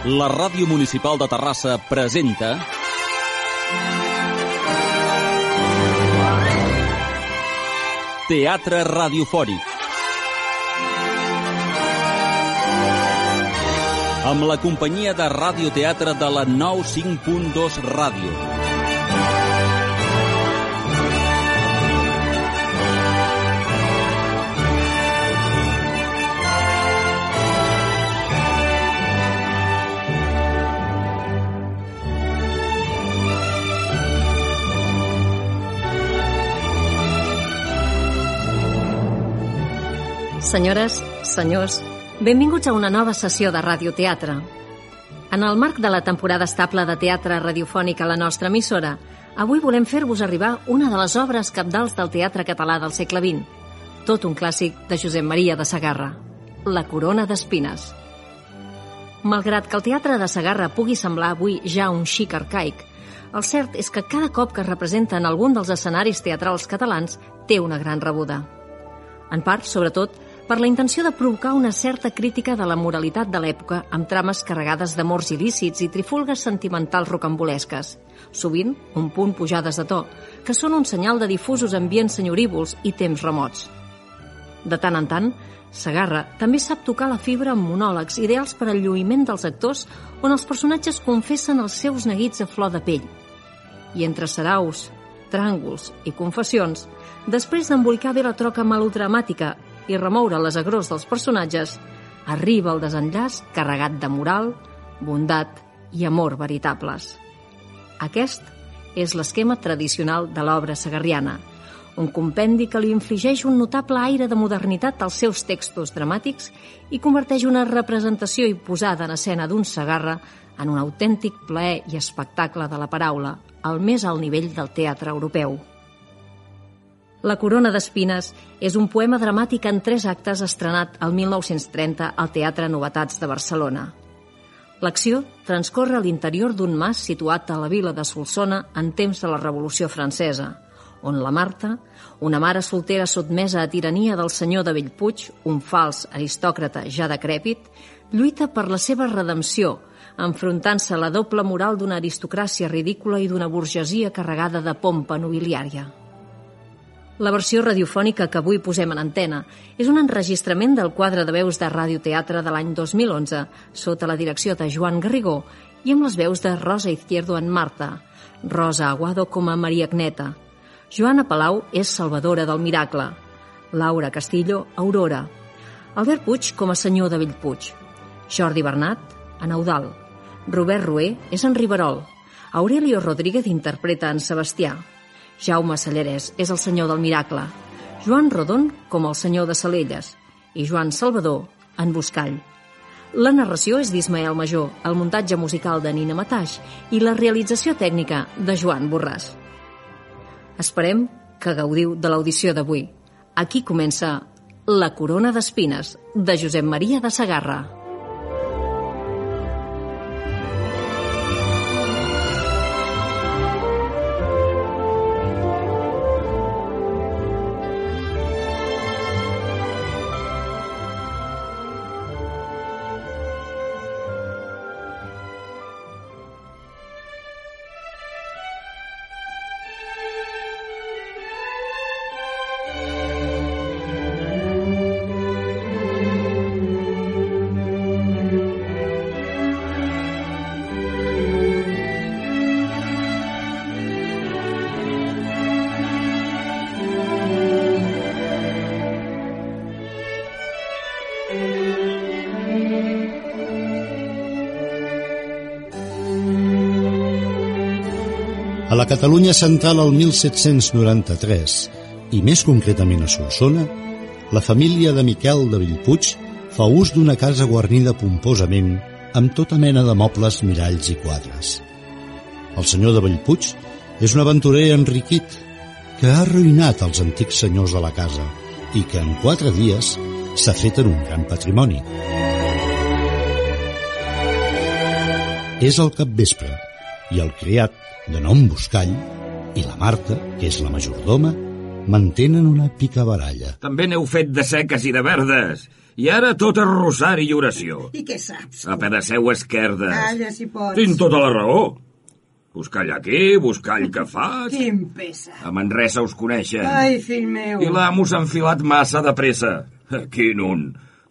La Ràdio Municipal de Terrassa presenta Teatre Radiofònic. Amb la companyia de radioteatre de la 95.2 Ràdio. Senyores, senyors, benvinguts a una nova sessió de radioteatre. En el marc de la temporada estable de teatre radiofònic a la nostra emissora, avui volem fer-vos arribar una de les obres cabdals del teatre català del segle XX, tot un clàssic de Josep Maria de Segarra, La corona d'espines. Malgrat que el teatre de Segarra pugui semblar avui ja un xic arcaic, el cert és que cada cop que es representa en algun dels escenaris teatrals catalans té una gran rebuda. En part, sobretot, per la intenció de provocar una certa crítica de la moralitat de l'època amb trames carregades d'amors il·lícits i trifulgues sentimentals rocambolesques, sovint un punt pujades de to, que són un senyal de difusos ambients senyorívols i temps remots. De tant en tant, Segarra també sap tocar la fibra amb monòlegs ideals per al lluïment dels actors on els personatges confessen els seus neguits a flor de pell. I entre saraus, tràngols i confessions, després d'embolicar bé la troca melodramàtica i remoure les agrors dels personatges, arriba el desenllaç carregat de moral, bondat i amor veritables. Aquest és l'esquema tradicional de l'obra segarriana, un compendi que li infligeix un notable aire de modernitat als seus textos dramàtics i converteix una representació i posada en escena d'un Segarra en un autèntic plaer i espectacle de la paraula, al més alt nivell del teatre europeu. La corona d'espines és un poema dramàtic en 3 actes estrenat el 1930 al Teatre Novetats de Barcelona. L'acció transcorre a l'interior d'un mas situat a la vila de Solsona en temps de la Revolució Francesa, on la Marta, una mare soltera sotmesa a tirania del senyor de Bellpuig, un fals aristòcrata ja decrèpit, lluita per la seva redempció, enfrontant-se a la doble moral d'una aristocràcia ridícula i d'una burgesia carregada de pompa nobiliària. La versió radiofònica que avui posem en antena és un enregistrament del quadre de veus de radioteatre de l'any 2011 sota la direcció de Joan Garrigó i amb les veus de Rosa Izquierdo en Marta, Rosa Aguado com a Maria Agneta, Joana Palau és Salvadora del Miracle, Laura Castillo, Aurora, Albert Puig com a senyor de Bellpuig, Jordi Bernat, en Eudald, Robert Rué és en Riverol, Aurelio Rodríguez interpreta en Sebastià, Jaume Sallarès és el senyor del Miracle, Joan Rodon com el senyor de Salelles i Joan Salvador en Buscall. La narració és d'Ismael Major, el muntatge musical de Nina Mataix i la realització tècnica de Joan Borràs. Esperem que gaudiu de l'audició d'avui. Aquí comença La corona d'espines, de Josep Maria de Segarra. A la Catalunya central el 1793, i més concretament a Solsona, la família de Miquel de Bellpuig fa ús d'una casa guarnida pomposament amb tota mena de mobles, miralls i quadres. El senyor de Bellpuig és un aventurer enriquit que ha arruïnat els antics senyors de la casa i que en 4 dies s'ha fet en un gran patrimoni. És el capvespre i el criat, de nom Buscall, i la Marta, que és la majordoma, mantenen una picabaralla. També n'heu fet de seques i de verdes. I ara tot és rosari i oració. I què saps? A pedaceu esquerdes. Calla, si pots. Tinc tota la raó. Buscall aquí, buscall que faig. Quin pesa. A Manresa us coneixen. Ai, fill meu. I l'amo s'ha enfilat massa de pressa. Quin un.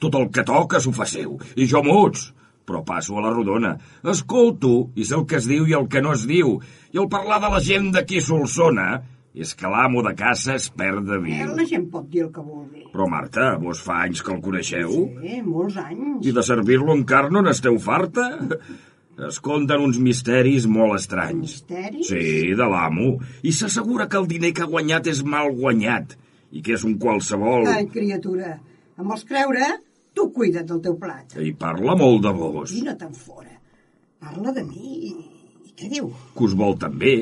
Tot el que toca s'ho faceu. I jo muts. Però passo a la rodona. Escolto i sé el que es diu i el que no es diu. I al parlar de la gent d'aquí Solsona és que l'amo de casa es perd de viu. La gent pot dir el que vulgui. Però, Marta, vos fa anys que el coneixeu? Sí, molts anys. I de servir-lo en carn no n'esteu farta? Es conten uns misteris molt estranys. Misteris? Sí, de l'amo. I s'assegura que el diner que ha guanyat és mal guanyat i que és un qualsevol. Ai, criatura, em vols creure? Tu cuida't del teu plat. I parla molt de vos. I no te'n fora. Parla de mi. I què diu? Que us vol també,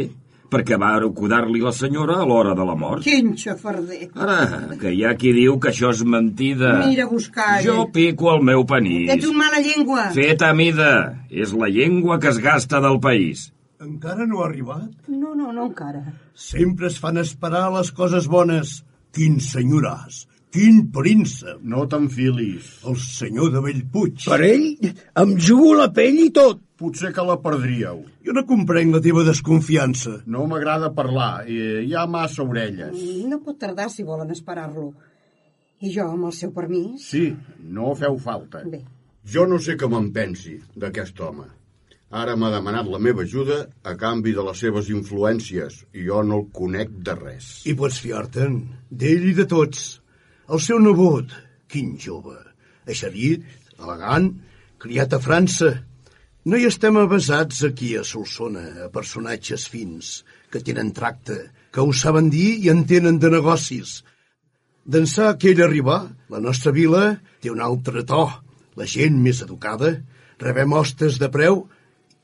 perquè va acudar-li la senyora a l'hora de la mort. Quin xafarder. Ara, que hi ha qui diu que això és mentida. Mira, buscar. Jo pico el meu panís. Ets un mala llengua. Fet a mida. És la llengua que es gasta del país. Encara no ha arribat? No, encara. Sempre es fan esperar les coses bones. Quin senyoràs, quin príncep. No t'enfilis. El senyor de Bellpuig. Per ell em jugo la pell i tot. Potser que la perdríeu. Jo no comprenc la teva desconfiança. No m'agrada parlar, hi ha massa orelles. No pot tardar si volen esperar-lo. I jo, amb el seu permís... Sí, no feu falta. Bé. Jo no sé què me'n pensi d'aquest home. Ara m'ha demanat la meva ajuda a canvi de les seves influències i jo no el conec de res. I pots fiar-te'n d'ell i de tots. El seu nebot, quin jove, eixerit, elegant, criat a França. No hi estem avesats aquí a Solsona, a personatges fins, que tenen tracte, que ho saben dir i entenen de negocis. D'ençà que ell arribà, la nostra vila té un altre to, la gent més educada, rebem hostes de preu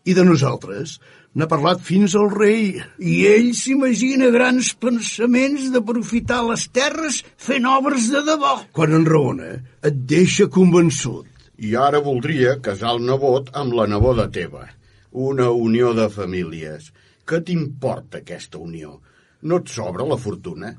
i de nosaltres n'ha parlat fins al rei. I ell s'imagina grans pensaments d'aprofitar les terres fent obres de debò. Quan enraona, et deixa convençut. I ara voldria casar el nebot amb la neboda teva. Una unió de famílies. Què t'importa aquesta unió? No et sobra la fortuna?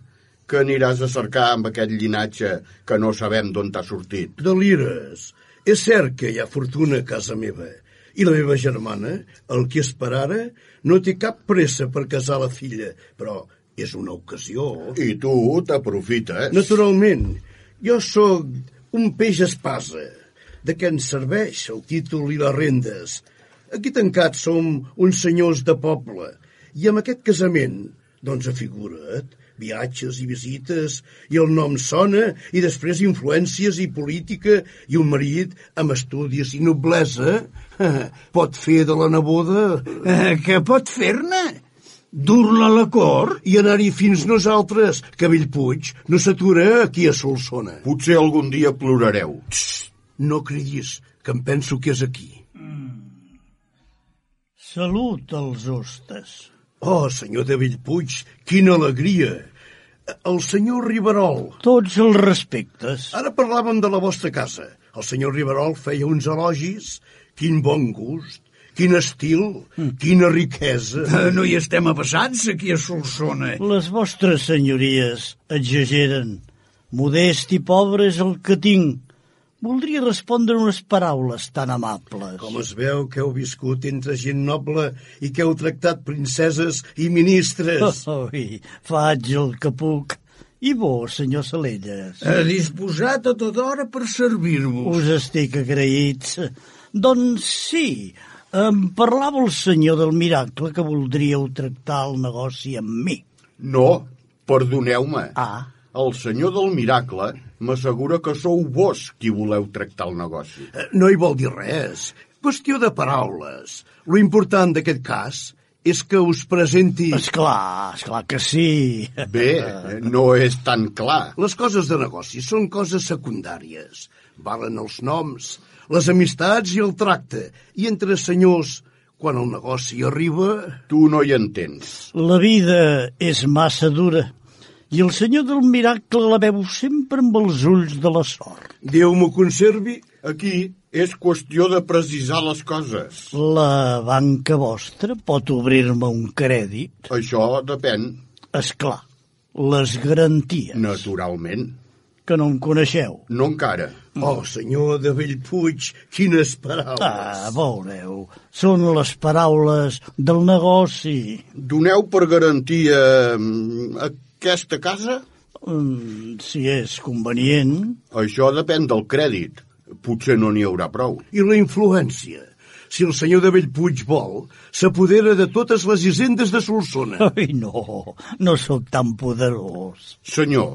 Que aniràs a cercar amb aquest llinatge que no sabem d'on t'ha sortit? Delires. És cert que hi ha fortuna a casa meva. I la meva germana, el que és per ara, no té cap pressa per casar la filla, però és una ocasió. I tu t'aprofites? Naturalment. Jo sóc un peix espasa. De què ens serveix el títol i les rendes? Aquí tancats som uns senyors de poble. I amb aquest casament, doncs afigura't, viatges i visites, i el nom sona, i després influències i política, i un marit amb estudis i noblesa pot fer de la neboda... Què pot fer-ne? Dur-la a la cort? I anar-hi fins nosaltres, que Bellpuig no s'atura aquí a Solsona. Potser algun dia plorareu. No cridis, que em penso que és aquí. Salut als hostes. Oh, senyor de Bellpuig, quina alegria! El senyor Riverol. Tots els respectes. Ara parlàvem de la vostra casa. El senyor Riverol feia uns elogis. Quin bon gust, quin estil, quina riquesa. No hi estem avesats aquí a Solsona. Les vostres senyories exageren. Modest i pobre és el que tinc. Voldria respondre unes paraules tan amables. Com es veu que heu viscut entre gent noble i que heu tractat princeses i ministres. Faig el que puc. I vos, senyor Salelles? Disposat a tota hora per servir-vos. Us estic agraïts. Doncs sí, em parlava el senyor del miracle que voldríeu tractar el negoci amb mi. No, perdoneu-me. El senyor del miracle m'assegura que sou vos qui voleu tractar el negoci. No hi vol dir res. Qüestió de paraules. Lo important d'aquest cas és que us presenti... Esclar que sí. Bé, no és tan clar. Les coses de negoci són coses secundàries. Valen els noms, les amistats i el tracte. I entre senyors, quan el negoci arriba... Tu no hi entens. La vida és massa dura. I el senyor del miracle la veu sempre amb els ulls de la sort. Déu m'ho conservi. Aquí és qüestió de precisar les coses. La banca vostra pot obrir-me un crèdit? Això depèn. Esclar, les garanties. Naturalment. que no em coneixeu. No encara. Oh, senyor de Bellpuig, quines paraules. Veureu, són les paraules del negoci. Doneu per garantia aquesta casa? Si és convenient. Això depèn del crèdit. Potser no n'hi haurà prou. I la influència? Si el senyor de Bellpuig vol, s'apodera de totes les hisendes de Solsona. Ai, no sóc tan poderós. Senyor,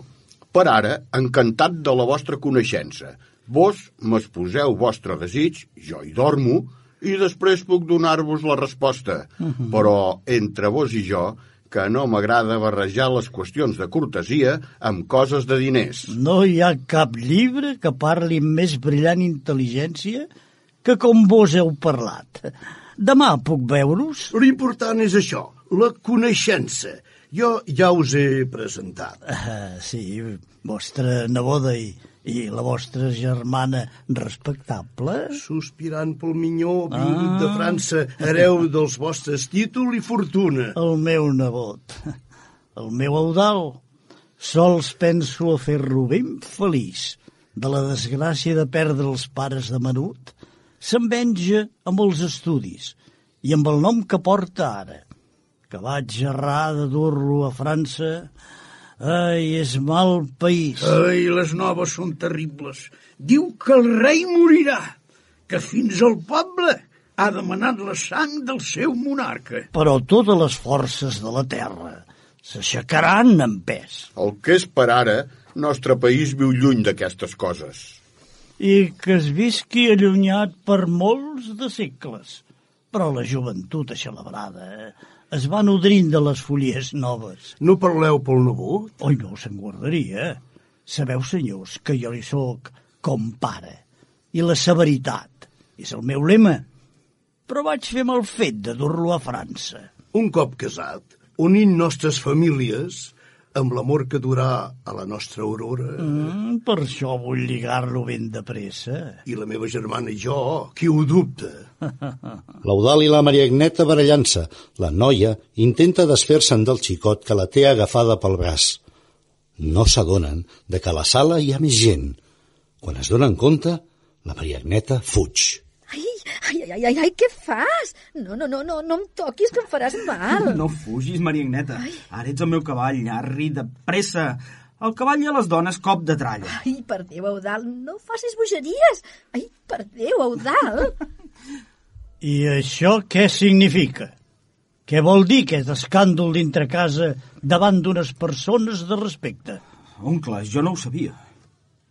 per ara, encantat de la vostra coneixença. Vos m'exposeu vostre desig, jo hi dormo, i després puc donar-vos la resposta. Però entre vos i jo, que no m'agrada barrejar les qüestions de cortesia amb coses de diners. No hi ha cap llibre que parli amb més brillant intel·ligència que com vos heu parlat. Demà puc veure-us? L'important és això, la coneixença. Jo ja us he presentat. Sí, vostra neboda i la vostra germana respectable. Sospirant pel minyó, vingut de França, hereu dels vostres títol i fortuna. El meu nebot, el meu Eudald, sols penso a fer-lo ben feliç. De la desgràcia de perdre els pares de menut, se'n venja amb els estudis i amb el nom que porta ara. Que vaig errar de dur-lo a França. Ai, és mal país. Ai, les noves són terribles. Diu que el rei morirà, que fins al poble ha demanat la sang del seu monarca. Però totes les forces de la terra s'aixecaran en pes. El que és per ara, nostre país viu lluny d'aquestes coses. I que es visqui allunyat per molts de segles. Però la joventut aixelebrada es va nodrint de les folies noves. No parleu pel nebot? Oi, no, se'n guardaria. Sabeu, senyors, que jo li soc com pare. I la severitat és el meu lema. Però vaig fer mal fet de dur-lo a França. Un cop casat, unint nostres famílies amb l'amor que durà a la nostra aurora. Per això vull lligar-lo ben de pressa. I la meva germana i jo, qui ho dubta? L'Eudald i la Maria Agneta barallant-se. La noia intenta desfer-se'n del xicot que la té agafada pel braç. No s'adonen de que a la sala hi ha més gent. Quan es donen compte, la Maria Agneta fuig. Ai, què fas? No em toquis, que em faràs mal. No fugis, Maria Agneta. Ara ets el meu cavall, arri, de pressa. El cavall i a les dones, cop de tralla. Ai, per Déu, Eudald, no facis bogeries. Ai, per Déu, Eudald. I això què significa? Què vol dir aquest escàndol dintre casa davant d'unes persones de respecte? Oncle, jo no ho sabia.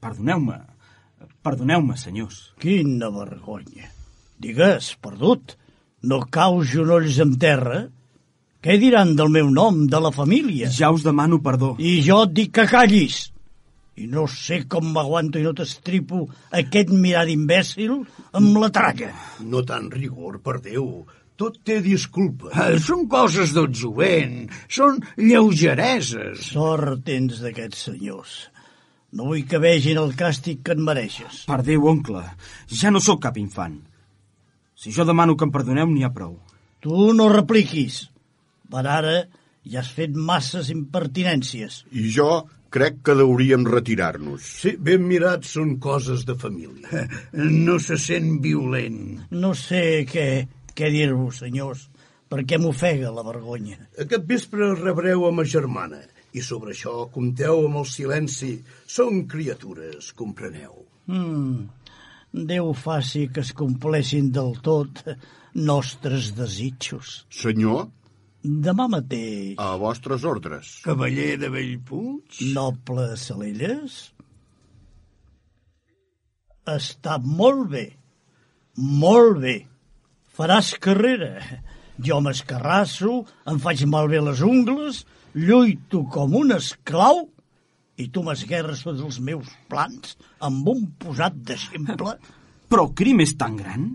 Perdoneu-me, senyors. Quina vergonya. Digues, perdut, no caus genolls en terra? Què diran del meu nom, de la família? Ja us demano perdó. I jo et dic que callis. I no sé com m'aguanto i no t'estripo aquest mirar d'imbècil amb la tralla. No tant rigor, per Déu. Tot té disculpa. Són coses del jovent, són lleugereses. Sort tens d'aquests senyors. No vull que vegin el càstig que et mereixes. Per Déu, oncle, ja no sóc cap infant. Si jo demano que em perdoneu, n'hi ha prou. Tu no repliquis. Per ara ja has fet masses impertinències. I jo crec que hauríem retirar-nos. Sí, ben mirats són coses de família. No se sent violent. No sé què dir-vos, senyors, perquè m'ofega la vergonya. Aquest vespre rebreu a ma germana, i sobre això compteu amb el silenci. Són criatures, compreneu. Déu faci que es compleixin del tot nostres desitjos. Senyor? Demà mateix. A vostres ordres. Cavaller de Bellpuig? Noble Salelles? Està molt bé. Molt bé. Faràs carrera. Jo m'escarrasso, em faig malbé les ungles, lluito com un esclau i tu m'esguerres tots els meus plans amb un posat d'exemple. Però el crim és tan gran?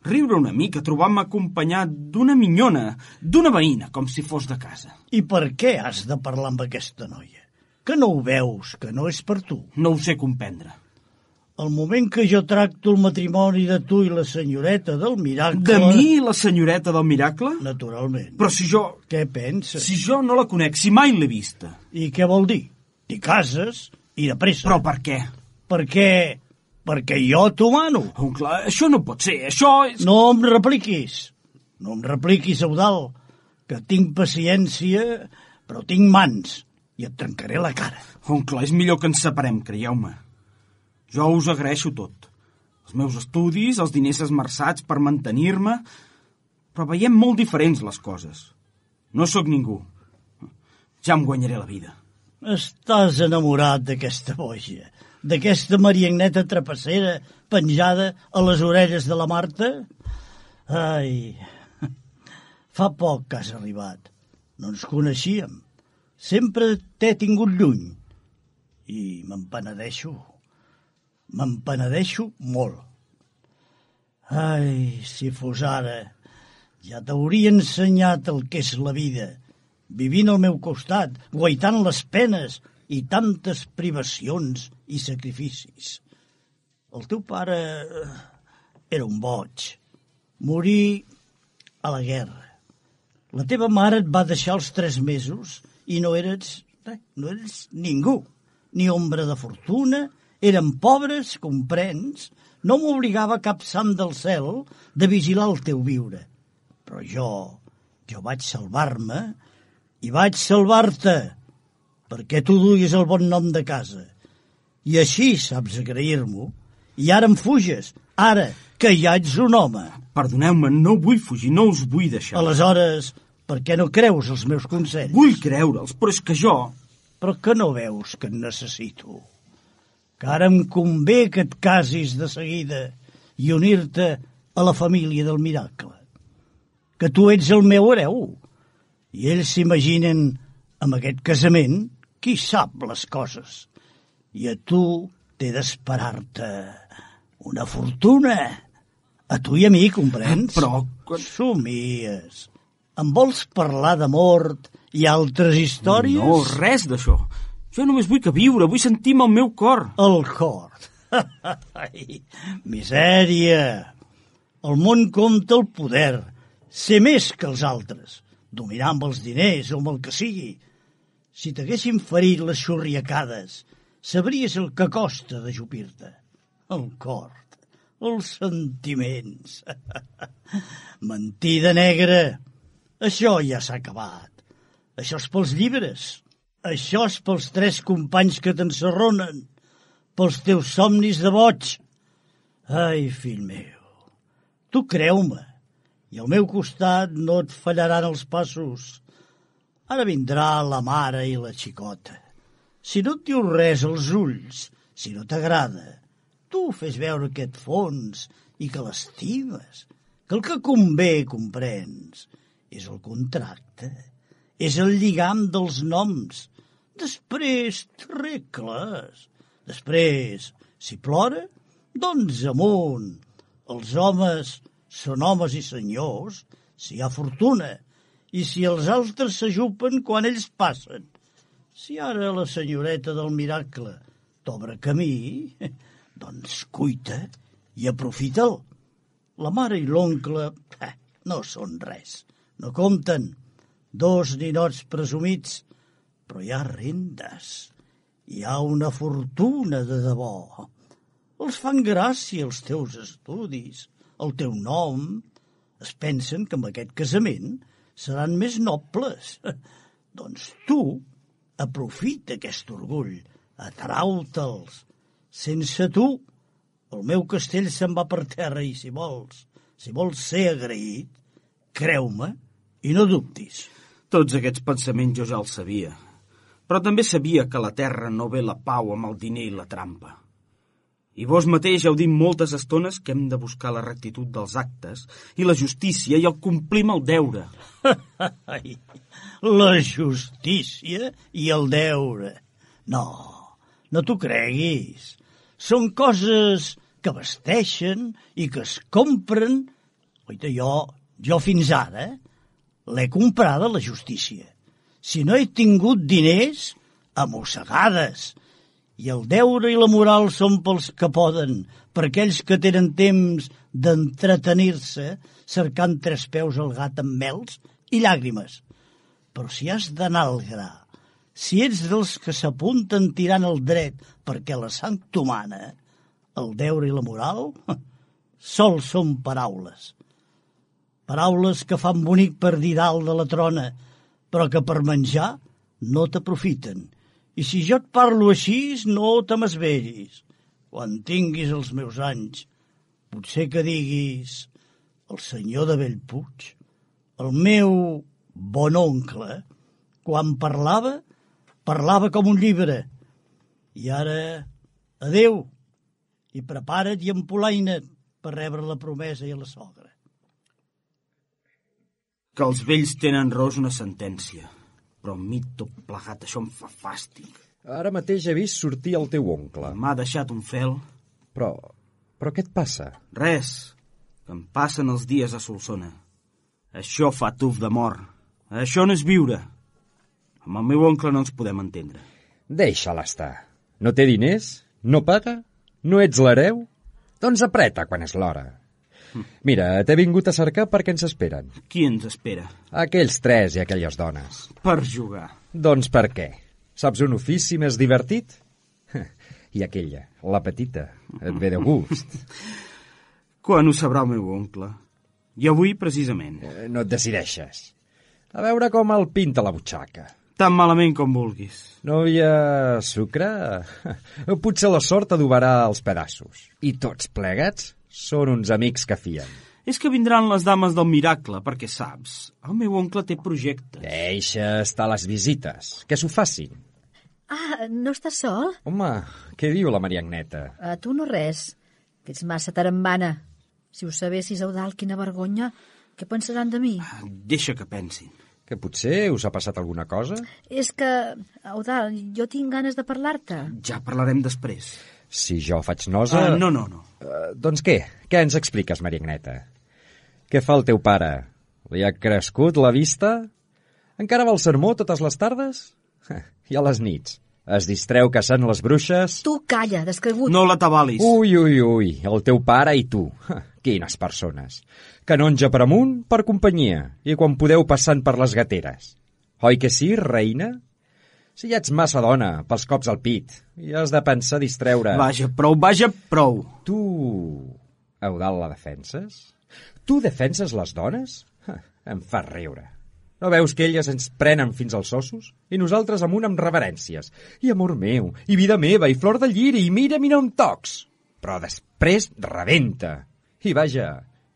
Riure una mica, trobar-me acompanyat d'una minyona, d'una veïna, com si fos de casa. I per què has de parlar amb aquesta noia? Que no ho veus, que no és per tu? No ho sé comprendre. El moment que jo tracto el matrimoni de tu i la senyoreta del miracle... De mi i la senyoreta del miracle? Naturalment. Però si jo... Què penses? Si jo no la conec, si mai l'he vista. I què vol dir? T'hi cases I de pressa. Però per què? Perquè jo t'ho mano. Oncle, això no pot ser, això és... No em repliquis, Eudald, que tinc paciència, però tinc mans i et trencaré la cara. Oncle, és millor que ens separem, creieu-me. Jo us agraeixo tot. Els meus estudis, els diners esmerçats per mantenir-me, però veiem molt diferents les coses. No sóc ningú. Ja em guanyaré la vida. Estàs enamorat d'aquesta boja, d'aquesta mariagneta trapassera penjada a les orelles de la Marta? Ai, fa poc que has arribat. No ens coneixíem. Sempre t'he tingut lluny. I m'empenedeixo molt. Ai, si fos ara, ja t'hauria ensenyat el que és la vida, vivint al meu costat, guaitant les penes i tantes privacions i sacrificis. El teu pare era un boig. Morí a la guerra. La teva mare et va deixar als 3 mesos i no eres ningú, ni ombra de fortuna. Érem pobres, comprens? No m'obligava cap sant del cel de vigilar el teu viure. Però jo vaig salvar-me i vaig salvar-te perquè tu duies el bon nom de casa. I així saps agrair-m'ho. I ara em fuges, ara que ja ets un home. Perdoneu-me, no vull fugir, no us vull deixar. Aleshores, per què no creus els meus consells? Vull creure'ls, però és que jo... Però que no veus que et necessito? Que ara em convé que et casis de seguida i unir-te a la família del miracle. Que tu ets el meu hereu. I ells s'imaginen, amb aquest casament, qui sap les coses. I a tu t'he d'esperar-te una fortuna. A tu i a mi, comprens? Però... Somies. Em vols parlar de mort i altres històries? No, res d'això. Jo només vull viure, vull sentir-me el meu cor. El cor? Ai, misèria. El món compta el poder, ser més que els altres, dominar amb els diners o amb el que sigui. Si t'haguessin ferit les xurriacades, sabries el que costa d'ajupir-te. El cor, els sentiments. Mentida negra. Això ja s'ha acabat. Això és pels llibres. Això és pels 3 companys que t'encerronen, pels teus somnis de boig. Ai, fill meu, tu creu-me, i al meu costat no et fallaran els passos. Ara vindrà la mare i la xicota. Si no et diu res als ulls, si no t'agrada, tu fes veure que et fons i que l'estimes, que el que convé, comprens, és el contracte. És el lligam dels noms. Després t'arregles. Després, si plora, doncs amunt. Els homes són homes i senyors, si hi ha fortuna, i si els altres s'ajupen quan ells passen. Si ara la senyoreta del miracle t'obre camí, doncs cuita i aprofita'l. La mare i l'oncle no són res, no compten. 2 ninots presumits, però hi ha rendes, hi ha una fortuna de debò. Els fan gràcia els teus estudis, el teu nom. Es pensen que amb aquest casament seran més nobles. Doncs tu aprofita aquest orgull, atrau-te'ls. Sense tu, el meu castell se'n va per terra i si vols ser agraït, creu-me i no dubtis. Tots aquests pensaments jo ja els sabia. Però també sabia que a la terra no ve la pau amb el diner i la trampa. I vos mateix heu dit moltes estones que hem de buscar la rectitud dels actes i la justícia i el complir amb el deure. La justícia i el deure. No t'ho creguis. Són coses que vesteixen i que es compren. Oita, jo fins ara l'he comprada, la justícia. Si no he tingut diners, a mossegades. I el deure i la moral són pels que poden, per aquells que tenen temps d'entretenir-se cercant 3 peus al gat amb mels i llàgrimes. Però si has d'anar al gra, Si ets dels que s'apunten tirant el dret perquè la sang t'humana, el deure i la moral sols són paraules. Paraules que fan bonic per dir dalt de la trona, però que per menjar no t'aprofiten. I si jo et parlo així, no te m'esveris. Quan tinguis els meus anys, potser que diguis el senyor de Bellpuig, el meu bon oncle, quan parlava com un llibre. I ara, adeu, i prepara't i empolaina't per rebre la promesa i la sogra. Que els vells tenen raó és una sentència, però a mi tot plegat això em fa fàstic. Ara mateix he vist sortir el teu oncle. M'ha deixat un fel. Però què et passa? Res, que em passen els dies a Solsona. Això fa tuf de mort. Això no és viure. Amb el meu oncle no ens podem entendre. Deixa-la estar. No té diners? No paga? No ets l'hereu? Doncs apreta quan és l'hora. Mira, t'he vingut a cercar perquè ens esperen. Qui ens espera? Aquells 3 i aquelles dones. Per jugar. Doncs per què? Saps un ofici més divertit? I aquella, la petita, et ve de gust. Quan ho sabrà el meu oncle? I avui, precisament. No et decideixes. A veure com el pinta la butxaca. Tan malament com vulguis. No hi ha sucre? Potser la sort adobarà els pedaços. I tots plegats són uns amics que fien. És que vindran les dames del miracle, perquè saps, el meu oncle té projectes. Deixa estar les visites, que s'ho facin. Ah, no estàs sol? Home, què diu la Maria Agneta? A tu no res, que ets massa tarambana. Si ho sabessis, Eudald, quina vergonya. Què pensaran de mi? Deixa que pensin. Que potser us ha passat alguna cosa? És que, Eudald, jo tinc ganes de parlar-te. Ja parlarem després. Si jo faig nosa... No. Doncs què? Què ens expliques, Maria Agneta? Què fa el teu pare? Li ha crescut la vista? Encara va al sermó totes les tardes? I a les nits? Es distreu caçant les bruixes? Tu calla, descregut. No l'atabalis. Ui, el teu pare i tu. Quines persones. Canonja per amunt, per companyia, i quan podeu passant per les gateres. Oi que sí, reina? Si ja ets massa dona, pels cops al pit, i has de pensar distreure... Vaja, prou. Tu, Eudald, la defenses? Tu defenses les dones? Em fa riure. No veus que elles ens prenen fins als ossos? I nosaltres amunt amb reverències. I amor meu, i vida meva, i flor de lliri, i mira on tocs. Però després rebenta. I vaja,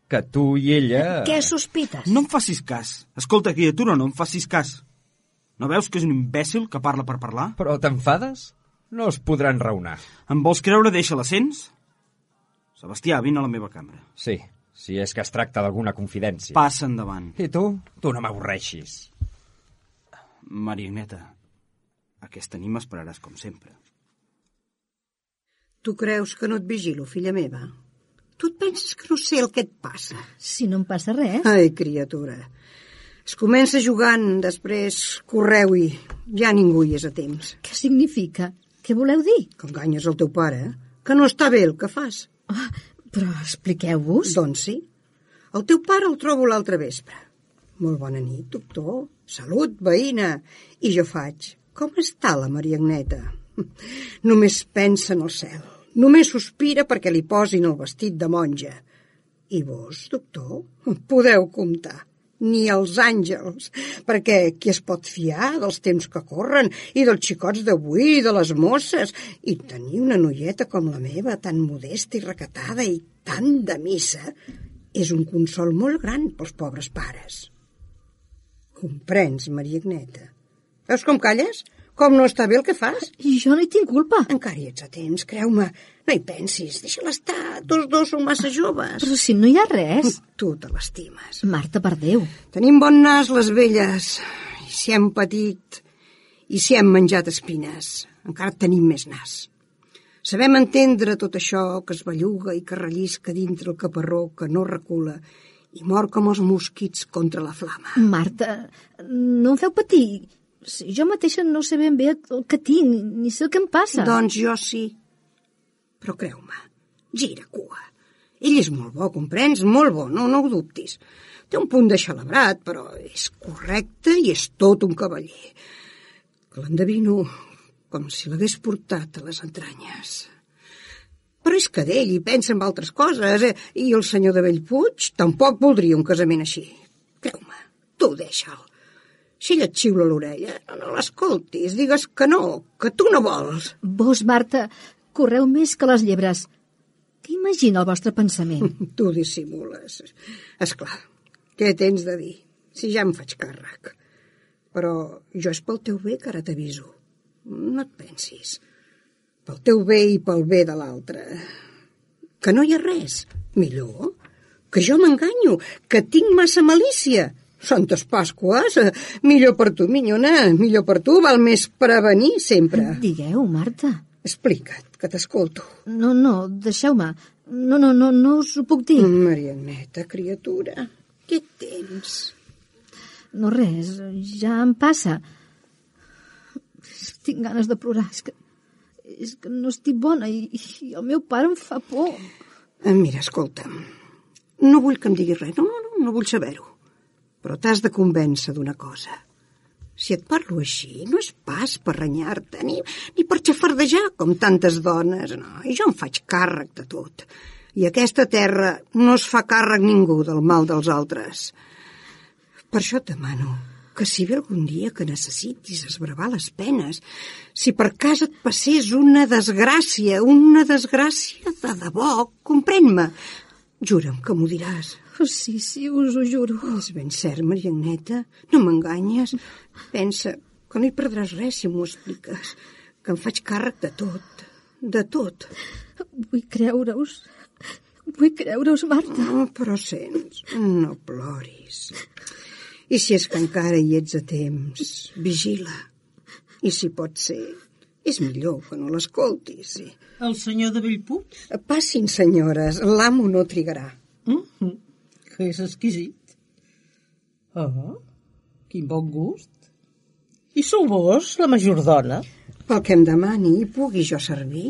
que tu i ella... Què sospites? No em facis cas. Escolta, criatura, no em facis cas. No veus que és un imbècil que parla per parlar? Però t'enfades? No es podran raonar. Em vols creure, deixa l'ascens? Sebastià, vine a la meva cambra. Sí, si és que es tracta d'alguna confidència. Passa endavant. I tu? Tu no m'avorreixis. Maria Agneta, aquesta nit m'esperaràs com sempre. Tu creus que no et vigilo, filla meva? Tu et penses que no sé el que et passa? Si no em passa res. Ai, criatura. Es comença jugant, després correu-hi. Ja ningú hi és a temps. Què significa? Què voleu dir? Que enganyes el teu pare, que no està bé el que fas. Però expliqueu-vos. Doncs sí. El teu pare el trobo l'altre vespre. Molt bona nit, doctor. Salut, veïna. I jo faig. Com està la Maria Agneta? Només pensa en el cel. Només sospira perquè li posin el vestit de monja. I vos, doctor, podeu comptar. Ni els àngels, perquè qui es pot fiar dels temps que corren i dels xicots d'avui i de les mosses, i tenir una noieta com la meva, tan modesta i recatada i tan de missa, és un consol molt gran pels pobres pares. Comprens, Maria Agneta? Veus com calles? Com no està bé el que fas? I jo no hi tinc culpa. Encara hi ets a temps, creu-me. No hi pensis, deixa-la estar. Tots dos són massa joves. Però si no hi ha res. Tu te l'estimes. Marta, per Déu. Tenim bon nas les velles. I si hem patit, i si hem menjat espines, encara tenim més nas. Sabem entendre tot això que es belluga i que rellisca dintre el caparró que no recula i mor com els mosquits contra la flama. Marta, no em feu patir. Si jo mateixa no sé ben bé el que tinc, ni sé el que em passa. Doncs jo sí. Però creu-me, gira cua. Ell és molt bo, comprens? Molt bo, no ho dubtis. Té un punt de xalabrat, però és correcte i és tot un cavaller. que l'endevino com si l'hagués portat a les entranyes. Però és que d'ell hi pensa en altres coses, i el senyor de Bellpuig tampoc voldria un casament així. Creu-me, tu deixa'l. Si ell et xiula l'orella, no l'escoltis, digues que no, que tu no vols. Vos, Marta, correu més que les llebres. Què imagina el vostre pensament? Tu dissimules. Esclar, què tens de dir? Si ja em faig càrrec. Però jo és pel teu bé que ara t'aviso. No et pensis. Pel teu bé i pel bé de l'altre. Que no hi ha res. Millor. Que jo m'enganyo. Que tinc massa malícia. Santes Pasques. Millor per tu, minyona. Millor per tu. Val més prevenir sempre. Digueu, Marta. Explica't, que t'escolto. No, deixeu-me. No us ho puc dir. Marianeta, criatura, què tens? No res, ja em passa. Tinc ganes de plorar. És que no estic bona i el meu pare em fa por. Mira, escolta'm, no vull que em diguis res, no vull saber-ho. Però t'has de convèncer d'una cosa. Si et parlo així, no és pas per renyar-te, ni per xafardejar com tantes dones. No, i jo em faig càrrec de tot. I aquesta terra no es fa càrrec ningú del mal dels altres. Per això et demano que si ve algun dia que necessitis esbravar les penes, si per cas et passés una desgràcia de debò, comprèn-me. Jura'm que m'ho diràs. Sí, us ho juro. És ben cert, Marianeta, no m'enganyes. Pensa que no hi perdràs res si m'ho expliques, que em faig càrrec de tot, de tot. Vull creure-us, Marta. Però sents, no ploris. I si és que encara hi ets a temps, vigila. I si pot ser, és millor que no l'escoltis. Sí. El senyor de Bellpuig? Passin, senyores, l'amo no trigarà. Que és exquisit. Quin bon gust. I sou vos, la majordona? Pel que em demani, pugui jo servir.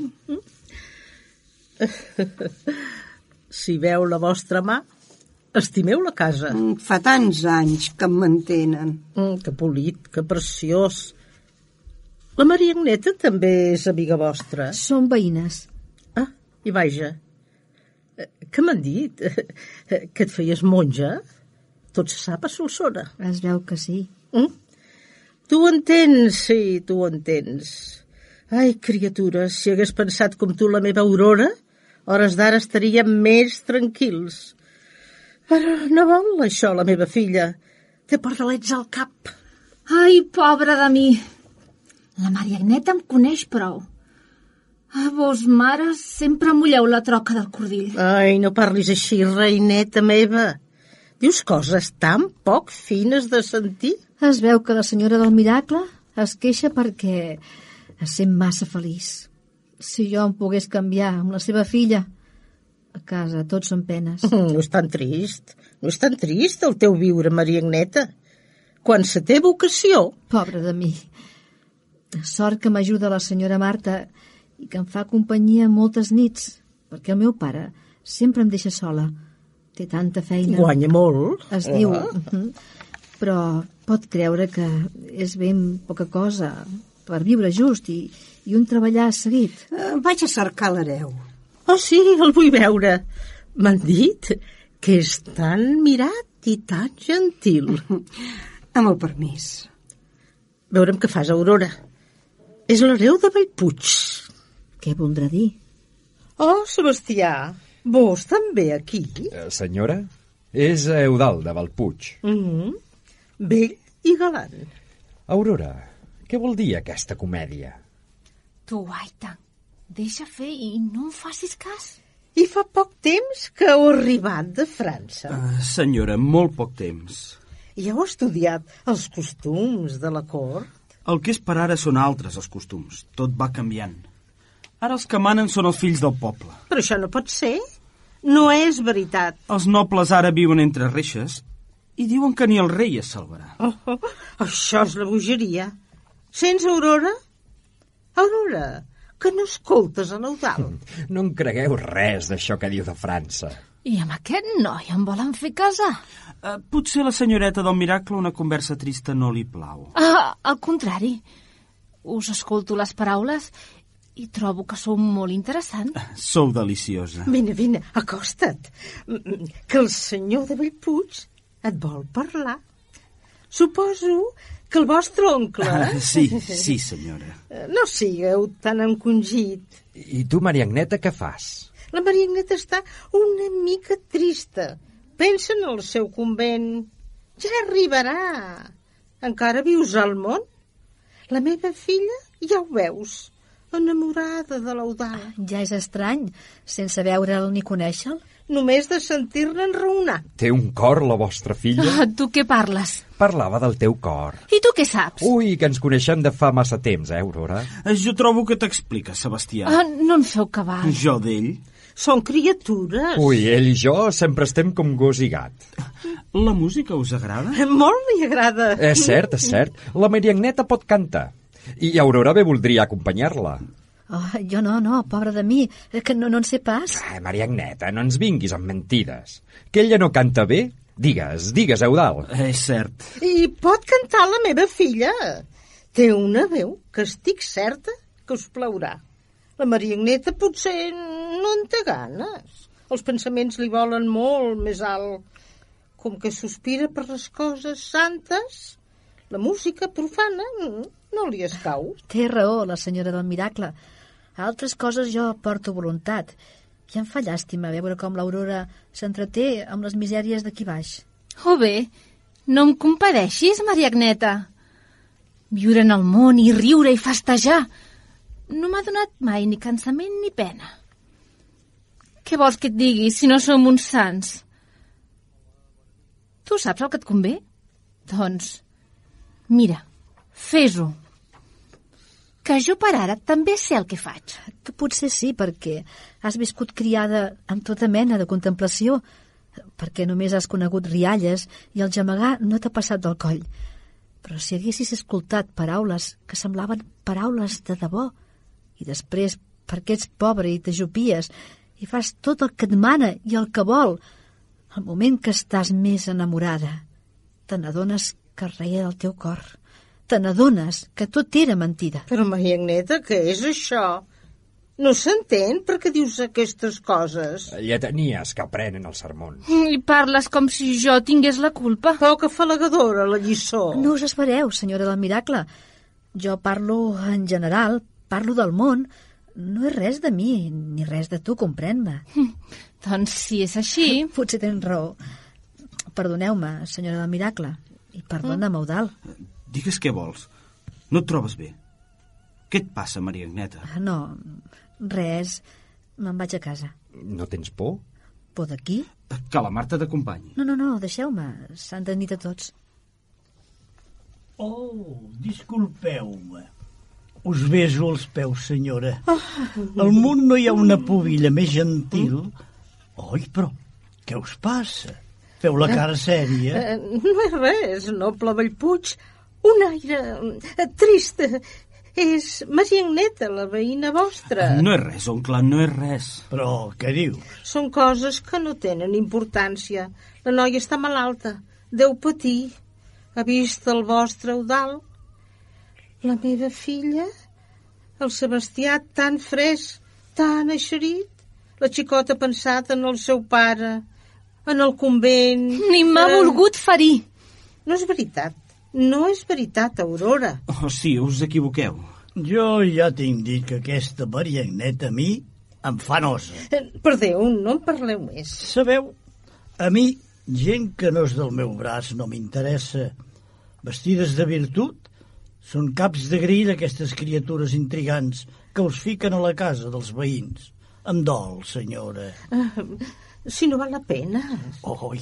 Si veu la vostra mà, estimeu la casa. Fa tants anys que em mantenen. Que polit, que preciós. La Maria Agneta també és amiga vostra? Som veïnes. I vaja, què m'han dit? Que et feies monja? Tot se sap a Solsona. Es veu que sí. Tu ho entens, sí, tu ho entens. Ai, criatura, si hagués pensat com tu la meva Aurora, hores d'ara estaríem més tranquils. Però no vol això, la meva filla. Té pardalets al cap. Ai, pobra de mi. La Maria Agneta em coneix prou. A vos, mares, sempre mulleu la troca del cordill. Ai, no parlis així, reineta meva. Dius coses tan poc fines de sentir. Es veu que la senyora del Miracle es queixa perquè es sent massa feliç. Si jo em pogués canviar amb la seva filla, a casa tots són penes. No és tan trist el teu viure, Maria Agneta. Quan se té vocació... Pobra de mi. Sort que m'ajuda la senyora Marta i que em fa companyia moltes nits, perquè el meu pare sempre em deixa sola. Té tanta feina. Guanya molt. Es diu. Però pot creure que és ben poca cosa per viure just i un treballar seguit. Vaig a cercar l'hereu. Oh, sí, el vull veure. M'han dit que és tan mirat i tan gentil. Amb el permís. Veurem què fas, Aurora. És l'hereu de Bellpuig. Què voldrà dir? Oh, Sebastià, vos també aquí? Senyora, és Eudald de Bellpuig. Vell i galant. Aurora, què vol dir aquesta comèdia? Tu, Aita, deixa fer i no em facis cas. I fa poc temps que heu arribat de França. Senyora, molt poc temps. I heu estudiat els costums de la cort? El que és per ara són altres, els costums. Tot va canviant. Ara els que manen són els fills del poble. Però això no pot ser. No és veritat. Els nobles ara viuen entre reixes i diuen que ni el rei es salvarà. Això és la bogeria. Sents, Aurora? Aurora, que no escoltes a l'Eudald. No en cregueu res d'això que diu de França. I amb aquest noi em volen fer casar? Potser la senyoreta del Miracle una conversa trista no li plau. Al contrari. Us escolto les paraules i trobo que sou molt interessant. Sou deliciosa. Vine, acosta't. Que el senyor de Bellpuig et vol parlar. Suposo que el vostre oncle... Sí, senyora. No sigueu tan encongit. I tu, Maria Agneta, què fas? La Maria Agneta està una mica trista. Pensa en el seu convent. Ja arribarà. Encara vius al món? La meva filla, ja ho veus, enamorada de l'Eudald. Ja és estrany, sense veure'l ni conèixer-lo. Només de sentir-ne enraonar. Té un cor, la vostra filla? Tu què parles? Parlava del teu cor. I tu què saps? Ui, que ens coneixem de fa massa temps, Aurora? Jo trobo que t'explica, Sebastià. No en feu cabal. Jo d'ell? Són criatures. Ui, ell i jo sempre estem com gos i gat. La música us agrada? Molt li agrada. És cert. La Maria Agneta pot cantar. I Aurora bé voldria acompanyar-la. Oh, jo no, pobra de mi, que no en sé pas. Maria Agneta, no ens vinguis amb mentides. Que ella no canta bé? Digues, Eudald. És cert. I pot cantar la meva filla. Té una veu que estic certa que us plaurà. La Maria Agneta potser no en té ganes. Els pensaments li volen molt més alt. Com que sospira per les coses santes, la música profana no li escau. Té raó, la senyora del miracle. A altres coses jo porto voluntat. I em fa llàstima veure com l'Aurora s'entreté amb les misèries d'aquí baix. Oh bé, no em compadeixis, Maria Agneta. Viure en el món i riure i festejar no m'ha donat mai ni cansament ni pena. Què vols que et digui si no som uns sants? Tu saps el que et convé? Doncs, mira, fes-ho. Que jo per ara també sé el que faig. Tu potser sí, perquè has viscut criada amb tota mena de contemplació, perquè només has conegut rialles i el gemegar no t'ha passat del coll. Però si haguessis escoltat paraules que semblaven paraules de debò, i després perquè ets pobre i t'ajupies i fas tot el que et mana i el que vol, al moment que estàs més enamorada, te n'adones que reia del teu cor. Te n'adones que tot era mentida. Però, Maria Agneta, què és això? No s'entén per què dius aquestes coses. Lletanies que aprenen el sermón. I parles com si jo tingués la culpa. Poc afalagadora, la lliçó. No us espereu, senyora del miracle. Jo parlo en general, parlo del món. No és res de mi, ni res de tu, comprèn-me. Doncs si és així... Potser tens raó. Perdoneu-me, senyora del miracle. I perdona'm, Eudald. Digues què vols. No et trobes bé. Què et passa, Maria Agneta? No, res. Me'n vaig a casa. No tens por? Por d'aquí? Que la Marta t'acompanyi. No, deixeu-me. S'han de nit a tots. Oh, disculpeu-me. Us beso els peus, senyora. Al món no hi ha una pubilla més gentil. Oi, però què us passa? Feu la cara sèria. No és res, noble Bellpuig. Un aire trist. És Maria Agneta, la veïna vostra. No és res, oncle, no és res. Però què dius? Són coses que no tenen importància. La noia està malalta. Deu patir. Ha vist el vostre Eudald? La meva filla? El Sebastià tan fresc, tan eixerit? La xicota ha pensat en el seu pare, en el convent... Ni m'ha volgut ferir. No és veritat. No és veritat, Aurora. Oh, sí, us equivoqueu. Jo ja tinc dit que aquesta Maria Agneta a mi em fa nosa. Per Déu, no en parleu més. Sabeu, a mi, gent que no és del meu braç no m'interessa. Vestides de virtut, són caps de grill aquestes criatures intrigants que us fiquen a la casa dels veïns. Em dol, senyora. Si no val la pena. Oi,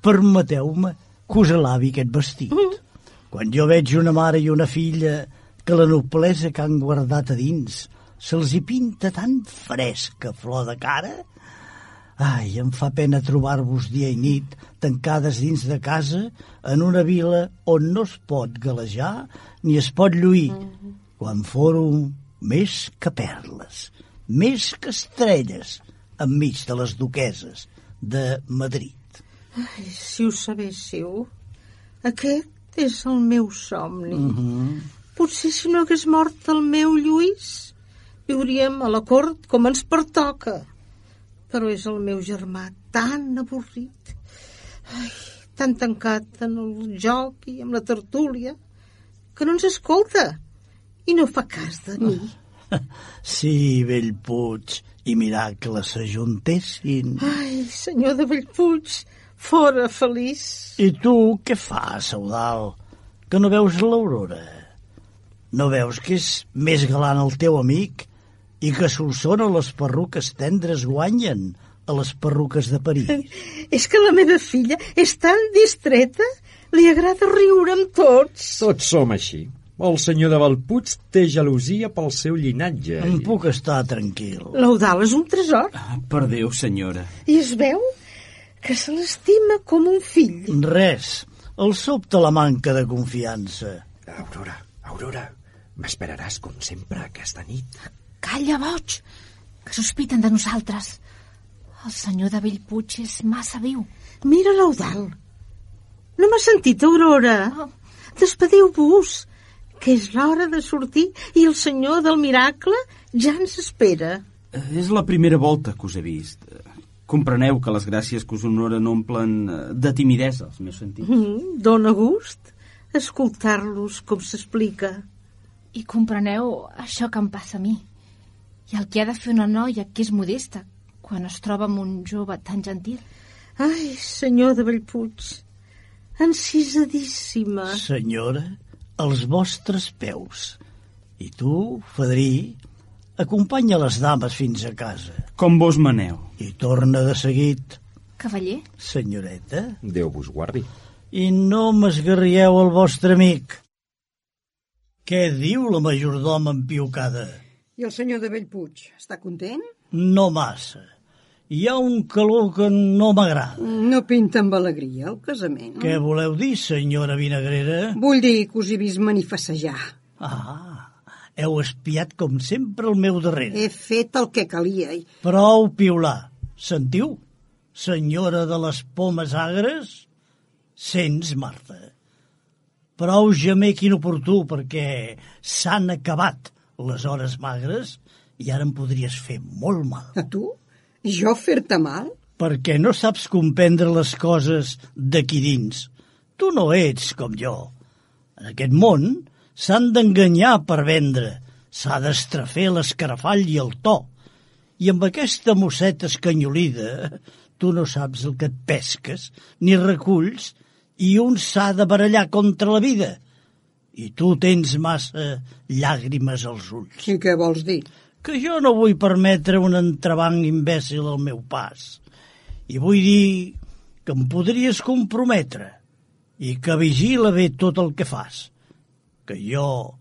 permeteu-me que us alabi aquest vestit. Quan jo veig una mare i una filla que la noblesa que han guardat a dins se'ls hi pinta tan fresca flor de cara, ai, em fa pena trobar-vos dia i nit tancades dins de casa en una vila on no es pot galejar ni es pot lluir, quan fórum més que perles, més que estrelles, enmig de les duqueses de Madrid. Ai, si ho sabéssiu, aquest és el meu somni. Potser si no hagués mort el meu Lluís, viuríem a la cort com ens pertoca. Però és el meu germà tan avorrit, tan tancat en el joc i amb la tertúlia, que no ens escolta i no fa cas de mi. Si Bellpuig i Miracle s'ajuntessin... Ai, senyor de Bellpuig, fora feliç. I tu què fas, Eudald? Que no veus l'Aurora? No veus que és més galant el teu amic i que a Solsona les perruques tendres guanyen a les perruques de París? És que la meva filla és tan distreta, li agrada riure amb tots. Tots som així. El senyor de Bellpuig té gelosia pel seu llinatge. Em puc estar tranquil. L'Eudald és un tresor. Per Déu, senyora. I es veu que se l'estima com un fill. Res. El sobta la manca de confiança. Aurora, m'esperaràs com sempre aquesta nit. Calla, boig, que sospiten de nosaltres. El senyor de Bellpuig és massa viu. Mira l'Eudald. No m'ha sentit, Aurora? Despediu-vos, que és l'hora de sortir i el senyor del Miracle ja ens espera. És la primera volta que us he vist. Compreneu que les gràcies que us honoren omplen de timidesa els meus sentits. Dóna gust escoltar-los com s'explica. I compreneu això que em passa a mi. I el que ha de fer una noia que és modesta quan es troba amb un jove tan gentil. Ai, senyor de Bellpuig, encisadíssima. Senyora, als vostres peus. I tu, Fadrí, acompanya les dames fins a casa. Com vos maneu. I torna de seguit. Cavaller? Senyoreta. Déu vos guardi. I no m'esgarrieu el vostre amic. Què diu la majordoma empiocada? I el senyor de Bellpuig, està content? No massa. Hi ha un calor que no m'agrada. No pinta amb alegria el casament. Què voleu dir, senyora Vinagrera? Vull dir que us he vist manifestejar. Heu espiat com sempre al meu darrere. He fet el que calia. Prou piular. Sentiu? Senyora de les pomes agres? Sents, Marta? Prou gemec inoportú perquè s'han acabat les hores magres i ara em podries fer molt mal. A tu? Jo fer-te mal? Perquè no saps comprendre les coses d'aquí dins. Tu no ets com jo. En aquest món s'han d'enganyar per vendre. S'ha d'estrafer l'escarafall i el to. I amb aquesta mosseta escanyolida tu no saps el que et pesques ni reculls i un s'ha de barallar contra la vida. I tu tens massa llàgrimes als ulls. I què vols dir? Que jo no vull permetre un entrebanc imbècil al meu pas. I vull dir que em podries comprometre i que vigila bé tot el que fas. Que jo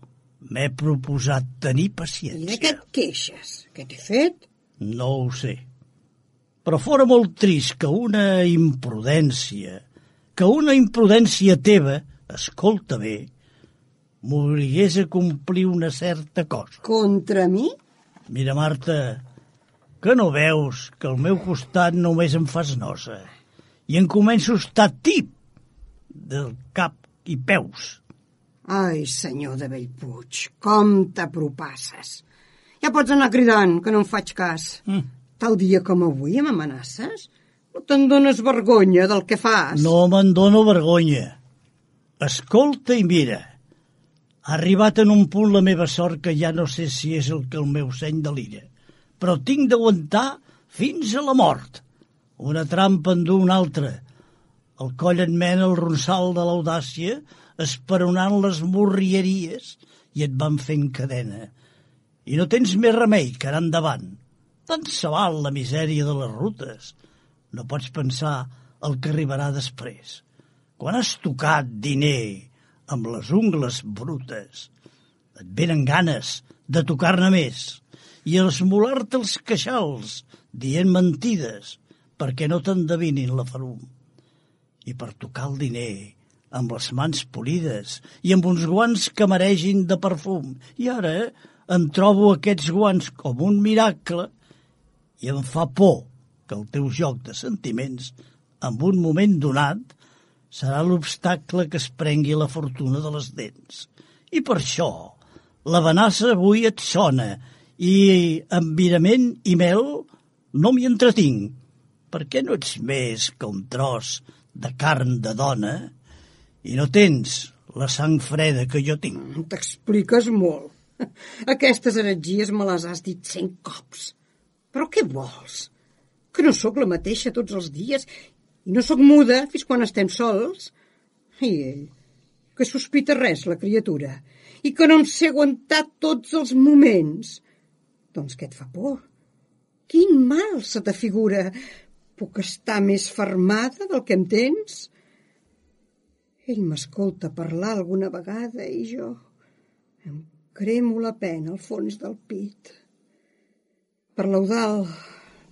m'he proposat tenir paciència. I de què et queixes? Què t'he fet? No ho sé. Però fora molt trist que una imprudència teva, escolta bé, m'obligués a complir una certa cosa. Contra mi? Mira, Marta, que no veus que al meu costat només em fas nosa i em començo a estar tip del cap i peus. Ai, senyor de Bellpuig, com t'apropasses. Ja pots anar cridant, que no em faig cas. Tal dia com avui m'amenaces? No te'n dones vergonya del que fas? No me'n dono vergonya. Escolta i mira. Ha arribat en un punt la meva sort que ja no sé si és el que el meu seny delira, però tinc d'aguantar fins a la mort. Una trampa endú una altra. El coll en mena el ronsal de l'audàcia, esperonant les morrieries, i et van fent cadena. I no tens més remei que anar endavant. Tant se val la misèria de les rutes. No pots pensar el que arribarà després. Quan has tocat diner amb les ungles brutes, et venen ganes de tocar-ne més i esmolar-te els queixals dient mentides perquè no t'endevinin la ferum. I per tocar el diner amb les mans polides i amb uns guants que maregin de perfum. I ara em trobo aquests guants com un miracle i em fa por que el teu joc de sentiments, en un moment donat, serà l'obstacle que es prengui la fortuna de les dents. I per això la Vanassa avui et sona i amb virament i mel no m'hi entretinc. Per què no ets més que un tros de carn de dona i no tens la sang freda que jo tinc? T'expliques molt. Aquestes heretgies me les has dit 100 cops. Però què vols? Que no sóc la mateixa tots els dies i no sóc muda fins quan estem sols? I ell, que sospita res, la criatura, i que no em sé aguantar tots els moments. Doncs què et fa por? Quin mal se t'afigura? Puc estar més fermada del que em tens? Ell m'escolta parlar alguna vegada i jo em cremo la pena al fons del pit. Per l'Eudald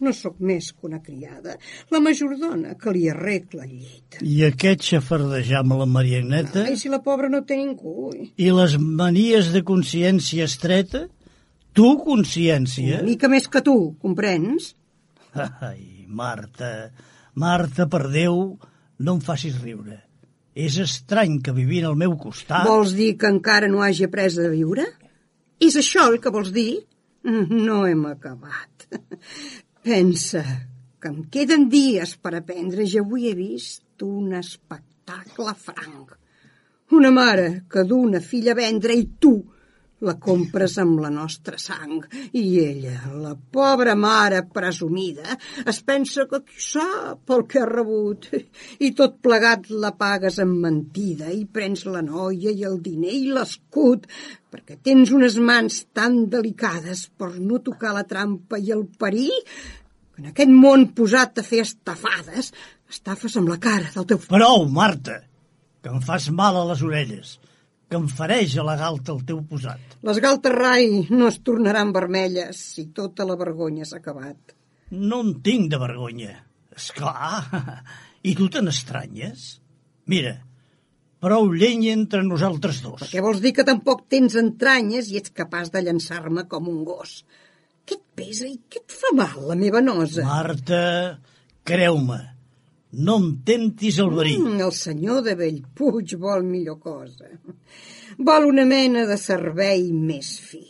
no sóc més que una criada, la majordona que li arregla el llit. I aquest xafardejar amb la Mariagneta? Ai, si la pobra no té ningú. I les manies de consciència estreta? Tu, consciència? Una mica més que tu, comprens? Ai, Marta, per Déu, no em facis riure. És estrany que vivint al meu costat... Vols dir que encara no hagi après a viure? És això el que vols dir? No hem acabat. Pensa que em queden dies per aprendre i avui he vist un espectacle franc. Una mare que du una filla a vendre i tu la compres amb la nostra sang. I ella, la pobra mare presumida, es pensa que qui sap el que ha rebut. I tot plegat la pagues amb mentida i prens la noia i el diner i l'escut, perquè tens unes mans tan delicades per no tocar la trampa i el perill, que en aquest món posat a fer estafades, estafes amb la cara del teu... Prou, Marta, que em fas mal a les orelles, que em fareix a la galta el teu posat. Les galtes rai no es tornaran vermelles si tota la vergonya s'ha acabat. No en tinc de vergonya. Esclar, i tu te n'estranyes? Mira, prou llenya entre nosaltres dos. Perquè vols dir que tampoc tens entranyes i ets capaç de llançar-me com un gos. Què et pesa i què et fa mal, la meva nosa? Marta, creu-me, no em temptis el verí. El senyor de Bellpuig vol millor cosa. Vol una mena de servei més fi.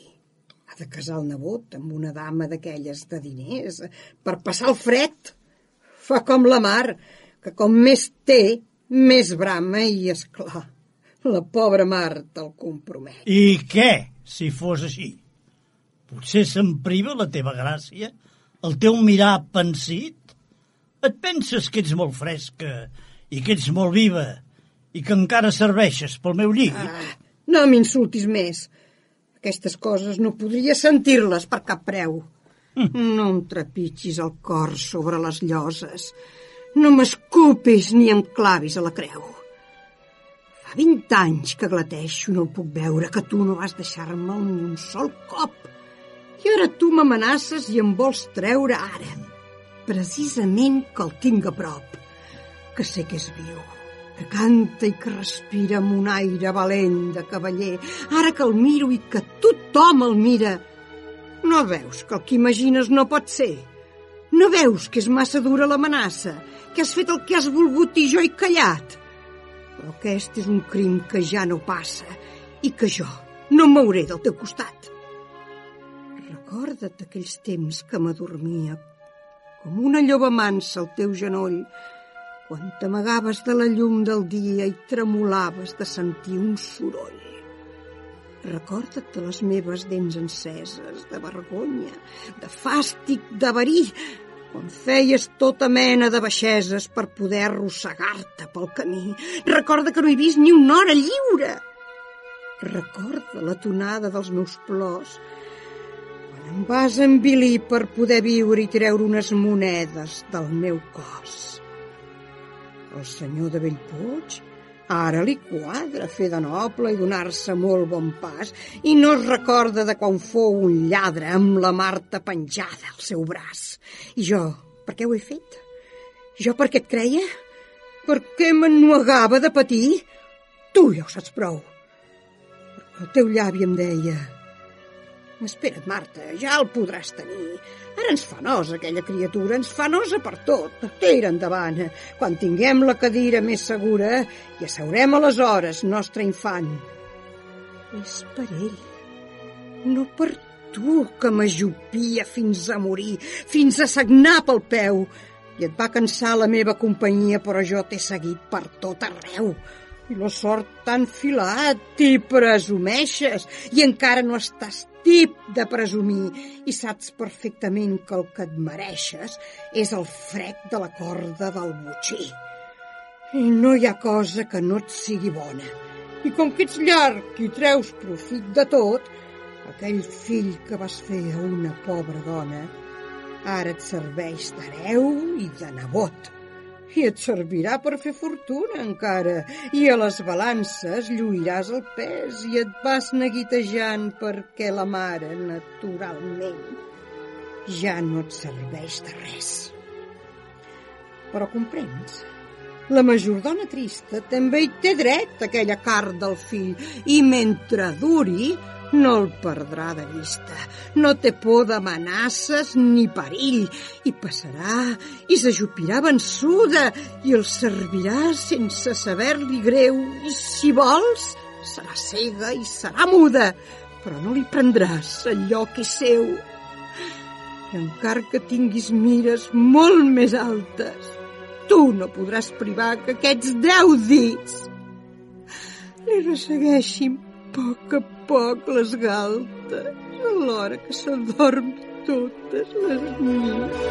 Ha de casar el nebot amb una dama d'aquelles de diners per passar el fred. Fa com la mar, que com més té, més brama i, esclar, la pobra Marta el compromet. I què, si fos així? Potser se'n priva la teva gràcia? El teu mirar pensit? Et penses que ets molt fresca i que ets molt viva i que encara serveixes pel meu llit? No m'insultis més. Aquestes coses no podria sentir-les per cap preu. No em trepitgis el cor sobre les lloses. No m'escupis ni em clavis a la creu. Fa 20 anys que glateixo i no puc veure que tu no vas deixar-me'l ni un sol cop. I ara tu m'amenaces i em vols treure ara. Precisament que el tinc a prop, que sé que és viu, que canta i que respira amb un aire valent de cavaller, ara que el miro i que tothom el mira. No veus que el que imagines no pot ser? No veus que és massa dura l'amenaça, que has fet el que has volgut i jo he callat? Però aquest és un crim que ja no passa i que jo no em mouré del teu costat. Recorda't aquells temps que m'adormia com una lloba mansa al teu genoll, quan t'amagaves de la llum del dia i tremolaves de sentir un soroll. Recorda't de les meves dents enceses, de vergonya, de fàstic, de verí, quan feies tota mena de baixeses per poder arrossegar-te pel camí. Recorda que no he vist ni una hora lliure. Recorda la tonada dels meus plors, em vas envilir per poder viure i treure unes monedes del meu cos. El senyor de Bellpuig ara li quadra fer de noble i donar-se molt bon pas i no es recorda de quan fou un lladre amb la Marta penjada al seu braç. I jo, per què ho he fet? Jo per què et creia? Per què m'ennuegava de patir? Tu ja ho saps prou. Perquè el teu llavi em deia... Espera't, Marta, ja el podràs tenir. Ara ens fa nosa aquella criatura, ens fa nosa per tot. Tira endavant. Quan tinguem la cadira més segura, i asseurem aleshores, nostre infant. És per ell, no per tu, que m'ajupia fins a morir, fins a sagnar pel peu. I et va cansar la meva companyia, però jo t'he seguit per tot arreu. I la sort t'ha enfilat i presumeixes, i encara no estàs tip de presumir, i saps perfectament que el que et mereixes és el frec de la corda del botxí. I no hi ha cosa que no et sigui bona. I com que ets llarg i treus profit de tot, aquell fill que vas fer a una pobra dona ara et serveix d'hereu i de nebot. I et servirà per fer fortuna encara, i a les balances lluiràs el pes i et vas neguitejant perquè la mare, naturalment, ja no et serveix de res. Però comprens? La majordona trista també hi té dret a aquella carn del fill, i mentre duri no el perdrà de vista. No té por d'amenaces ni perill, i passarà i s'ajupirà vençuda i el servirà sense saber-li greu, i si vols serà cega i serà muda, però no li prendràs allò que és seu. I encara que tinguis mires molt més altes, tu no podràs privar que aquests 10 dits li ressegueixin a poc les galtes a l'hora que s'adorm totes les nits.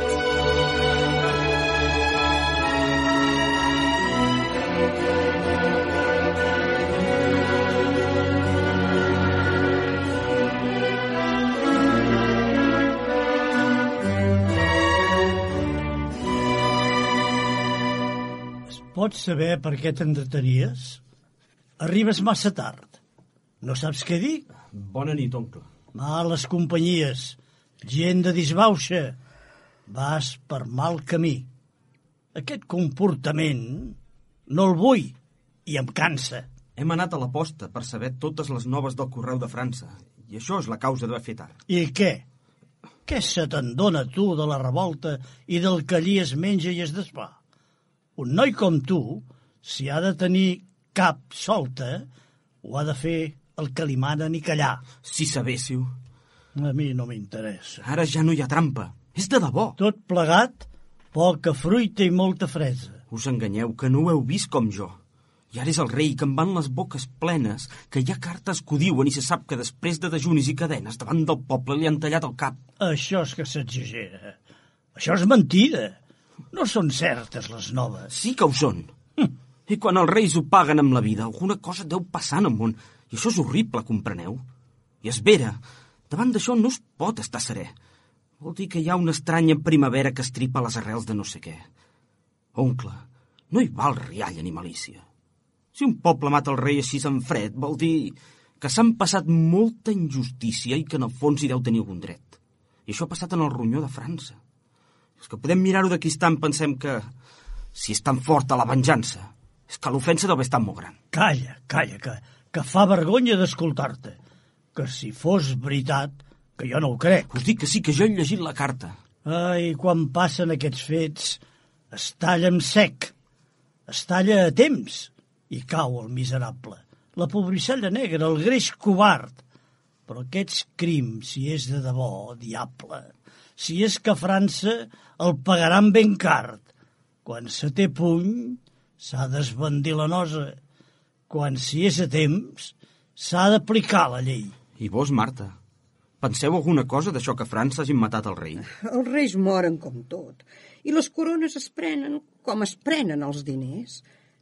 Pots saber per què t'entretenies? Arribes massa tard. No saps què dir? Bona nit, oncle. Males companyies, gent de disbauxa. Vas per mal camí. Aquest comportament no el vull i em cansa. Hem anat a la posta per saber totes les noves del Correu de França, i això és la causa d'haver fet tard. I què? Què se te'n dona, tu, de la revolta i del que allí es menja i es desfà? Un noi com tu, si ha de tenir cap solta, ho ha de fer el que li manen i callar. Si sabéssiu. A mi no m'interessa. Ara ja no hi ha trampa. És de debò. Tot plegat, poca fruita i molta fresa. Us enganyeu, que no ho heu vist com jo. I ara és el rei, que em van les boques plenes, que hi ha cartes que ho diuen i se sap que després de dejunis i cadenes davant del poble li han tallat el cap. Això és que s'exagera. Això és mentida. No són certes les noves. Sí que ho són. I quan els reis ho paguen amb la vida, alguna cosa deu passar en el món. I això és horrible, compreneu? I és vera. Davant d'això no es pot estar serè. Vol dir que hi ha una estranya primavera que estripa les arrels de no sé què. Oncle, no hi val rialla ni malícia. Si un poble mata el rei així en fred, vol dir que s'han passat molta injustícia i que en el fons hi deu tenir algun dret. I això ha passat en el ronyó de França. És que podem mirar-ho d'aquí estant, pensem que si és tan forta la venjança, és que l'ofensa deu haver estat molt gran. Calla, que fa vergonya d'escoltar-te. Que si fos veritat, que jo no ho crec. Us dic que sí, que jo he llegit la carta. Ai, quan passen aquests fets, es talla en sec, es talla a temps, i cau el miserable. La pobrissella negra, el greix covard. Però aquests crims, si és de debò, diable, si és que França el pagaran ben car. Quan se té puny, s'ha d'esbandir la nosa. Quan si és a temps, s'ha d'aplicar la llei. I vos, Marta, penseu alguna cosa d'això que a França hagin matat el rei? Els reis moren com tot, i les corones es prenen com es prenen els diners.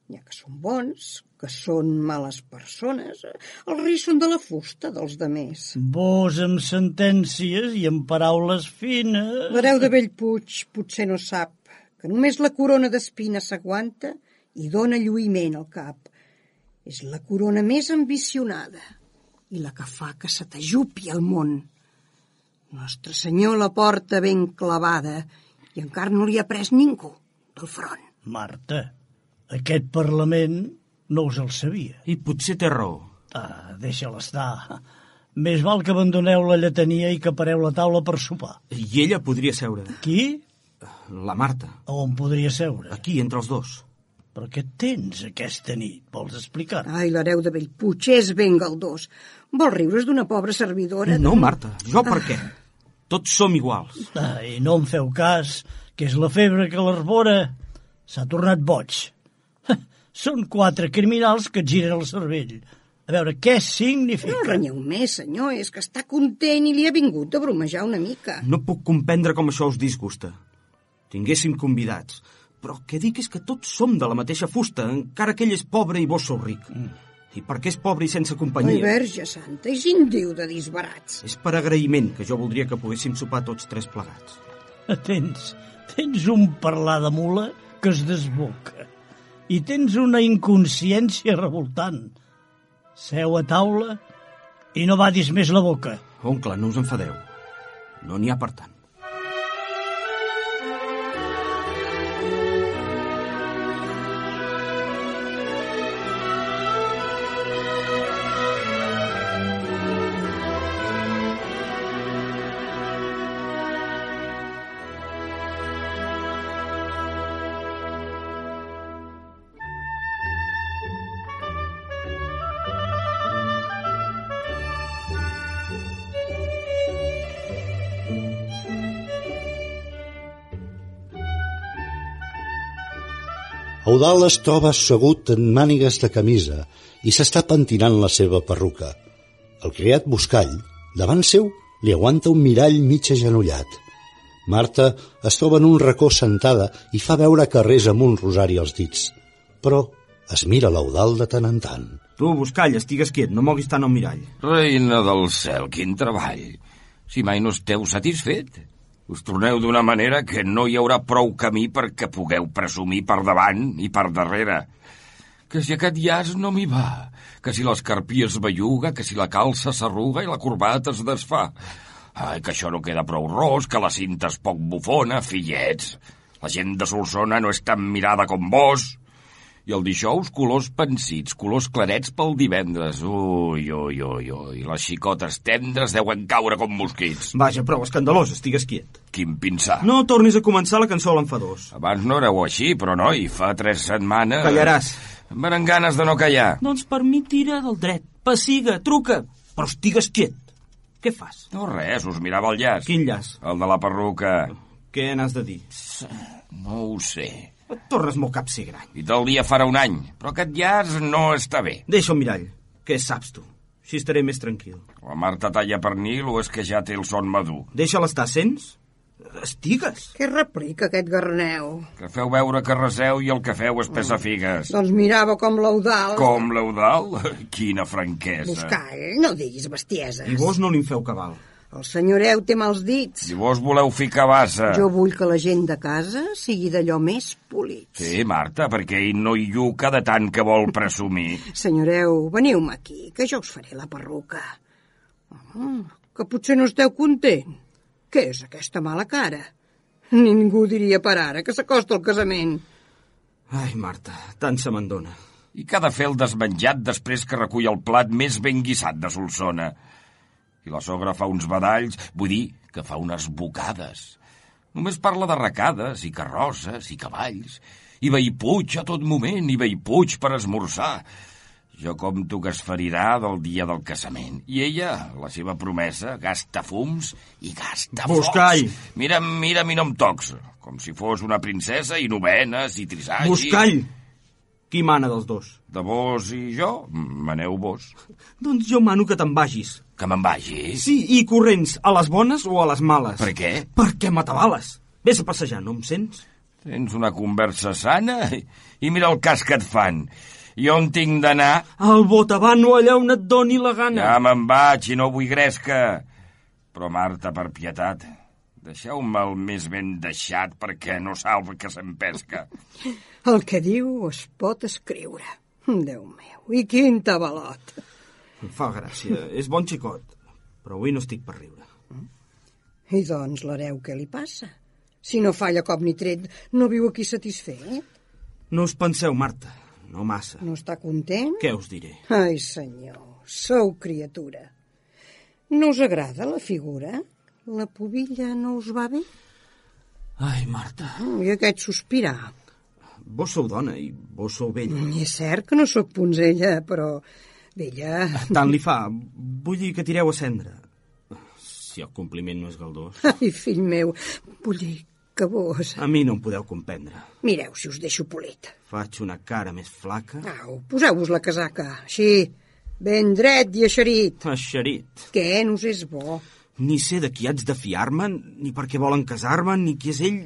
N'hi ha que són bons, que són males persones. Els reis són de la fusta dels demés. Vos amb sentències i amb paraules fines... L'hereu de Bellpuig potser no sap que només la corona d'espina s'aguanta i dóna lluïment al cap. És la corona més ambicionada i la que fa que se t'ajupi el món. Nostre Senyor la porta ben clavada i encara no li ha pres ningú del front. Marta, aquest Parlament no us el sabia. I potser té raó. Deixa-la estar. Més val que abandoneu la lletania i que pareu la taula per sopar. I ella podria seure. Qui? La Marta. On podria seure? Aquí, entre els dos. Però què tens aquesta nit? Vols explicar? Ai, l'hereu de Bellpuig és ben galdós. Vol riure's d'una pobra servidora? No, Marta, jo per què? Tots som iguals. Ai, no em feu cas, que és la febre que l'arbora. S'ha tornat boig. Són 4 criminals que et giren el cervell. A veure, què significa? No renyeu més, senyor, és que està content i li ha vingut a bromejar una mica. No puc comprendre com això us disgusta. Tinguéssim convidats. Però el que dic és que tots som de la mateixa fusta, encara que ell és pobre i vos sou ric. I perquè és pobre i sense companyia... Ai, Verge Santa, i sin diu de disbarats. És per agraïment que jo voldria que poguéssim sopar tots 3 plegats. Tens un parlar de mula que es desboca. I tens una inconsciència revoltant. Seu a taula i no badis més la boca. Oncle, no us enfadeu. No n'hi ha per tant. Eudald es troba assegut en mànigues de camisa i s'està pentinant la seva perruca. El criat Buscall, davant seu, li aguanta un mirall mig agenollat. Marta es troba en un racó sentada i fa veure que resa amb un rosari als dits. Però es mira l'Eudald de tant en tant. Tu, Buscall, estigues quiet, no moguis tant el mirall. Reina del cel, quin treball. Si mai no esteu satisfet. Us torneu d'una manera que no hi haurà prou camí perquè pugueu presumir per davant i per darrere. Que si aquest llaç no m'hi va, que si l'escarpí es belluga, que si la calça s'arruga i la corbata es desfà. Ai, que això no queda prou ros, que la cinta és poc bufona, fillets. La gent de Solsona no és tan mirada com vos. I el dijous, colors pansits, colors clarets pel divendres. Ui, ui, ui, ui. Les xicotes tendres deuen caure com mosquits. Vaja, prou escandalós, estigues quiet. Quin pinsà. No tornis a començar la cançó a l'enfadós. Abans no éreu així, però noi, fa 3 setmanes... Callaràs. Em venen ganes de no callar. Doncs per mi tira del dret. Passiga, truca. Però estigues quiet. Què fas? No res, us mirava el llaç. Quin llaç? El de la perruca. Què n'has de dir? No ho sé. Et tornes molt capsigrany. I tal dia farà un any, però aquest llaç no està bé. Deixa el mirall. Què saps tu? Així estaré més tranquil. La Marta talla pernil o és que ja té el son madur? Deixa-la estar, sents? Estigues. Què replica aquest garneu? Que feu veure que reseu i el que feu és pesar figues. Doncs mirava com l'Eudald. Com l'Eudald? Quina franquesa. Buscall, no diguis bestieses. I vos no li'n feu cabal. El senyoreu té mals dits. Si vos voleu ficar bassa. Jo vull que la gent de casa sigui d'allò més polit. Sí, Marta, perquè ell no hi lluca de tant que vol presumir. Senyoreu, veniu-me aquí, que jo us faré la perruca. Que potser no esteu content. Què és aquesta mala cara? Ningú diria per ara que s'acosta al casament. Ai, Marta, tant se me'n dona. I que ha de fer el desmenjat després que recull el plat més ben guissat de Solsona. I la sogra fa uns badalls, vull dir que fa unes bocades. Només parla d'arracades i carrosses i cavalls. I Bellpuig a tot moment, i Bellpuig per esmorzar. Jo compto que es ferirà del dia del casament. I ella, la seva promesa, gasta fums i gasta focs. Buscall! Mira'm i no em tocs. Com si fos una princesa i novenes i trisall. Buscall! Qui mana dels dos? De vos i jo? Maneu vos. Doncs jo mano que te'n vagis. Que me'n vagi? Sí, i corrents, a les bones o a les males. Per què? Perquè m'atabales. Vés a passejar, no em sents? Tens una conversa sana i mira el cas que et fan. I on tinc d'anar? Al Botavano, allà on et doni la gana. Ja me'n vaig i no vull gresca. Però, Marta, per pietat, deixeu-me el més ben deixat perquè no salva que se'n pesca. El que diu es pot escriure. Déu meu, i quin tabalot. Em fa gràcia, és bon xicot, però avui no estic per riure. I doncs l'hereu què li passa? Si no falla cop ni tret, no viu aquí satisfet? No us penseu, Marta, no massa. No està content? Què us diré? Ai, senyor, sou criatura. No us agrada la figura? La pubilla no us va bé? Ai, Marta. I aquest sospirar? Vos sou dona i vos sou vella. És cert que no sóc punzella, però vella... Tant li fa. Vull dir que tireu a cendra. Si el compliment no és galdós. Ai, fill meu, vull dir que vos... A mi no em podeu comprendre. Mireu si us deixo polit. Faig una cara més flaca. Au, poseu-vos la casaca, així, ben dret i eixerit. Eixerit. Què no us és bo? Ni sé de qui haig de fiar-me, ni per què volen casar-me, ni qui és ell,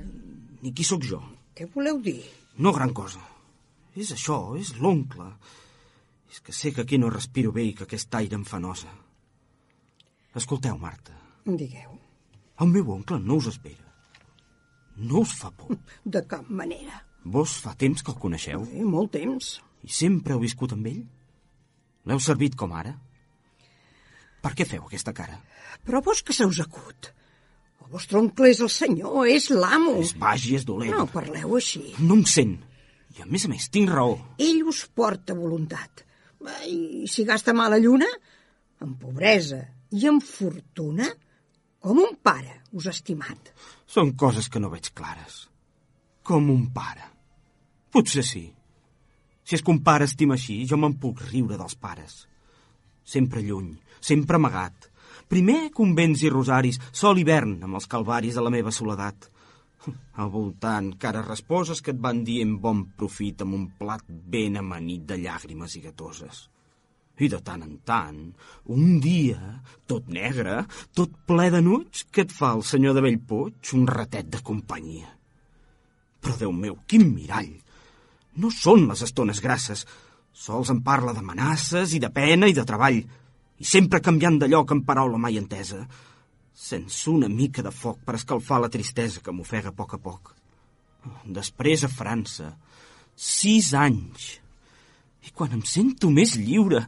ni qui sóc jo. Què voleu dir? No gran cosa. És això, és l'oncle. És que sé que aquí no respiro bé i que aquest aire em fa nosa. Escolteu, Marta. Digueu. El meu oncle no us espera. No us fa por. De cap manera. Vos fa temps que el coneixeu? Molt temps. I sempre heu viscut amb ell? L'heu servit com ara? Per què feu aquesta cara? Però vos que se us acut. El vostre oncle és el senyor, és l'amo. És baix i és dolent. No parleu així. No em sent. I a més, tinc raó. Ell us porta voluntat. I si gasta mala lluna, en pobresa i en fortuna, com un pare us ha estimat. Són coses que no veig clares. Com un pare. Potser sí. Si és que un pare estima així, jo me'n puc riure dels pares. Sempre lluny, sempre amagat. Primer convents i rosaris, sol hivern amb els calvaris de la meva soledat. Al voltant, cares resposes que et van dir en bon profit amb un plat ben amanit de llàgrimes i gatoses. I de tant en tant, un dia, tot negre, tot ple de nuig, que et fa el senyor de Bellpuig un ratet de companyia. Però, Déu meu, quin mirall! No són les estones grasses, sols en parla d'amenaces i de pena i de treball, i sempre canviant de lloc en paraula mai entesa, sense una mica de foc per escalfar la tristesa que m'ofega a poc. Després a França, 6 anys. I quan em sento més lliure,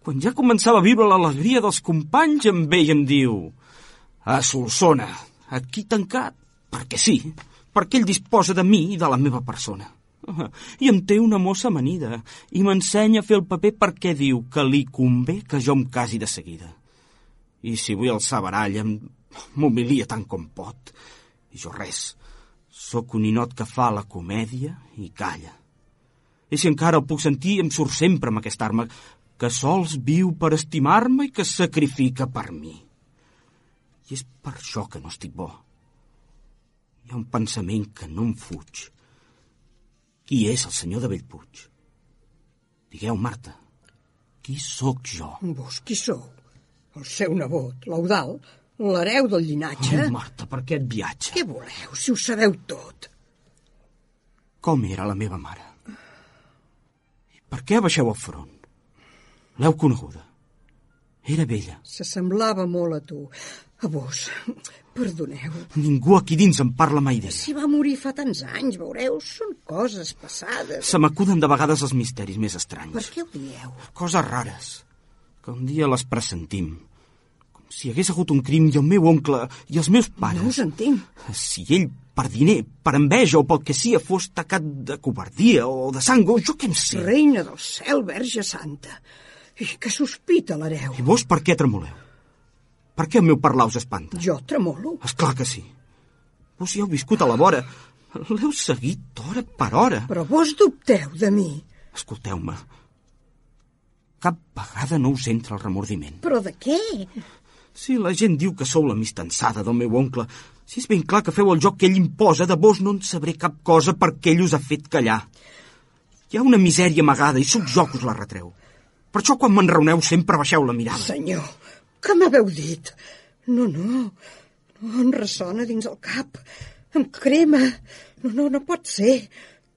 quan ja començava a viure l'alegria dels companys, em ve i em diu: a Solsona, aquí tancat, perquè sí, perquè ell disposa de mi i de la meva persona. I em té una mossa amanida i m'ensenya a fer el paper perquè diu que li convé que jo em casi de seguida. I si vull alçar baralla, m'humilia tant com pot. I jo res, sóc un ninot que fa la comèdia i calla. I si encara el puc sentir, em surt sempre amb aquesta arma, que sols viu per estimar-me i que es sacrifica per mi. I és per això que no estic bo. Hi ha un pensament que no em fuig. Qui és el senyor de Bellpuig? Digueu, Marta, qui sóc jo? Vos qui sou? El seu nebot, l'Eudald, l'hereu del llinatge? Oh, Marta, per què et viatge? Què voleu, si ho sabeu tot? Com era la meva mare? I per què abaixeu el front? L'heu coneguda? Era vella. S'assemblava molt a tu. A vos, perdoneu. Ningú aquí dins em parla mai d'ella. Si va morir fa tants anys, veureu, són coses passades. Se m'acuden de vegades els misteris més estranys. Per què ho dieu? Coses rares, que un dia les pressentim. Com si hi hagués hagut un crim i el meu oncle i els meus pares... No us entenc. Si ell, per diner, per enveja o pel que sia, fos tacat de covardia o de sang, o jo què em sé. Reina del cel, Verge Santa. I que sospita l'hereu. I vos per què tremoleu? Per què el meu parlar us espanta? Jo tremolo? Esclar que sí. Vos hi heu viscut a la vora. L'heu seguit hora per hora. Però vos dubteu de mi. Escolteu-me. Cap vegada no us entra el remordiment. Però de què? Si la gent diu que sou la mistansada del meu oncle, si és ben clar que feu el joc que ell imposa, de vos no en sabré cap cosa perquè ell us ha fet callar. Hi ha una misèria amagada i sóc jo que us la retreu. Per això quan m'enraoneu sempre baixeu la mirada. Senyor, què m'haveu dit? No em ressona dins el cap. Em crema. No pot ser.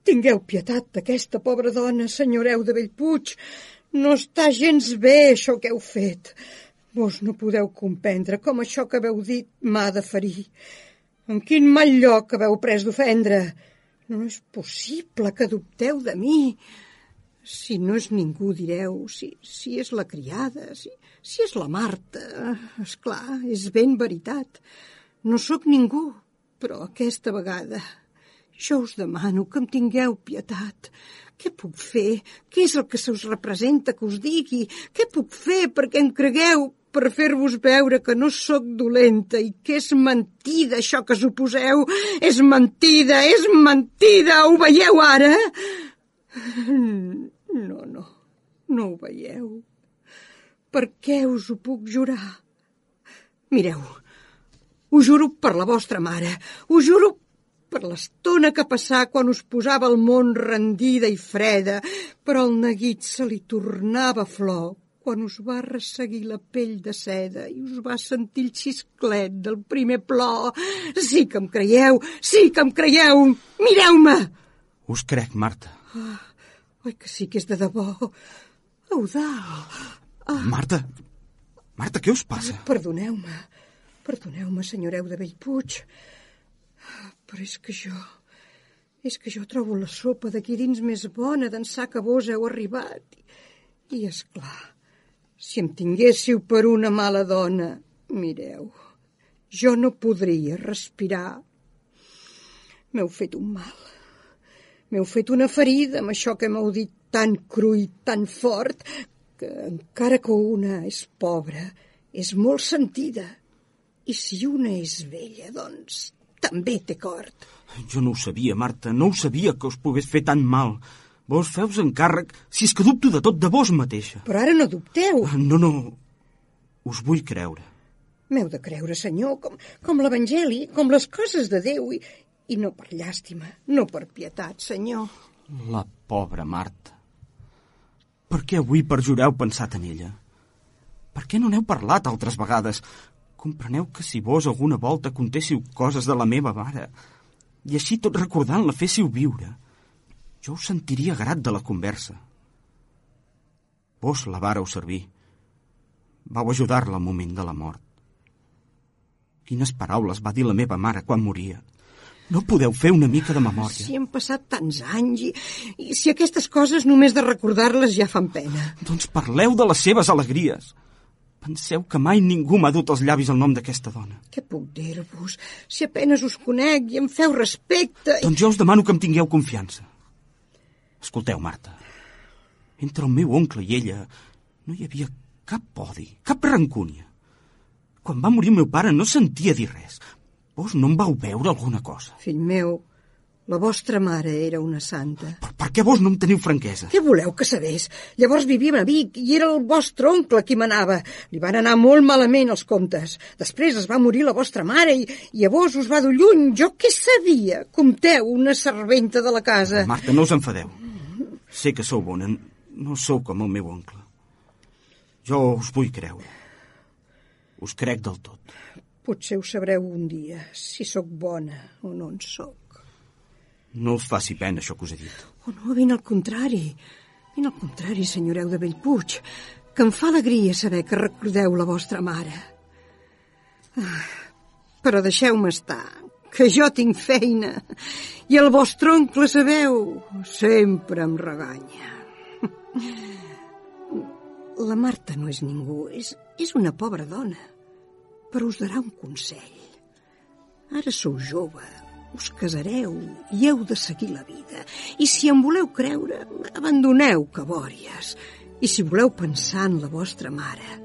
Tingueu pietat d'aquesta pobra dona, senyoreu de Bellpuig. No està gens bé això que heu fet. Vos no podeu comprendre com això que haveu dit m'ha de ferir. En quin mal lloc haveu pres d'ofendre. No és possible que dubteu de mi. Si no és ningú, direu, si és la criada, si és la Marta, esclar, és ben veritat. No sóc ningú, però aquesta vegada jo us demano que em tingueu pietat. Què puc fer? Què és el que se us representa que us digui? Què puc fer perquè em cregueu? per fer-vos veure que no sóc dolenta i que és mentida això que suposeu. És mentida, ho veieu ara? No ho veieu. Per què us ho puc jurar? Mireu, ho juro per la vostra mare, ho juro per l'estona que passà quan us posava el món rendida i freda, però el neguit se li tornava flor quan us va resseguir la pell de seda i us va sentir el xisclet del primer plor. Sí que em creieu, mireu-me! Us crec, Marta. Oi que sí que és de debò. Eudald! Marta, què us passa? Perdoneu-me, senyoreu de Bellpuig, però és que jo trobo la sopa d'aquí dins més bona d'ençà que vos heu arribat. I, esclar, si em tinguéssiu per una mala dona, mireu, jo no podria respirar. M'heu fet un mal. M'heu fet una ferida amb això que m'heu dit tan cru i tan fort que, encara que una és pobra, és molt sentida. I si una és vella, doncs, també té cort. Jo no ho sabia, Marta, no ho sabia que us pogués fer tan mal. Vos feus encàrrec, si és que dubto de tot de vos mateixa. Però ara no dubteu. No, us vull creure. M'heu de creure, senyor, com l'Evangeli, com les coses de Déu, i no per llàstima, no per pietat, senyor. La pobra Marta. Per què avui per jurar heu pensat en ella? Per què no n'heu parlat altres vegades? Compreneu que si vos alguna volta contéssiu coses de la meva mare i així tot recordant la féssiu viure, jo us sentiria grat de la conversa. Vos la vàreu servir. Vau ajudar-la al moment de la mort. Quines paraules va dir la meva mare quan moria. No podeu fer una mica de memòria? Si han passat tants anys i si aquestes coses només de recordar-les ja fan pena. Doncs parleu de les seves alegries. Penseu que mai ningú m'ha dut als llavis el nom d'aquesta dona. Què puc dir-vos? Si apenes us conec i em feu respecte... Doncs jo us demano que em tingueu confiança. Escolteu, Marta. Entre el meu oncle i ella no hi havia cap odi, cap rancúnia. Quan va morir el meu pare no sentia dir res. Vos no em vau veure alguna cosa? Fill meu, la vostra mare era una santa. Però per què vos no em teniu franquesa? Què voleu que sabés? Llavors vivia a Vic i era el vostre oncle qui manava. Li van anar molt malament els comptes. Després es va morir la vostra mare i a vos us va dur lluny. Jo què sabia? Compteu, una serventa de la casa. Marta, no us enfadeu. Sé que sou bona, no sou com el meu oncle. Jo us vull creure. Us crec del tot. Potser ho sabreu un dia, si sóc bona o no en sóc. No us faci pena, això que us he dit. Oh, no, ben al contrari. Ben al contrari, senyoreu de Bellpuig, que em fa alegria saber que recordeu la vostra mare. Però deixeu-me estar, que jo tinc feina. I el vostre oncle, sabeu, sempre em reganya. La Marta no és ningú, és una pobra dona. Però us darà un consell. Ara sou jove, us casareu i heu de seguir la vida. I si em voleu creure, abandoneu cabòries. I si voleu pensar en la vostra mare,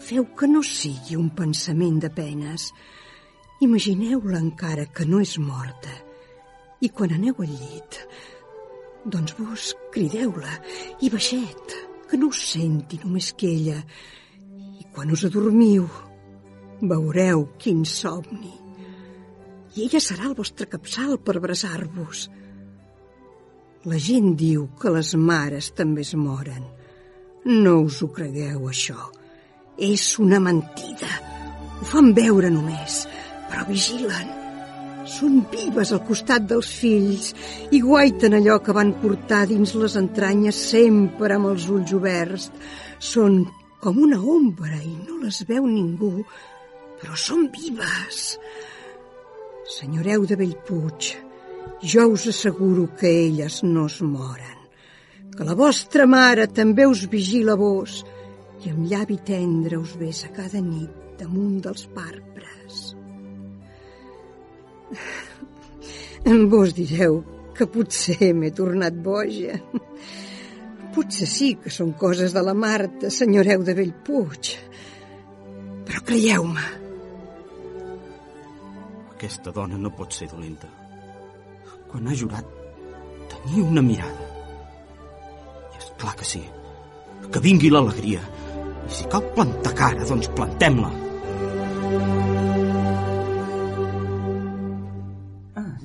feu que no sigui un pensament de penes. Imagineu-la encara que no és morta. I quan aneu al llit, doncs vos crideu-la i baixet, que no us senti només que ella. I quan us adormiu, veureu quin somni. I ella serà el vostre capçal per abraçar-vos. La gent diu que les mares també es moren. No us ho cregueu, això. És una mentida. Ho fan veure només, però vigilen. Són vives al costat dels fills i guaiten allò que van portar dins les entranyes sempre amb els ulls oberts. Són com una ombra i no les veu ningú, però són vives. Senyoreu de Bellpuig, jo us asseguro que elles no es moren, que la vostra mare també us vigila a vos i amb llavi tendre us besa cada nit damunt dels pàrpres. Vos direu que potser m'he tornat boja. Potser sí que són coses de la Marta, senyoreu de Bellpuig. Creieu-me. Aquesta dona no pot ser dolenta. Quan ha jurat tenir una mirada. I és clar que sí. Que vingui l'alegria. I si cal plantar cara, doncs plantem-la.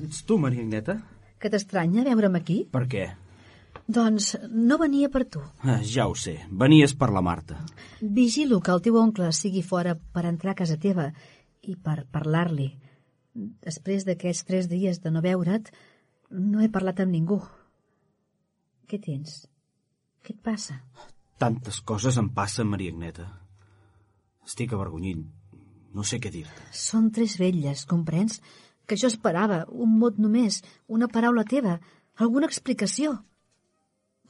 Ets tu, Maria Agneta? Que t'estranya veure'm aquí? Per què? Doncs no venia per tu. Ja ho sé, venies per la Marta. Vigilo que el teu oncle sigui fora per entrar a casa teva i per parlar-li. Després d'aquests 3 dies de no veure't, no he parlat amb ningú. Què tens? Què et passa? Tantes coses em passen, Maria Agneta. Estic avergonyit. No sé què dir-te. Són 3 vetlles, comprens? Que jo esperava, un mot només, una paraula teva, alguna explicació.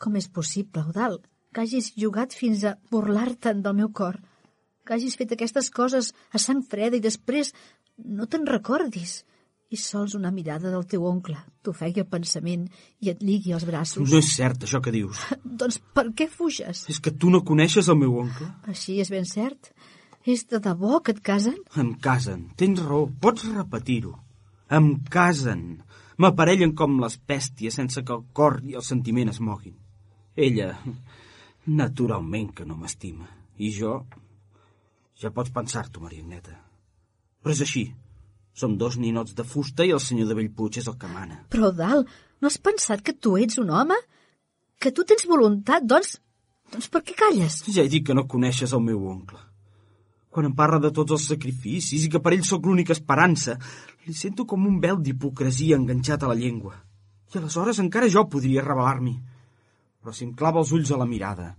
Com és possible, Eudald, que hagis jugat fins a burlar-te'n del meu cor, que hagis fet aquestes coses a sang freda i després no te'n recordis, i sols una mirada del teu oncle t'ofegui el pensament i et ligui els braços. No és cert, això que dius. Doncs per què fuges? És que tu no coneixes el meu oncle? Així és ben cert. És de debò que et casen? Em casen, tens raó, pots repetir-ho. Em casen. M'aparellen com les bèsties sense que el cor i el sentiment es moguin. Ella, naturalment que no m'estima. I jo... Ja pots pensar-t'ho, Maria Agneta. Però és així. Som 2 ninots de fusta i el senyor de Bellpuig és el que mana. Però, Eudald, no has pensat que tu ets un home? Que tu tens voluntat, doncs per què calles? Ja he dit que no coneixes el meu oncle. Quan em parla de tots els sacrificis i que per ell sóc l'única esperança, li sento com un vel d'hipocresia enganxat a la llengua. I aleshores encara jo podria rebel·lar-m'hi. Però si em clava els ulls a la mirada,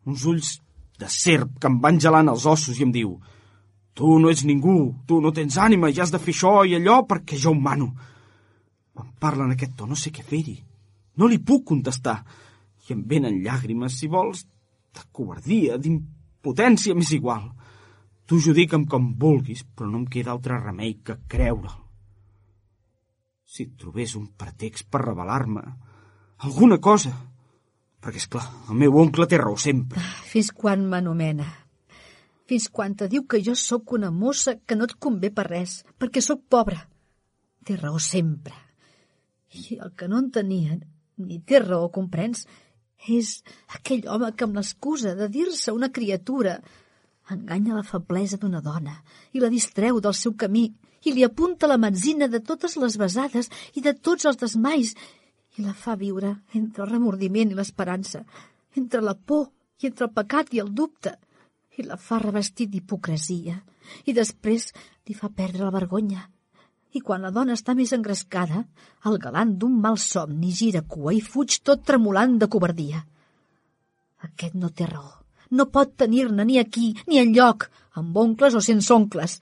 uns ulls de serp que em van gelant els ossos i em diu: tu no ets ningú, tu no tens ànima i has de fer això i allò perquè jo ho mano. Quan parla en aquest to no sé què fer-hi. No li puc contestar. I em venen llàgrimes, si vols, de covardia, d'impotència, m'és igual. Tu judica'm com vulguis, però no em queda altre remei que creure'l. Si trobés un pretext per rebel·lar-me, alguna cosa... Perquè, esclar, el meu oncle té raó sempre. Fins quan m'anomena? Fins quan te diu que jo sóc una mossa que no et convé per res, perquè sóc pobra. Té raó sempre. I el que no en tenia, ni té raó, comprens, és aquell home que amb l'excusa de dir-se una criatura enganya la feblesa d'una dona i la distreu del seu camí i li apunta la metzina de totes les besades i de tots els desmais i la fa viure entre el remordiment i l'esperança, entre la por i entre el pecat i el dubte, i la fa revestir d'hipocresia i després li fa perdre la vergonya. I quan la dona està més engrescada, el galant d'un mal somni gira cua i fuig tot tremolant de covardia. Aquest no té raó. No pot tenir-ne ni aquí ni enlloc, amb oncles o sense oncles.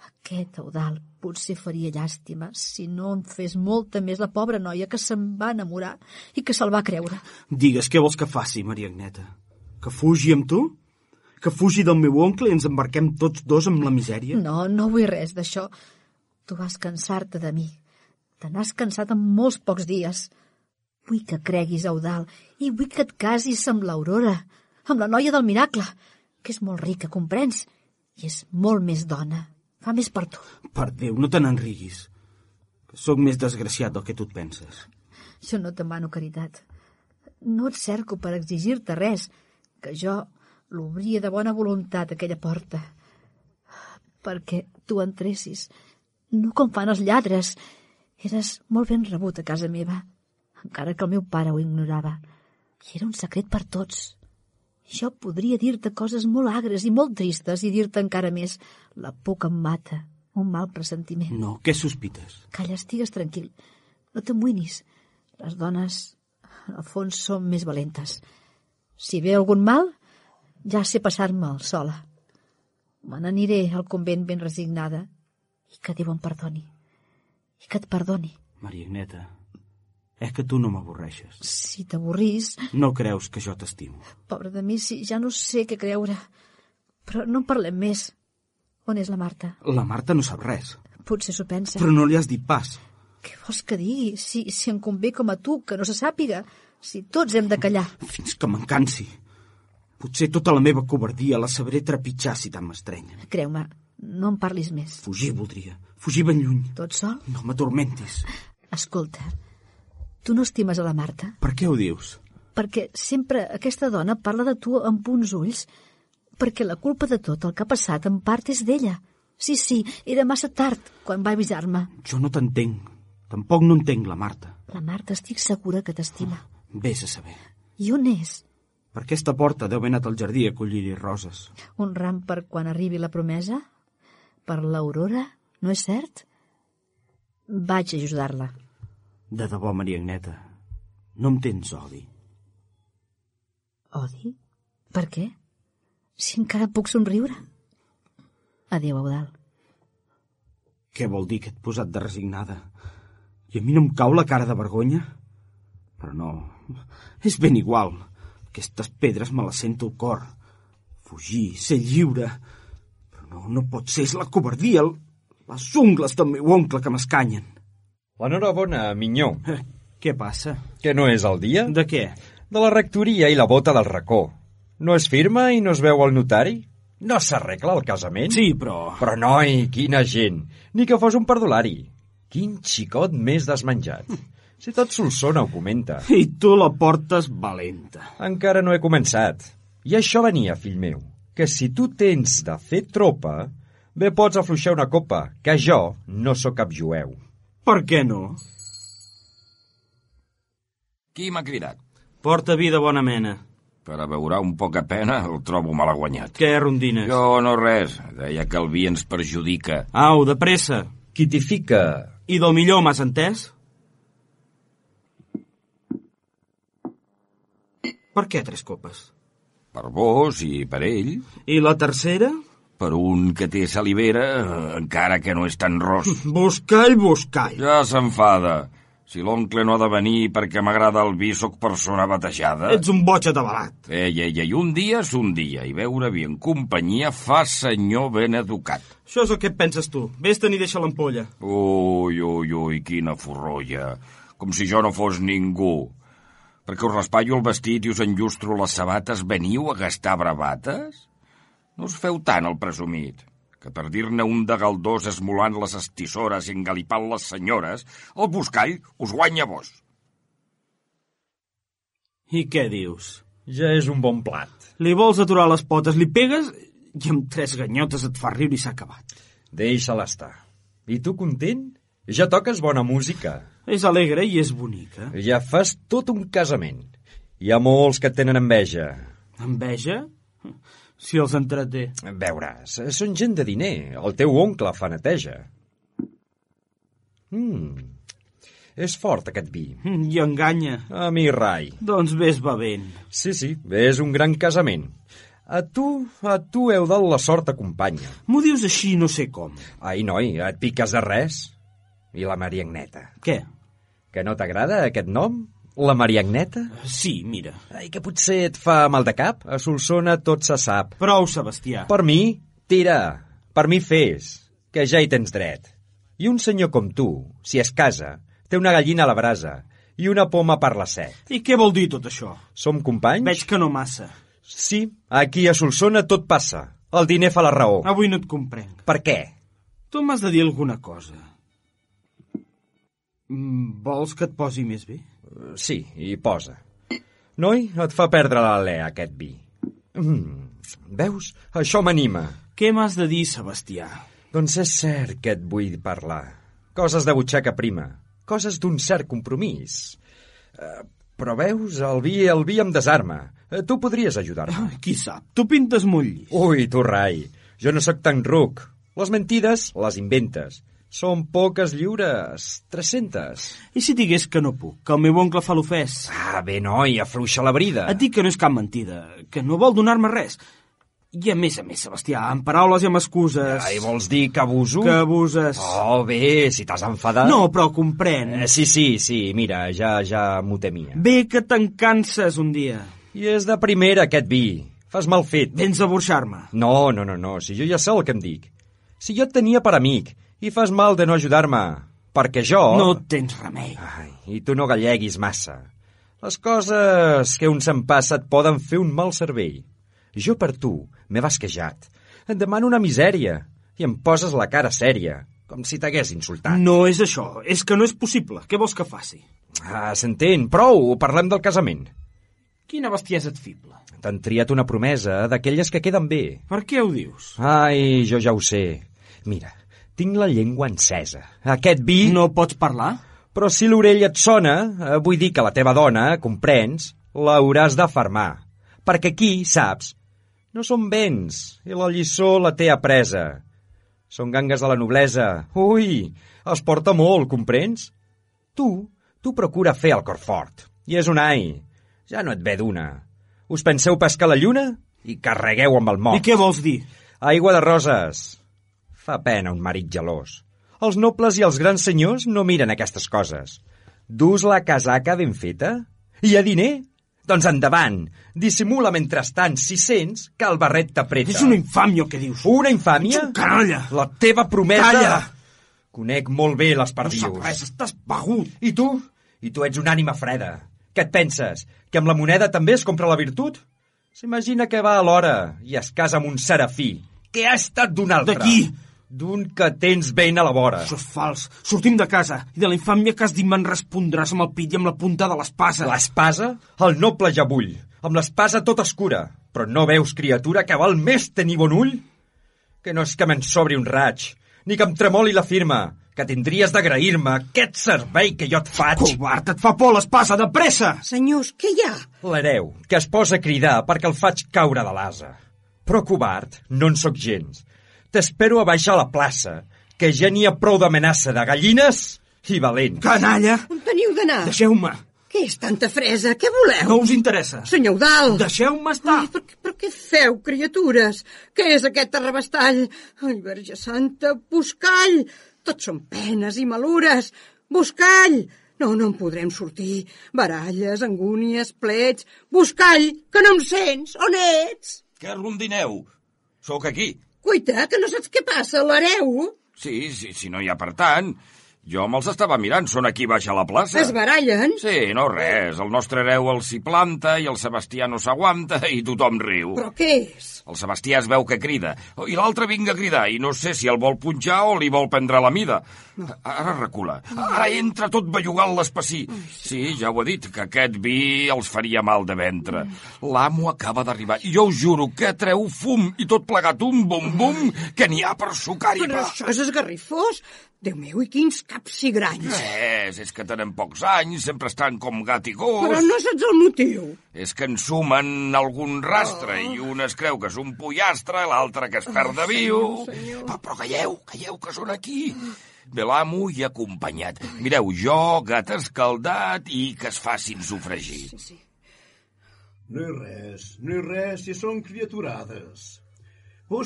Aquest, Eudald, potser faria llàstima si no en fes molta més la pobra noia que se'n va enamorar i que se'l va creure. Digues, què vols que faci, Maria Agneta? Que fugi amb tu? Que fugi del meu oncle i ens embarquem tots 2 amb la misèria? No, no vull res d'això. Tu vas cansar-te de mi. Te n'has cansat en molts pocs dies. Vull que creguis, Eudald, i vull que et casis amb l'Aurora, amb la noia del miracle, que és molt rica, comprens? I és molt més dona. Fa més per tu. Per Déu, no te n'enriguis. Que sóc més desgraciat del que tu et penses. Jo no te mano caritat. No et cerco per exigir-te res, que jo l'obria de bona voluntat, aquella porta. Perquè tu entressis, no com fan els lladres. Eres molt ben rebut a casa meva, encara que el meu pare ho ignorava. I era un secret per tots. Jo podria dir-te coses molt agres i molt tristes i dir-te encara més: la por que em mata, un mal pressentiment. No, què sospites? Calla, estigues tranquil. No t'amoïnis. Les dones, al fons, són més valentes. Si ve algun mal, ja sé passar-me'l sola. Me n'aniré al convent ben resignada i que Déu em perdoni. I que et perdoni. Maria Agneta, és que tu no m'avorreixes. Si t'avorrís... No creus que jo t'estimo. Pobre de mi, si ja no sé què creure. Però no en parlem més. On és la Marta? La Marta no sap res. Potser s'ho pensa. Però no li has dit pas. Què vols que digui? Si em convé com a tu, que no se sàpiga. Si tots hem de callar. Fins que me'n cansi. Potser tota la meva covardia la sabré trepitjar si tant m'estrenyen. Creu-me, no em parlis més. Fugir voldria. Fugir ben lluny. Tot sol? No m'atormentis. Escolta, tu no estimes a la Marta? Per què ho dius? Perquè sempre aquesta dona parla de tu amb uns ulls. Perquè la culpa de tot el que ha passat en part és d'ella. Sí, era massa tard quan va avisar-me. Jo no t'entenc. Tampoc no entenc la Marta. La Marta estic segura que t'estima. Vés a saber. I on és? Per aquesta porta deu haver anat al jardí a collir-hi roses. Un ram per quan arribi la promesa? Per l'Aurora? No és cert? Vaig a ajudar-la. De debò, Maria Agneta, no em tens odi. Odi? Per què? Si encara puc somriure. Adéu, Eudald. Què vol dir que et posat de resignada? I a mi no em cau la cara de vergonya? Però no, és ben igual. Aquestes pedres me les sento al cor. Fugir, ser lliure. Però no pot ser, és la covardia, les ungles del meu oncle que m'escanyen. L'enhorabona, minyó. Què passa? Que no és el dia? De què? De la rectoria i la bota del racó. No es firma i no es veu al notari? No s'arregla el casament? Sí, però... Però, noi, quina gent! Ni que fos un perdulari. Quin xicot més desmenjat. Si tot Solsona ho comenta. I tu la portes valenta. Encara no he començat. I això venia, fill meu, que si tu tens de fer tropa, bé pots afluixar una copa, que jo no sóc cap jueu. Per què no? Qui m'ha cridat? Porta vi de bona mena. Per a beure un poca pena el trobo malaguanyat. Què, rondines? Jo no res. Deia que el vi ens perjudica. Au, de pressa. Qui t'hi fica? I del millor, m'has entès? Per què 3 copes? Per vos i per ell. I la tercera? Per un que té salivera, encara que no és tan ros. Buscall. Ja s'enfada. Si l'oncle no ha de venir perquè m'agrada el vi, sóc persona batejada. Ets un boig atabalat. Ei, un dia és un dia, i beure vi en companyia fa senyor ben educat. Això és el que et penses tu. Vés-te'n i deixa l'ampolla. Ui, quina forrolla. Com si jo no fos ningú. Perquè us raspallo el vestit i us enllustro les sabates, veniu a gastar bravates? No us feu tant el presumit, que per dir-ne un de galdós esmolant les estissores i engalipant les senyores, el buscall us guanya vos. I què dius? Ja és un bon plat. Li vols aturar les potes, li pegues i amb 3 ganyotes et fa riure i s'ha acabat. Deixa-la estar. I tu content? Ja toques bona música. És alegre i és bonica. Ja fas tot un casament. Hi ha molts que et tenen enveja. Enveja? Si els entreté. Veuràs, són gent de diner. El teu oncle fa neteja. És fort, aquest vi. I enganya. A mi, rai. Doncs ves bevent. Sí, és un gran casament. A tu, Eudald, la sort t'acompanya. M'ho dius així no sé com. Ai, noi, et piques de res? I la Maria Agneta? Què? Que no t'agrada aquest nom? La Maria Agneta? Sí, mira. Ai, que potser et fa mal de cap? A Solsona tot se sap. Prou, Sebastià. Per mi, tira. Per mi fes, que ja hi tens dret. I un senyor com tu, si es casa, té una gallina a la brasa i una poma per la set. I què vol dir tot això? Som companys? Veig que no massa. Sí, aquí a Solsona tot passa. El diner fa la raó. Avui no et comprenc. Per què? Tu m'has de dir alguna cosa. Vols que et posi més bé? Sí, hi posa. Noi, et fa perdre l'alè, aquest vi. Veus? Això m'anima. Què m'has de dir, Sebastià? Doncs és cert que et vull parlar. Coses de butxaca prima. Coses d'un cert compromís. Però veus, el vi em desarma. Tu podries ajudar-me. Qui sap? Tu pintes molt llis. Ui, tu, rai. Jo no sóc tan ruc. Les mentides les inventes. Són poques lliures, 300. I si digués que no puc, que el meu oncle fa l'ofès? Bé, noi, afluixa la brida. Et dic que no és cap mentida, que no vol donar-me res. I a més, Sebastià, amb paraules i amb excuses... I vols dir que abuso? Que abuses. Oh, bé, si t'has enfadat... No, però comprèn. Sí, mira, ja m'ho temia. Bé que te'n canses un dia. I és de primera, aquest vi. Fas mal fet. Vens a burxar-me. No, si jo ja sé el que em dic. Si jo et tenia per amic... I fas mal de no ajudar-me, perquè jo... No tens remei. I tu no galleguis massa. Les coses que un se'n passa et poden fer un mal cervell. Jo per tu m'he basquejat. Et demano una misèria i em poses la cara sèria, com si t'hagués insultat. No és això, és que no és possible. Què vols que faci? S'entén, prou, parlem del casament. Quina bestiesa et fibla. T'han triat una promesa d'aquelles que queden bé. Per què ho dius? Ai, jo ja ho sé. Mira, tinc la llengua encesa. Aquest vi... No pots parlar? Però si l'orella et sona, vull dir que la teva dona, comprens, l'hauràs d'afermar. Perquè aquí, saps, no són béns, i la lliçó la té apresa. Són gangues de la noblesa. Ui, els porta molt, comprens? Tu procura fer el cor fort. I és un ai. Ja no et ve d'una. Us penseu pescar la lluna? I carregueu amb el mort. I què vols dir? Aigua de roses. Fa pena un marit gelós. Els nobles i els grans senyors no miren aquestes coses. Dus la casaca ben feta? Hi ha diner? Doncs endavant. Dissimula mentrestant, si sents que el barret t'apreta. És una infàmia el que dius. Una infàmia? Canalla! La teva promesa... Calla! Conec molt bé les perdius. No sap res, estàs begut. I tu? I tu ets una ànima freda. Què et penses? Que amb la moneda també es compra la virtut? S'imagina que va a l'hora i es casa amb un serafí, que ha estat d'un altre. De qui? D'un que tens ben a la vora. Això és fals. Sortim de casa i de la infàmia que has dit me'n respondràs amb el pit i amb la punta de l'espasa. L'espasa? El noble ja bull. Amb l'espasa tot escura. Però no veus, criatura, que val més tenir bon ull? Que no és que me'n sobri un raig, ni que em tremoli la firma, que tindries d'agrair-me aquest servei que jo et faig. Covard, et fa por l'espasa, de pressa! Senyors, què hi ha? L'hereu, que es posa a cridar perquè el faig caure de l'asa. Però covard, no en sóc gens. T'espero a baixar a la plaça, que ja n'hi ha prou d'amenaça de gallines i valents. Canalla! On teniu d'anar? Deixeu-me! Què és tanta fresa? Què voleu? No us interessa. Senyor Eudald! Deixeu-me estar! Ai, però què feu, criatures? Què és aquest arrabastall? Ai, Verge Santa, Buscall! Tot són penes i malures. Buscall! No en podrem sortir. Baralles, angúnies, plets... Buscall, que no em sents? On ets? Què rondineu? Sóc aquí. Cuita, que no saps què passa, l'hereu? Sí, no hi ha per tant. Jo me'ls estava mirant, són aquí baix a la plaça. Es barallen? Sí, no res. El nostre hereu els s'hi planta i el Sebastià no s'aguanta i tothom riu. Però què és? El Sebastià es veu que crida. I l'altre vinga a cridar i no sé si el vol punxar o li vol prendre la mida. Ara recula. Ara entra tot bellugant l'espací. Sí, ja ho he dit, que aquest vi els faria mal de ventre. L'amo acaba d'arribar i jo us juro que treu fum i tot plegat un bum-bum que n'hi ha per sucar-hi. Però això és esgarrifós. Déu meu, i quins capsigranys. És que tenen pocs anys, sempre estan com gat i gos. Però no saps el motiu. És que ensumen algun rastre i un es creu que és un pollastre, l'altre que es perd de viu. Però calleu, que són aquí. Ve l'amo i acompanyat. Mireu, jo, gat escaldat i que es facin sofregir. Sí. No hi res, si són criaturades.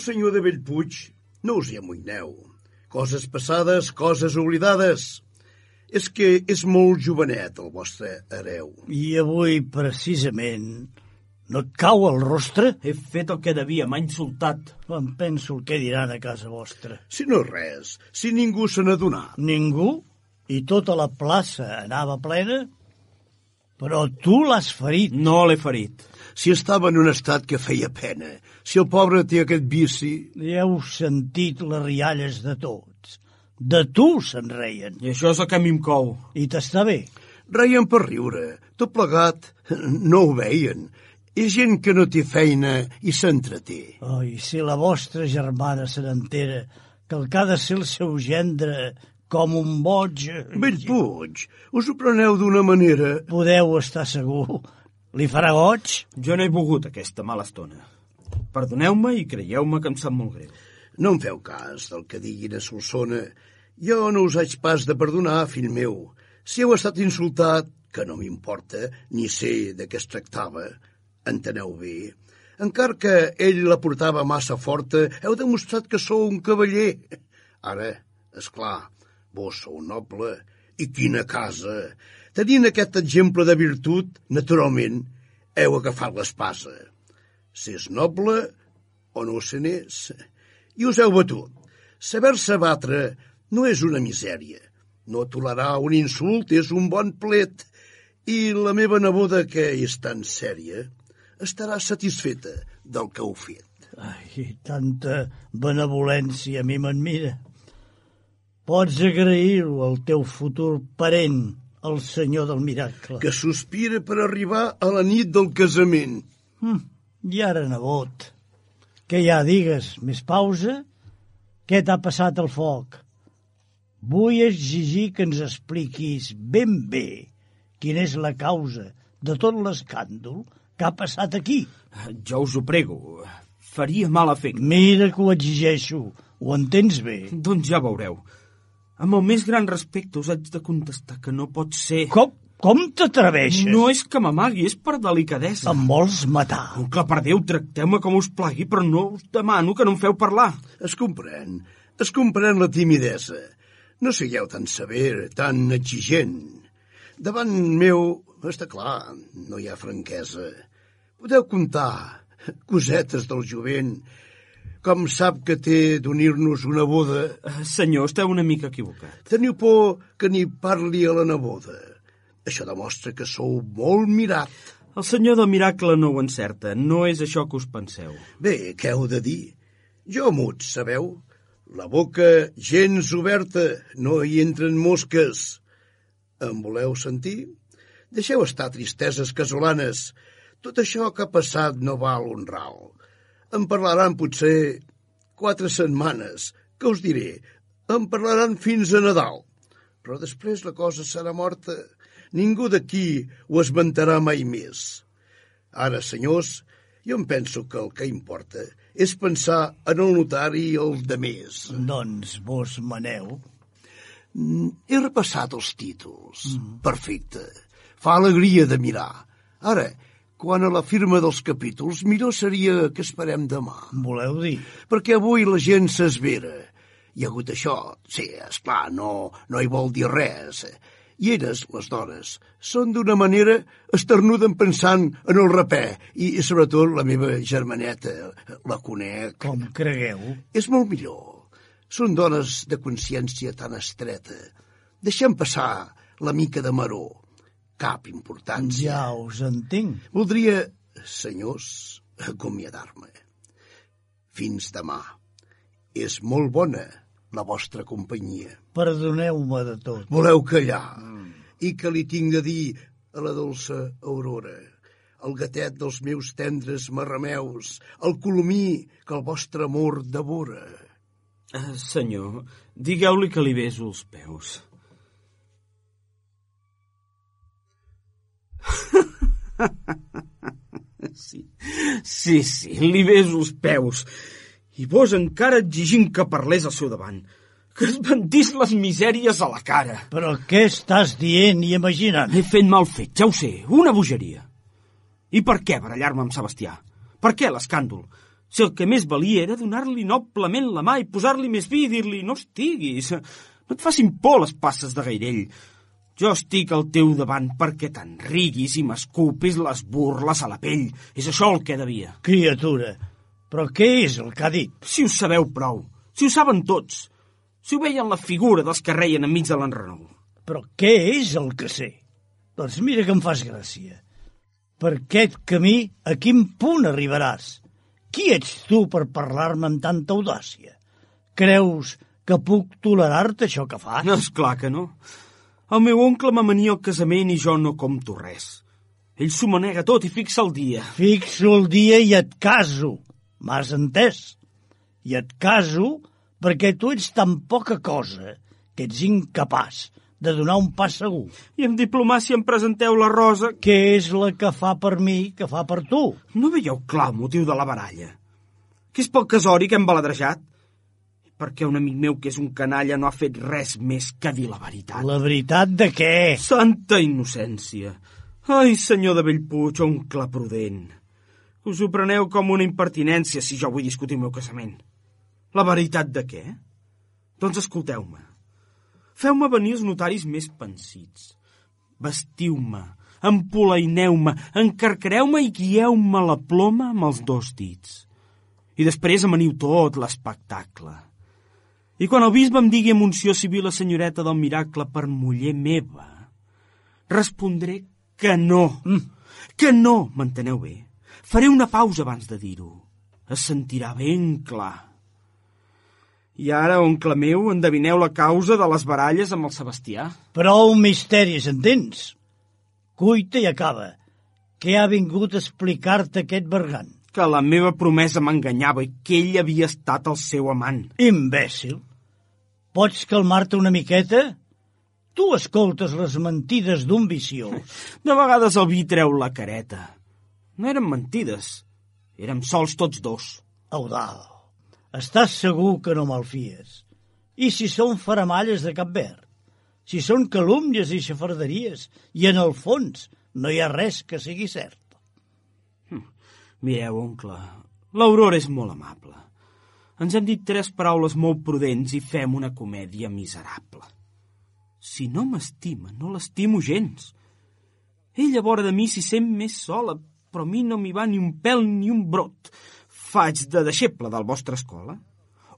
Senyor de Bellpuig, no us hi amoïneu. Coses passades, coses oblidades. És que és molt jovenet el vostre hereu. I avui, precisament, no et cau el rostre? He fet el que devia, m'ha insultat. Em penso el que diran a casa vostra. Si no res, si ningú se n'adonà. Ningú? I tota la plaça anava plena? Però tu l'has ferit. No l'he ferit. Si estava en un estat que feia pena, si el pobre té aquest vici... Ja heu sentit les rialles de tots. De tu se'n reien. I això és el que a mi em cou. I t'està bé? Reien per riure. Tot plegat no ho veien. És gent que no té feina i s'entreté. I si la vostra germana se n'entera que el que ha de ser el seu gendre com un boig... Bellpuig, us ho preneu d'una manera... Podeu estar segur. Li farà goig? Jo no he volgut aquesta mala estona. Perdoneu-me i creieu-me que em sap molt greu. No em feu cas del que diguin a Solsona. Jo no us haig pas de perdonar, fill meu. Si heu estat insultat, que no m'importa, ni sé de què es tractava, enteneu bé. Encara que ell la portava massa forta, heu demostrat que sou un cavaller. Ara, és clar, vos sou noble. I quina casa! Tenint aquest exemple de virtut, naturalment, heu agafat l'espasa. S'és noble o no se n'és. I us heu batut. Saber-se batre no és una misèria. No tolerar un insult és un bon plet. I la meva neboda, que és tan sèria, estarà satisfeta del que heu fet. Ai, tanta benevolència a mi m'admira. Pots agrair-ho al teu futur parent, el senyor del miracle. Que sospira per arribar a la nit del casament. I ara, nebot, què ja digues? Més pausa? Què t'ha passat al foc? Vull exigir que ens expliquis ben bé quina és la causa de tot l'escàndol que ha passat aquí. Jo us ho prego, faria mal efecte. Mira que ho exigeixo, ho entens bé? Doncs ja veureu. Amb el més gran respecte us haig de contestar que no pot ser... Com t'atreveixes? No és que m'amagui, és per delicadesa. Em vols matar? Oncle, per Déu, tracteu-me com us plagui, però no us demano que no em feu parlar. Es comprèn la timidesa. No sigueu tan sever, tan exigent. Davant meu, està clar, no hi ha franquesa. Podeu contar cosetes del jovent, com sap que té d'unir-nos una boda. Senyor, esteu una mica equivocat. Teniu por que n'hi parli a la neboda. Això demostra que sou molt mirat. El senyor del miracle no ho encerta. No és això que us penseu. Bé, què heu de dir? Jo mut, sabeu? La boca gens oberta, no hi entren mosques. Em voleu sentir? Deixeu estar tristeses casolanes. Tot això que ha passat no val un ral. Em parlaran potser 4 setmanes. Què us diré? Em parlaran fins a Nadal. Però després la cosa serà morta. Ningú d'aquí ho esmentarà mai més. Ara, senyors, jo em penso que el que importa és pensar en el notari i el de més. Doncs vos maneu. He repassat els títols. Perfecte. Fa alegria de mirar. Ara, quant a la firma dels capítols, millor seria que esperem demà. Voleu dir? Perquè avui la gent s'esvera. Hi ha hagut això. Sí, esclar, no hi vol dir res. I elles, les dones, són d'una manera esternuden pensant en el rapè i sobretot la meva germaneta, la conec. Com cregueu? És molt millor. Són dones de consciència tan estreta. Deixem passar la mica de maror. Cap importància. Ja us entenc. Voldria, senyors, acomiadar-me. Fins demà. És molt bona la vostra companyia. Perdoneu-me de tot. Voleu callar? I que li tinc de dir a la dolça Aurora, el gatet dels meus tendres marrameus, el colomí que el vostre amor devora. Senyor, digueu-li que li beso els peus. Sí, li beso els peus. I vos encara exigint que parlés al seu davant, que es vendís les misèries a la cara. Però què estàs dient i imaginant? He fet mal fet, ja ho sé, una bogeria. I per què barallar-me amb Sebastià? Per què l'escàndol? Si el que més valia era donar-li noblement la mà i posar-li més vi i dir-li no estiguis, no et facin por les passes de Gairell. Jo estic al teu davant perquè te'n riguis i m'escupis les burles a la pell. És això el que devia. Criatura, però què és el que ha dit? Si ho sabeu prou, si ho saben tots, si ho veien la figura dels que reien enmig de l'enrenou. Però què és el que sé? Doncs mira que em fas gràcia. Per aquest camí, a quin punt arribaràs? Qui ets tu per parlar-me amb tanta audàcia? Creus que puc tolerar-te això que fas? No, esclar que no. El meu oncle m'amania al casament i jo no compto res. Ell s'ho manega tot i fixa el dia. Fixo el dia i et caso. M'has entès? I et caso perquè tu ets tan poca cosa que ets incapaç de donar un pas segur. I amb diplomàcia em presenteu la Rosa... Que és la que fa per mi, que fa per tu. No veieu clar el motiu de la baralla? Que és pel casori que hem baladrejat? Perquè un amic meu que és un canalla no ha fet res més que dir la veritat. La veritat de què? Santa innocència. Ai, senyor de Bellpuig, oncle prudent. Us ho preneu com una impertinència si jo vull discutir el meu casament. La veritat de què? Doncs escolteu-me. Feu-me venir els notaris més pansits. Vestiu-me, empolaineu-me, encarcareu-me i guieu-me la ploma amb els 2 dits. I després amaniu tot l'espectacle. I quan el bisbe em digui amb unció civil la senyoreta del miracle per muller meva, respondré que no. Que no, m'enteneu bé? Faré una pausa abans de dir-ho. Es sentirà ben clar. I ara, oncle meu, endevineu la causa de les baralles amb el Sebastià? Prou misteris, entens? Cuita i acaba. Què ha vingut a explicar-te aquest bergant? Que la meva promesa m'enganyava i que ell havia estat el seu amant. Imbècil! Pots calmar-te una miqueta? Tu escoltes les mentides d'un viciós. De vegades el vi treu la careta. No eren mentides. Érem sols tots dos. Eudald, estàs segur que no me'l fies? I si són faramalles de Cap Verd? Si són calúmnies i xafarderies i en el fons no hi ha res que sigui cert? Mireu, oncle, l'Aurora és molt amable. Ens hem dit 3 paraules molt prudents i fem una comèdia miserable. Si no m'estima, no l'estimo gens. Ella vora de mi s'hi sent més sola, però a mi no m'hi va ni un pèl ni un brot. Faig de deixeble del vostra escola.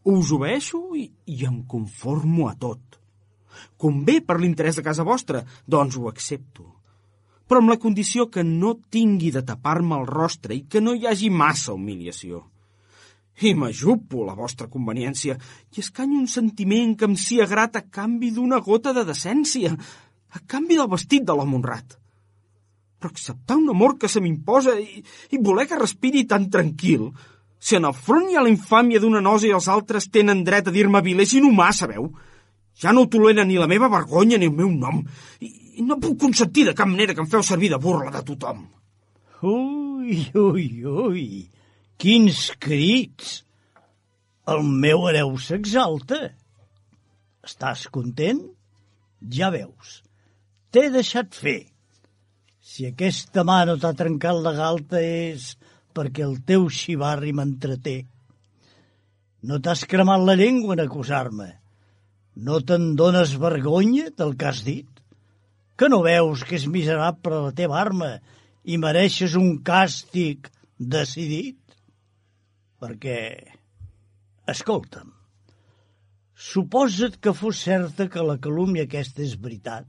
Us obeeixo i em conformo a tot. Convé per l'interès de casa vostra, doncs ho accepto. Però amb la condició que no tingui de tapar-me el rostre i que no hi hagi massa humiliació. I m'ajupo la vostra conveniència i escanyo un sentiment que em sia grat a canvi d'una gota de decència, a canvi del vestit de l'home honrat. Però acceptar un amor que se m'imposa i voler que respiri tan tranquil, si en el front hi ha la infàmia d'una nosa i els altres tenen dret a dir-me vilés i inhumà, sabeu? Ja no tolera ni la meva vergonya ni el meu nom, i no puc consentir de cap manera que em feu servir de burla de tothom. Ui, quins crits! El meu hereu s'exalta. Estàs content? Ja veus, t'he deixat fer. Si aquesta mà no t'ha trencat la galta és perquè el teu xivarri m'entreté. No t'has cremat la llengua en acusar-me. No te'n dones vergonya del que has dit? Que no veus que és miserable la teva arma i mereixes un càstig decidit? Perquè, escolta'm, suposa't que fos certa que la calúmnia aquesta és veritat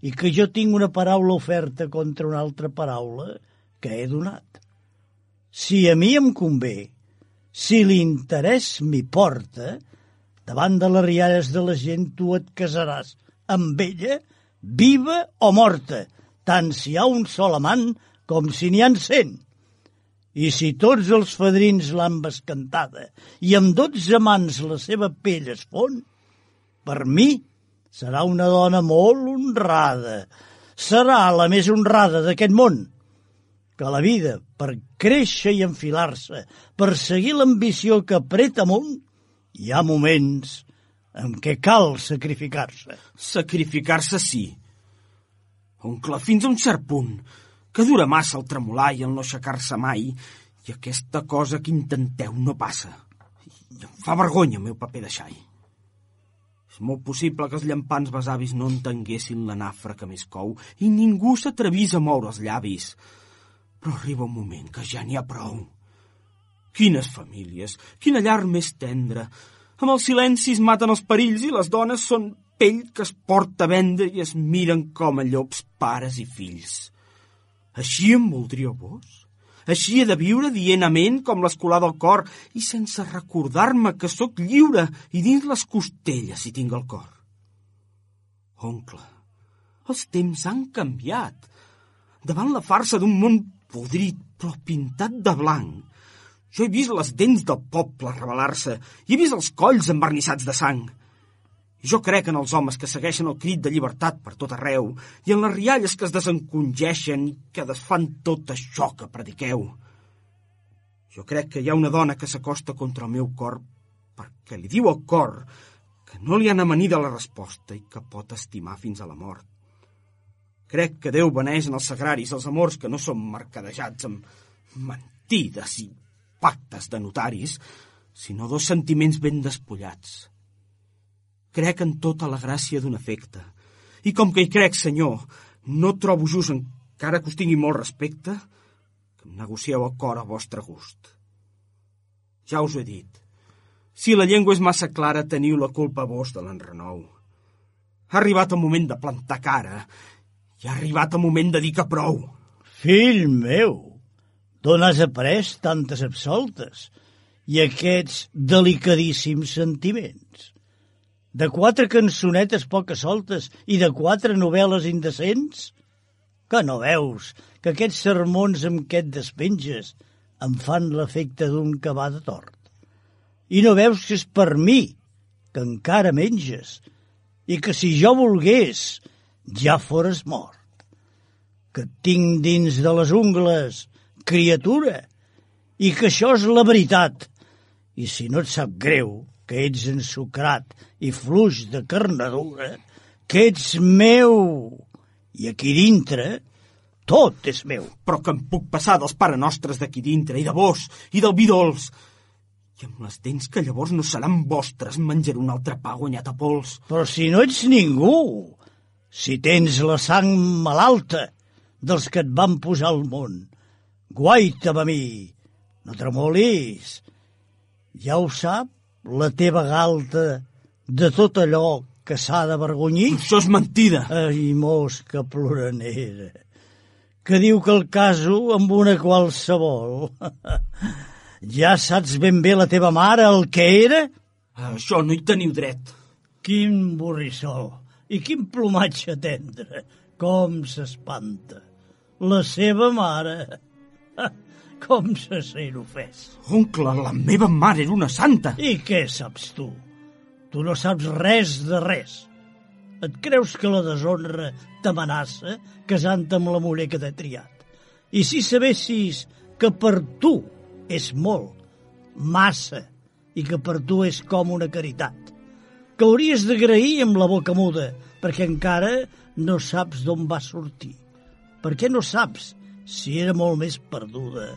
i que jo tinc una paraula oferta contra una altra paraula que he donat. Si a mi em convé, si l'interès m'hi porta, davant de les rialles de la gent tu et casaràs amb ella, viva o morta, tant si hi ha un sol amant com si n'hi ha 100. I si tots els fadrins l'han bescantada i amb 12 mans la seva pell es fon, per mi serà una dona molt honrada. Serà la més honrada d'aquest món. Que la vida, per créixer i enfilar-se, per seguir l'ambició que apreta amunt, hi ha moments en què cal sacrificar-se. Sacrificar-se sí. Oncle, fins a un cert punt, que dura massa el tremolar i el no aixecar-se mai, i aquesta cosa que intenteu no passa. I em fa vergonya el meu paper de xai. És molt possible que els llampants besavis no entenguessin la nafra que més cou i ningú s'atrevís a moure els llavis. Però arriba un moment que ja n'hi ha prou. Quines famílies, quina llar més tendra. Amb els silencis maten els perills i les dones són pell que es porta a vendre i es miren com a llops pares i fills. Així em voldríeu vos? Així he de viure dient amén com l'escolà del cor i sense recordar-me que sóc lliure i dins les costelles hi tinc el cor. Oncle, els temps han canviat. Davant la farsa d'un món podrit però pintat de blanc, jo he vist les dents del poble revelar-se i he vist els colls envernissats de sang. I jo crec en els homes que segueixen el crit de llibertat per tot arreu i en les rialles que es desencongeixen i que desfan tot això que prediqueu. Jo crec que hi ha una dona que s'acosta contra el meu cor perquè li diu al cor que no li han amanida la resposta i que pot estimar fins a la mort. Crec que Déu beneix en els sagraris els amors que no són mercadejats amb mentides i pactes de notaris, sinó 2 sentiments ben despullats. Crec en tota la gràcia d'un afecte. I com que hi crec, senyor, no trobo just, encara que us tingui molt respecte, que em negocieu el cor a vostre gust. Ja us ho he dit. Si la llengua és massa clara, teniu la culpa vos de l'enrenou. Ha arribat el moment de plantar cara i ha arribat el moment de dir que prou. Fill meu, D'on has après tantes absoltes i aquests delicadíssims sentiments? De 4 cançonetes poques soltes i de 4 novel·les indecents? Que no veus que aquests sermons amb què et despenges em fan l'efecte d'un que va de tort? I no veus que és per mi que encara menges i que si jo volgués ja fores mort? Que et tinc dins de les ungles, criatura, i que això és la veritat. I si no et sap greu, que ets ensucrat i fluix de carnadura, que ets meu, i aquí dintre tot és meu. Però que em puc passar dels parenostres d'aquí dintre, i de vos, i del vi dolç. I amb les dents que llavors no seran vostres, menjaré un altre pa guanyat a pols. Però si no ets ningú, si tens la sang malalta dels que et van posar al món, guaita'm a mi, no tremolis. Ja ho sap la teva galta de tot allò que s'ha d'avergonyir? Això és mentida. Ai, mosca ploranera, que diu que el caso amb una qualsevol. Ja saps ben bé la teva mare el que era? Això no hi teniu dret. Quin borrissol i quin plomatge tendre. Com s'espanta. La seva mare. Com se sent ofès. Oncle, la meva mare era una santa. I què saps tu? Tu no saps res de res. Et creus que la deshonra t'amenaça casant-te amb la muller que t'he triat? I si sabessis que per tu és molt, massa, i que per tu és com una caritat, que hauries d'agrair amb la boca muda, perquè encara no saps d'on va sortir. Per què no saps si era molt més perduda?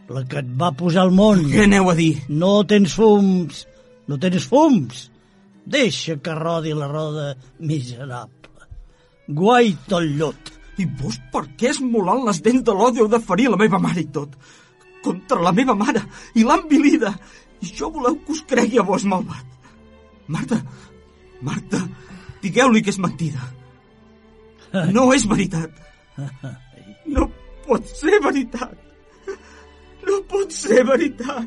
La que et va posar al món. Què aneu a dir? No tens fums, no tens fums. Deixa que rodi la roda miserable. Guaita el llot. I vos per què esmolant les dents de l'odi heu de ferir la meva mare i tot? Contra la meva mare, i l'han vilida. I això voleu que us cregui a vos, malvat. Marta, digueu-li que és mentida. No és veritat. No pot ser veritat. No pot ser veritat.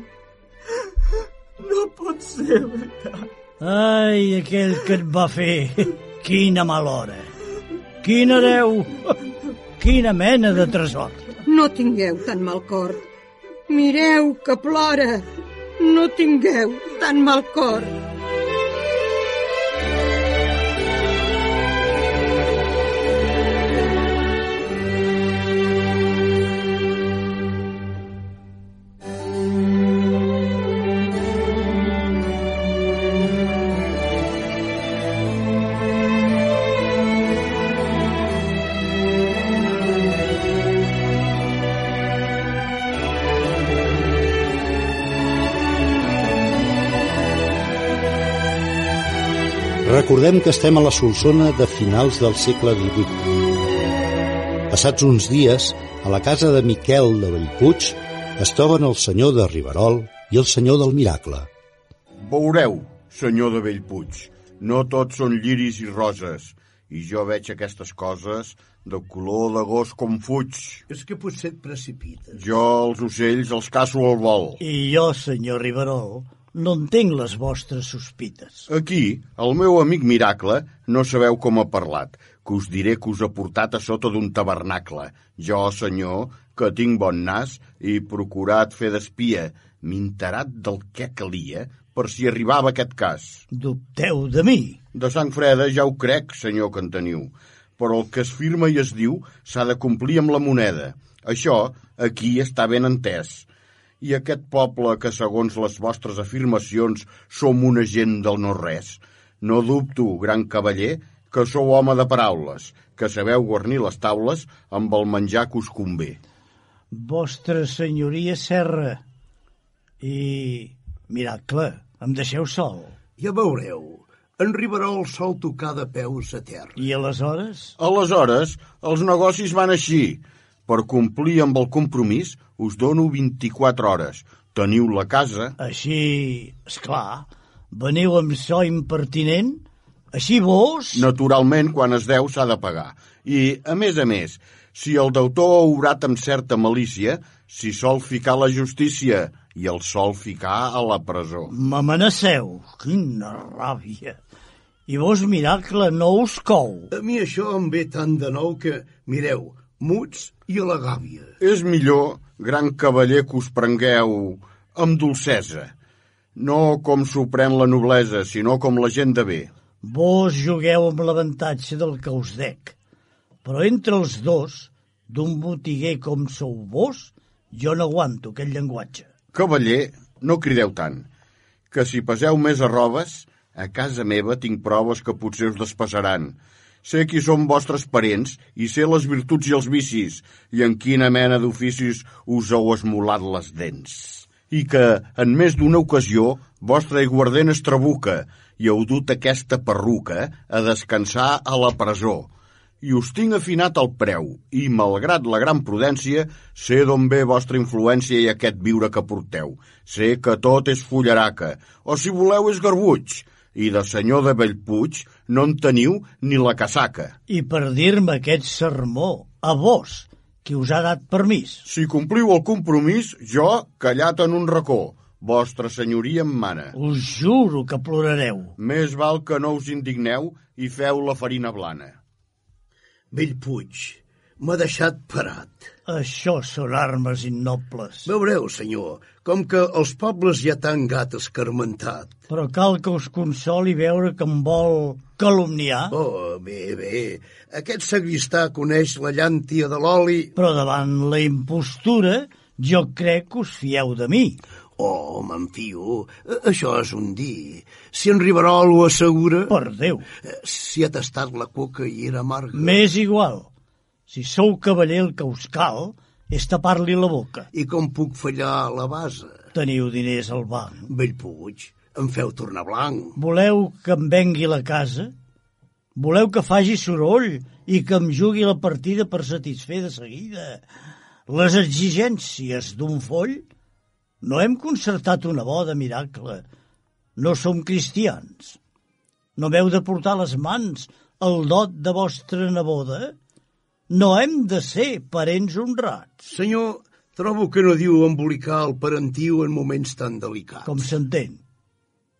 No pot ser veritat. Ai, aquell que et va fer. Quina mala hora. Quin hereu. Quina mena de tresor. No tingueu tan mal cor. Mireu que plora. No tingueu tan mal cor. Recordem que estem a la Solsona de finals del segle XVIII. Passats uns dies, a la casa de Miquel de Bellpuig es troben el senyor de Riberol i el senyor del Miracle. Veureu, senyor de Bellpuig, no tots són lliris i roses, i jo veig aquestes coses de color d'agost com fuig. És que potser et precipites. Jo els ocells els caço al vol. I jo, senyor Riberol, no entenc les vostres sospites. Aquí, el meu amic Miracle, no sabeu com ha parlat, que us diré que us ha portat a sota d'un tabernacle. Jo, senyor, que tinc bon nas i procurat fer d'espia, m'he enterat del que calia per si arribava aquest cas. Dubteu de mi? De sang freda ja ho crec, senyor que en teniu, però el que es firma i es diu s'ha de complir amb la moneda. Això aquí està ben entès. I aquest poble que, segons les vostres afirmacions, som una gent del no-res. No dubto, gran cavaller, que sou home de paraules, que sabeu guarnir les taules amb el menjar que us convé. Vostra senyoria Serra i Miracle, em deixeu sol. Ja veureu, en Riberol sol tocar de peus a terra. I aleshores? Aleshores, els negocis van així. Per complir amb el compromís, us dono 24 hores. Teniu la casa... Així, esclar, veniu amb so impertinent? Així vos? Naturalment, quan es deu s'ha de pagar. I, a més, si el deutor ha obrat amb certa malícia, s'hi sol ficar la justícia i el sol ficar a la presó. M'amenaceu, quina ràbia. I vos, miracle, no us cou. A mi això em ve tant de nou que, mireu, muts i a la gàbia. És millor, gran cavaller, que us prengueu amb dolcesa. No com s'ho pren la noblesa, sinó com la gent de bé. Vos jugueu amb l'avantatge del que us dec. Però entre els dos, d'un botiguer com sou vos, jo no aguanto aquest llenguatge. Cavaller, no crideu tant, que si passeu més arrobes, a casa meva tinc proves que potser us despassaran. Sé qui són vostres parents i sé les virtuts i els vicis i en quina mena d'oficis us heu esmolat les dents. I que, en més d'una ocasió, vostre aiguardent es trabuca i heu dut aquesta perruca a descansar a la presó. I us tinc afinat el preu i, malgrat la gran prudència, sé d'on ve vostra influència i aquest viure que porteu. Sé que tot és fullaraca, o si voleu és garbuig, i de senyor de Bellpuig no en teniu ni la casaca. I per dir-me aquest sermó, a vos, qui us ha dat permís. Si compliu el compromís, jo, callat en un racó, vostra senyoria em mana. Us juro que plorareu. Més val que no us indigneu i feu la farina blana. Bellpuig, m'ha deixat parat. Això són armes innobles. Veureu, senyor, com que els pobles ja t'han gat escarmentat. Però cal que us consoli veure que em vol calumniar. Oh, bé. Aquest sagristà coneix la llàntia de l'oli. Però davant la impostura, jo crec que us fieu de mi. Oh, me'n fio. Això és un dir. Si en Riverol ho assegura... Per Déu. Si ha tastat la coca i era amarga... M'és igual. Si sou cavaller, el que us cal és tapar-li la boca. I com puc fallar a la base? Teniu diners al banc. Bellpuig, em feu tornar blanc. Voleu que em vengui la casa? Voleu que faci soroll i que em jugui la partida per satisfer de seguida les exigències d'un foll? No hem concertat una boda, miracle. No som cristians. No m'heu de portar les mans el dot de vostra neboda? No hem de ser parents honrats. Senyor, trobo que no diu embolicar el parentiu en moments tan delicats. Com s'entén.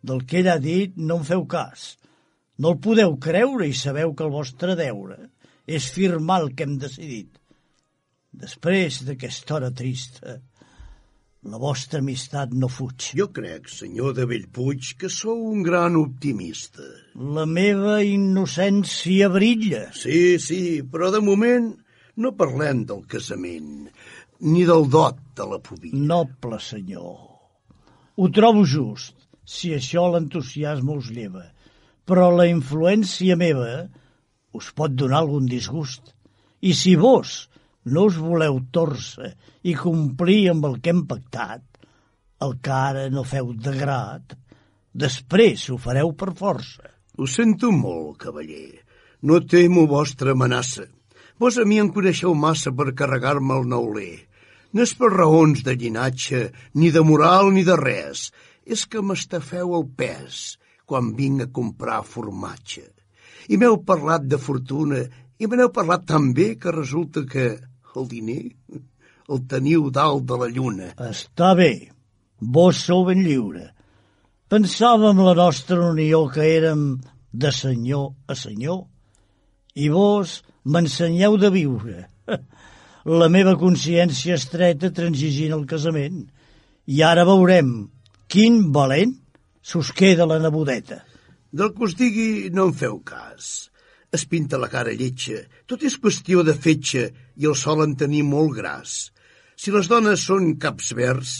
Del que ell ha dit no en feu cas. No el podeu creure i sabeu que el vostre deure és firmar el que hem decidit. Després d'aquesta hora trista, la vostra amistat no fuig. Jo crec, senyor de Bellpuig, que sou un gran optimista. La meva innocència brilla. Sí, però de moment no parlem del casament, ni del dot de la pubilla. Noble senyor, ho trobo just, si això l'entusiasme us lleva, però la influència meva us pot donar algun disgust. I si vos no us voleu tòrcer i complir amb el que hem pactat, el que ara no feu de grat, després ho fareu per força. Ho sento molt, cavaller. No temo vostra amenaça. Vos a mi em coneixeu massa per carregar-me el neuler. No és per raons de llinatge, ni de moral, ni de res. És que m'estafeu el pes quan vinc a comprar formatge. I m'heu parlat de fortuna i me n'heu parlat tan bé que resulta que el diner el teniu dalt de la lluna. Està bé, vos sou ben lliure. Pensàvem la nostra unió que érem de senyor a senyor i vos m'ensenyeu de viure. La meva consciència estreta transigint el casament i ara veurem quin valent s'us queda la nebodeta. Del que us digui no en feu cas. Es pinta la cara lletja, tot és qüestió de fetge i el solen tenir molt gras. Si les dones són caps verds,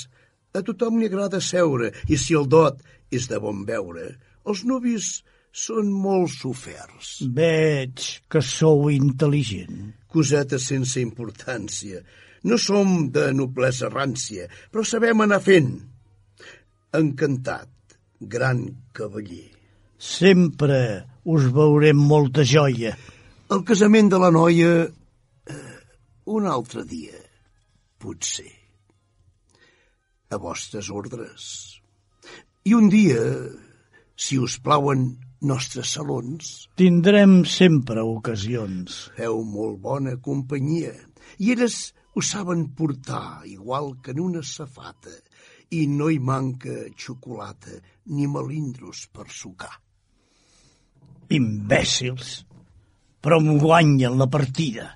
a tothom li agrada seure, i si el dot és de bon veure, els nuvis són molt soferts. Veig que sou intel·ligent. Coseta sense importància. No som de noblesa rància, però sabem anar fent. Encantat, gran cavaller. Sempre us veurem molta joia. El casament de la noia, un altre dia, potser. A vostres ordres. I un dia, si us plauen, nostres salons. Tindrem sempre ocasions. Feu molt bona companyia i elles ho saben portar igual que en una safata i no hi manca xocolata ni melindros per sucar. Imbècils! Però em guanyen la partida.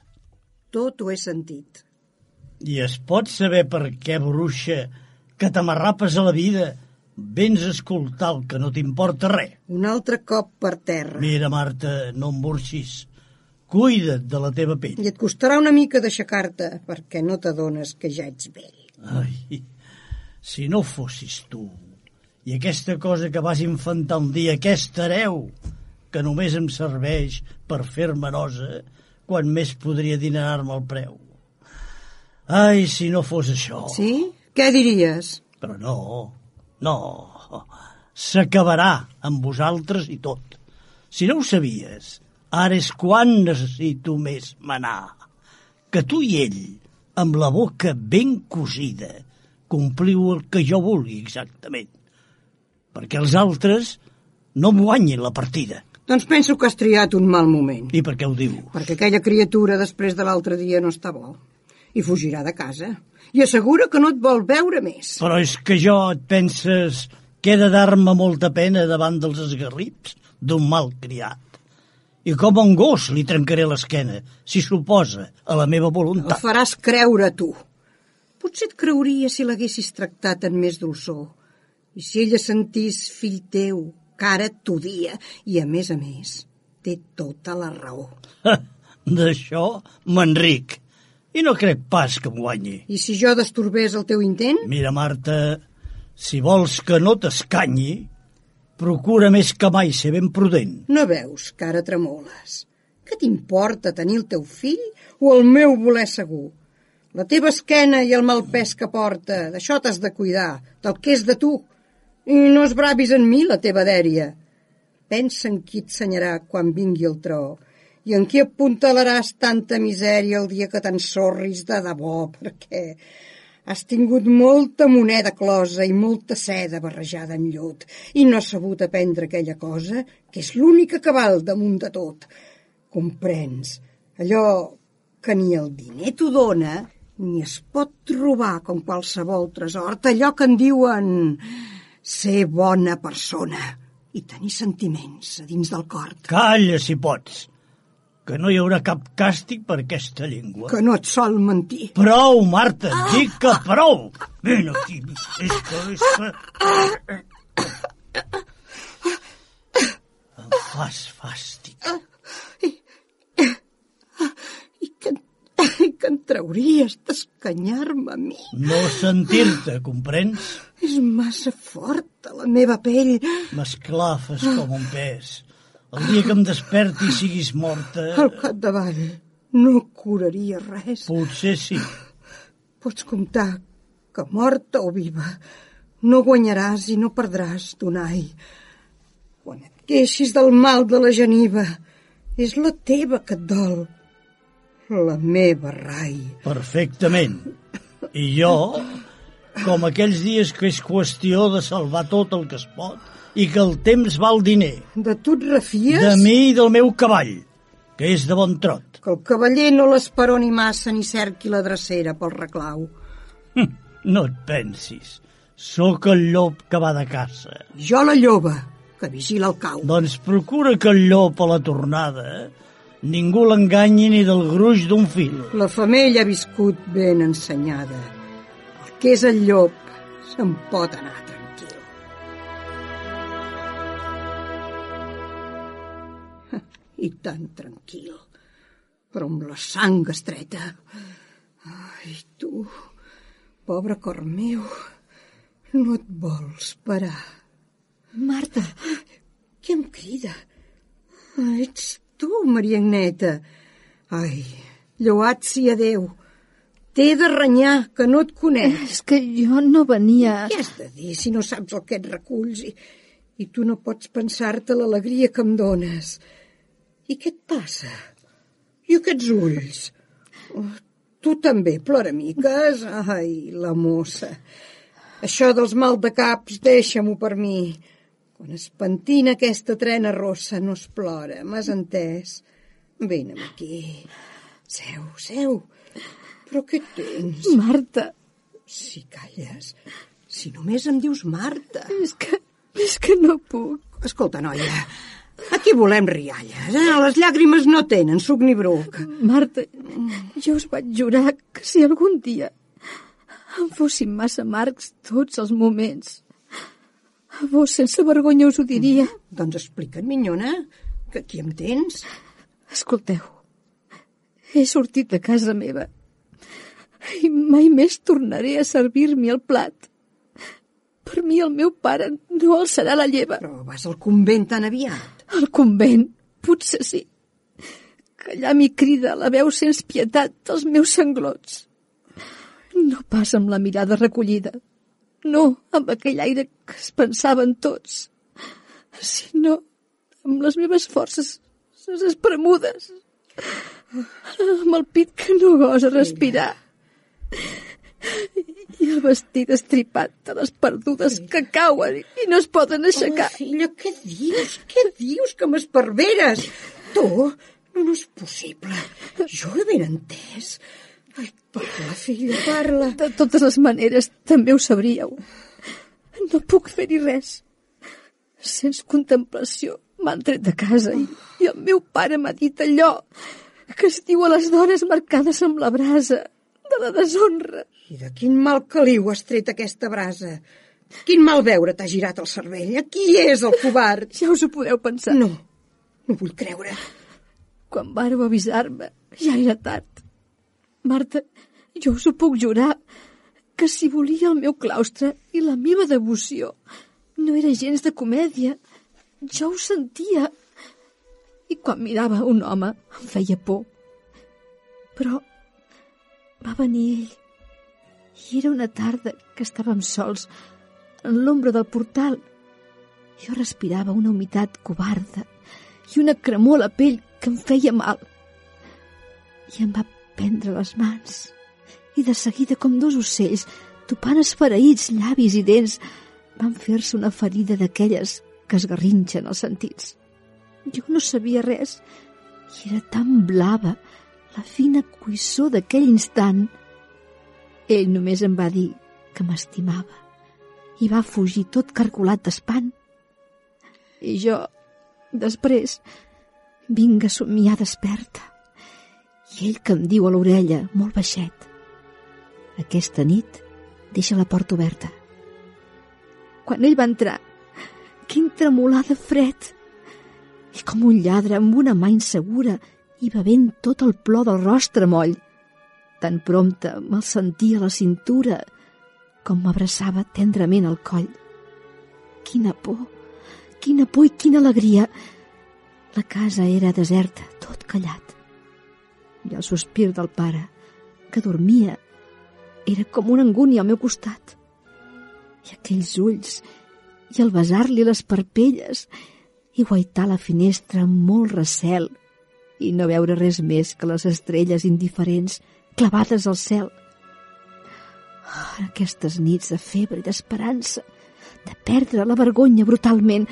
Tot ho he sentit. I es pot saber per què, bruixa, que t'amarrapes a la vida, vens a escoltar el que no t'importa res. Un altre cop per terra. Mira, Marta, no em burxis. Cuida't de la teva pell. I et costarà una mica d'aixecar-te, perquè no t'adones que ja ets vell. Ai, si no fossis tu, i aquesta cosa que vas infantar un dia, aquesta hereu, que només em serveix per fer-me nosa, quan més podria dinerar-me el preu. Ai, si no fos això... Sí? Què diries? Però no, s'acabarà amb vosaltres i tot. Si no ho sabies, ara és quan necessito més manar. Que tu i ell, amb la boca ben cosida, compliu el que jo vulgui exactament. Perquè els altres no em guanyin la partida. Doncs penso que has triat un mal moment. I per què ho diu? Perquè aquella criatura després de l'altre dia no està bo. I fugirà de casa. I assegura que no et vol veure més. Però és que jo et penses que he de dar-me molta pena davant dels esgarrips d'un mal criat. I com a un gos li trencaré l'esquena, si s'oposa a la meva voluntat. El faràs creure tu. Potser et creuria si l'haguessis tractat amb més dolçor. I si ella sentís fill teu, que ara t'odia, i a més, té tota la raó. D'això m'enric, i no crec pas que em guanyi. I si jo destorbés el teu intent? Mira, Marta, si vols que no t'escanyi, procura més que mai ser ben prudent. No veus que ara tremoles? Què t'importa tenir el teu fill o el meu voler segur? La teva esquena i el mal pes que porta, d'això t'has de cuidar, del que és de tu. I no esbravis en mi la teva dèria. Pensa en qui et senyarà quan vingui el tro i en qui apuntalaràs tanta misèria el dia que t'ensorris de debò, perquè has tingut molta moneda closa i molta seda barrejada en llut i no has sabut aprendre aquella cosa que és l'única que val damunt de tot. Comprens? Allò que ni el diner t'ho dona ni es pot robar com qualsevol tresor, allò que en diuen ser bona persona i tenir sentiments a dins del cor. Calla, si pots, que no hi haurà cap càstig per aquesta llengua. Que no et sol mentir. Prou, Marta, dic que prou. Vine aquí, és que... Em fas fàstic. I que en trauries d'escanyar-me a mi. No sentir-te, comprens? És massa forta la meva pell. M'esclafes com un pes. El dia que em desperti i siguis morta... Al capdavall no curaria res. Potser sí. Pots comptar que morta o viva no guanyaràs i no perdràs, Donai. Quan et queixis del mal de la geniva, és la teva que et dol. La meva, Rai. Perfectament. I jo, com aquells dies que és qüestió de salvar tot el que es pot i que el temps val diner. De tu et refies? De mi i del meu cavall, que és de bon trot. Que el cavaller no l'esperoni massa ni cerqui la drecera pel reclau. No et pensis. Sóc el llop que va de caça. Jo la lloba, que vigila el cau. Doncs procura que el llop a la tornada ningú l'enganyi ni del gruix d'un fil. La femella ha viscut ben ensenyada. El que és el llop se'n pot anar tranquil. I tan tranquil, però amb la sang estreta. Ai, tu, pobre cor meu, no et vols parar. Marta! Qui em crida? Ets tu, Maria Agneta. Ai, lloat sia Déu. T'he de renyar, que no et conec. És que jo no venia... Què has de dir si no saps el que et reculls i tu no pots pensar-te l'alegria que em dones? I què et passa? I aquests ulls? Oh, tu també, ploramiques? Ai, la mossa. Això dels mal de caps, deixa-m'ho per mi. Quan es pentina aquesta trena rossa no es plora, m'has entès? Vine aquí. Seu. Però què tens? Marta. Si calles, si només em dius Marta. És que no puc. Escolta, noia, aquí volem rialles, eh? Les llàgrimes no tenen suc ni bruc. Marta, jo us vaig jurar que si algun dia em fossin massa amargs tots els moments, a vos sense vergonya us ho diria. Doncs explica't, minyona, que aquí em tens. Escolteu, he sortit de casa meva i mai més tornaré a servir-m'hi el plat. Per mi el meu pare no alçarà la lleva. Però vas al convent tan aviat. Al convent? Potser sí. Que allà m'hi crida la veu sense pietat dels meus sanglots. No pas amb la mirada recollida, no amb aquell aire que es pensaven tots, sinó amb les meves forces espremudes, amb el pit que no gosa respirar i el vestit estripat de les perdudes que cauen i no es poden aixecar. Filla, què dius? Què dius, que m'esparveres? Tu? No és possible. Jo he ben entès. Ai, parla, filla, parla. De totes les maneres, també ho sabríeu. No puc fer-hi res. Sense contemplació m'han tret de casa i el meu pare m'ha dit allò que es diu a les dones marcades amb la brasa de la deshonra. I de quin mal caliu has tret aquesta brasa? Quin mal veure t'ha girat el cervell? Qui és el covard? Ja us ho podeu pensar. No vull creure. Quan vàreu avisar-me, ja era tard. Marta, jo us ho puc jurar, que si volia el meu claustre i la meva devoció no era gens de comèdia, jo ho sentia. I quan mirava un home em feia por. Però va venir ell. I era una tarda que estàvem sols en l'ombra del portal. Jo respirava una humitat covarda i una cremor a la pell que em feia mal. I em va prendre les mans i de seguida, com dos ocells, topant esfereïts llavis i dents, van fer-se una ferida d'aquelles que esgarrinxen els sentits. Jo no sabia res i era tan blava la fina cuissó d'aquell instant. Ell només em va dir que m'estimava i va fugir tot cargolat d'espant. I jo, després, vinc a somiar desperta. I ell que em diu a l'orella, molt baixet: aquesta nit deixa la porta oberta. Quan ell va entrar, quin tremolar de fred! I com un lladre amb una mà insegura i bevent tot el plor del rostre moll. Tan prompte me'l sentia a la cintura com m'abraçava tendrament al coll. Quina por i quina alegria! La casa era deserta, tot callat. I el sospir del pare, que dormia, era com una angúnia al meu costat. I aquells ulls, i el besar-li les parpelles, i guaitar la finestra amb molt recel, i no veure res més que les estrelles indiferents clavades al cel. Aquestes nits de febre i d'esperança, de perdre la vergonya brutalment,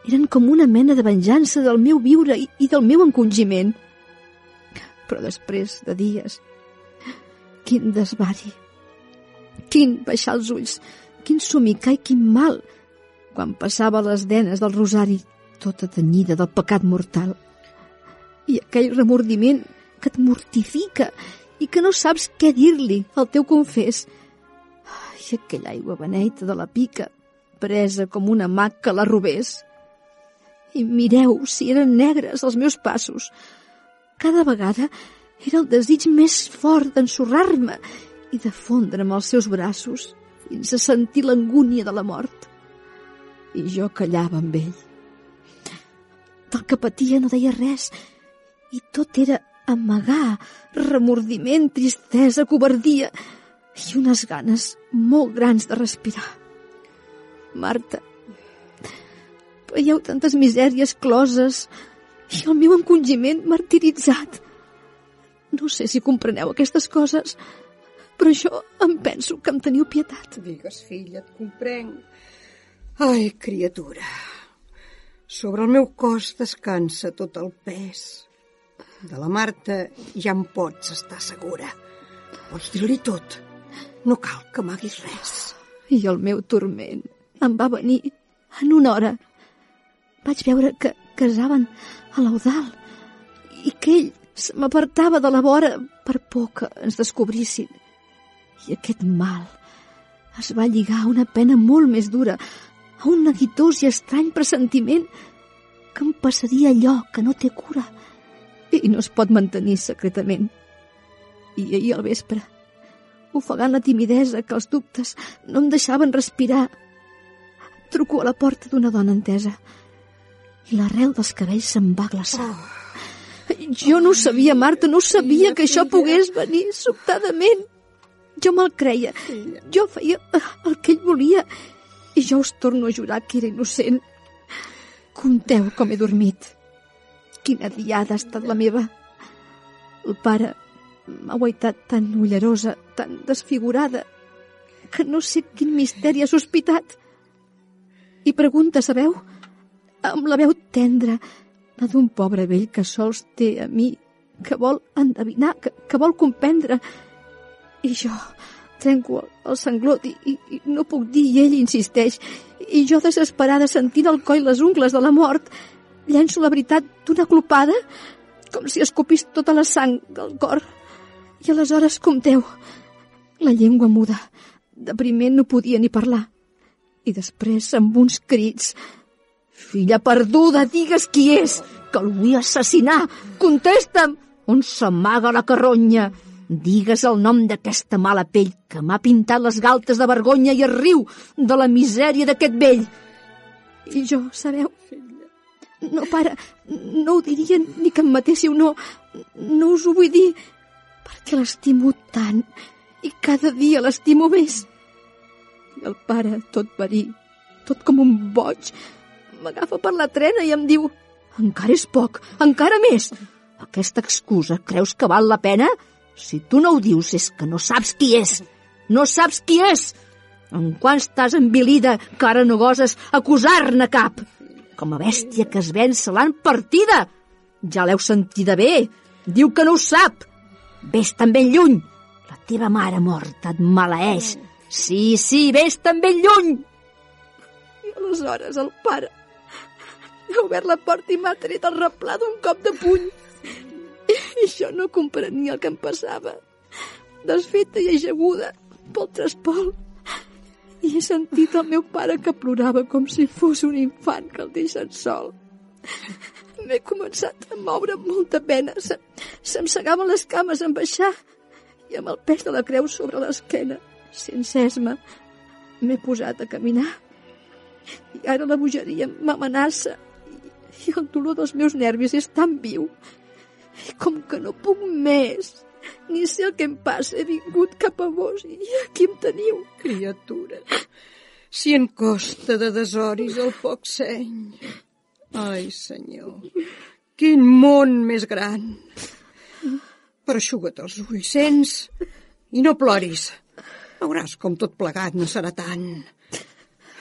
eren com una mena de venjança del meu viure i del meu encongiment. Però després de dies, quin desvari, quin baixar els ulls, quin somicar i quin mal, quan passava les denes del rosari tota tenyida del pecat mortal. I aquell remordiment que et mortifica i que no saps què dir-li al teu confés. I aquella aigua beneita de la pica, presa com una mà que la robés. I mireu si eren negres els meus passos. Cada vegada era el desig més fort d'ensorrar-me i de fondre'm als seus braços fins a sentir l'angúnia de la mort. I jo callava amb ell. Del que patia no deia res i tot era amagar, remordiment, tristesa, covardia i unes ganes molt grans de respirar. Marta, veieu tantes misèries closes i el meu encongiment martiritzat. No sé si compreneu aquestes coses, però jo em penso que em teniu pietat. Digues, filla, et comprenc. Ai, criatura, sobre el meu cos descansa tot el pes. De la Marta ja em pots estar segura. Pots dir-li tot. No cal que m'haguis res. I el meu turment em va venir en una hora. Vaig veure que casaven a l'Eudald i que ell se m'apartava de la vora per por que ens descobrissin. I aquest mal es va lligar a una pena molt més dura, a un neguitós i estrany pressentiment que em passaria allò que no té cura i no es pot mantenir secretament. I ahir al vespre, ofegant la timidesa que els dubtes no em deixaven respirar, truco a la porta d'una dona entesa i l'arrel dels cabells se'm va glaçar. Jo no ho sabia, Marta, no sabia que això pogués venir sobtadament. Jo me'l creia, jo feia el que ell volia i jo us torno a jurar que era innocent. Compteu com he dormit. Quina diada ha estat la meva. El pare m'ha guaitat tan ullerosa, tan desfigurada, que no sé quin misteri ha sospitat. I pregunta, sabeu, amb la veu tendra, la d'un pobre vell que sols té a mi, que vol endevinar, que vol comprendre. I jo trenco el sanglot i no puc dir, i ell insisteix. I jo, desesperada, sentint el coll les ungles de la mort, llenço la veritat d'una glopada, com si escopís tota la sang del cor. I aleshores, compteu, la llengua muda. De primer no podia ni parlar. I després, amb uns crits: «Filla perduda, digues qui és, que el vull assassinar! Contesta'm! On s'amaga la carronya? Digues el nom d'aquesta mala pell que m'ha pintat les galtes de vergonya i es riu de la misèria d'aquest vell!» I jo, sabeu, no, pare, no ho diria ni que em matéssiu, no us ho vull dir, perquè l'estimo tant i cada dia l'estimo més. I el pare, tot verí, tot com un boig, m'agafa per la trena i em diu: «Encara és poc, encara més! Aquesta excusa creus que val la pena? Si tu no ho dius és que no saps qui és! No saps qui és! En quan estàs envilida que ara no goses acusar-ne cap? Com a bèstia que es ven se l'han partida! Ja l'heu sentida bé! Diu que no ho sap! Ves-te'n ben lluny! La teva mare morta et maleeix! Sí, ves-te'n ben lluny!» I aleshores el pare ha obert la porta i m'ha tret el replà d'un cop de puny. I jo no comprenia el que em passava. Desfeta i ajaguda pel trespol, i he sentit el meu pare que plorava com si fos un infant que el deixen sol. M'he començat a moure amb molta pena. Se'm segaven les cames en baixar i amb el pes de la creu sobre l'esquena, sense esma, m'he posat a caminar. I ara la bogeria m'amenaça i el dolor dels meus nervis és tan viu. I com que no puc més, ni sé el que em passa, he vingut cap a vos i aquí em teniu. Criatura, si en costa de desoris el poc seny. Ai, senyor, quin món més gran. Però eixuga't els ulls, sents? I no ploris. Veuràs com tot plegat no serà tant.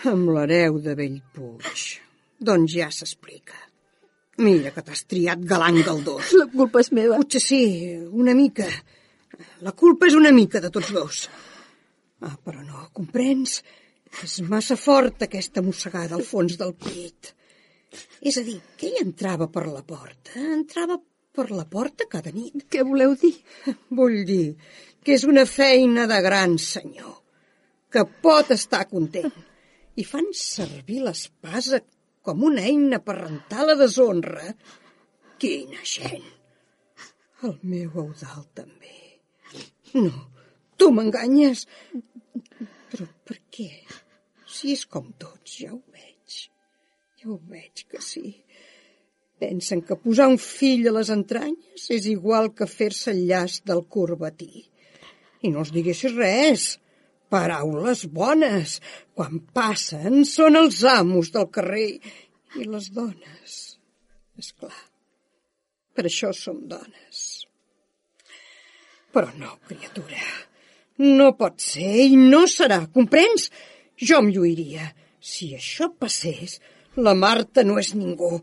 Amb l'hereu de Bellpuig, doncs ja s'explica. Mira que t'has triat galant galdós. La culpa és meva. Potser sí, una mica. La culpa és una mica de tots dos. Però no, comprens? És massa forta aquesta mossegada al fons del pit. És a dir, que ell entrava per la porta. Entrava per la porta cada nit. Què voleu dir? Vull dir que és una feina de gran senyor, que pot estar content. I fan servir l'espasa com una eina per rentar la deshonra. Quina gent! El meu Eudald també. No, tu m'enganyes. Però per què? Si és com tots, ja ho veig. Ja ho veig que sí. Pensen que posar un fill a les entranyes és igual que fer-se el llaç del corbatí. I no els diguessis res. Paraules bones. Quan passen són els amos del carrer i les dones. Esclar, per això som dones. Però no, criatura, no pot ser i no serà, comprens? Jo em lluiria. Si això passés, la Marta no és ningú,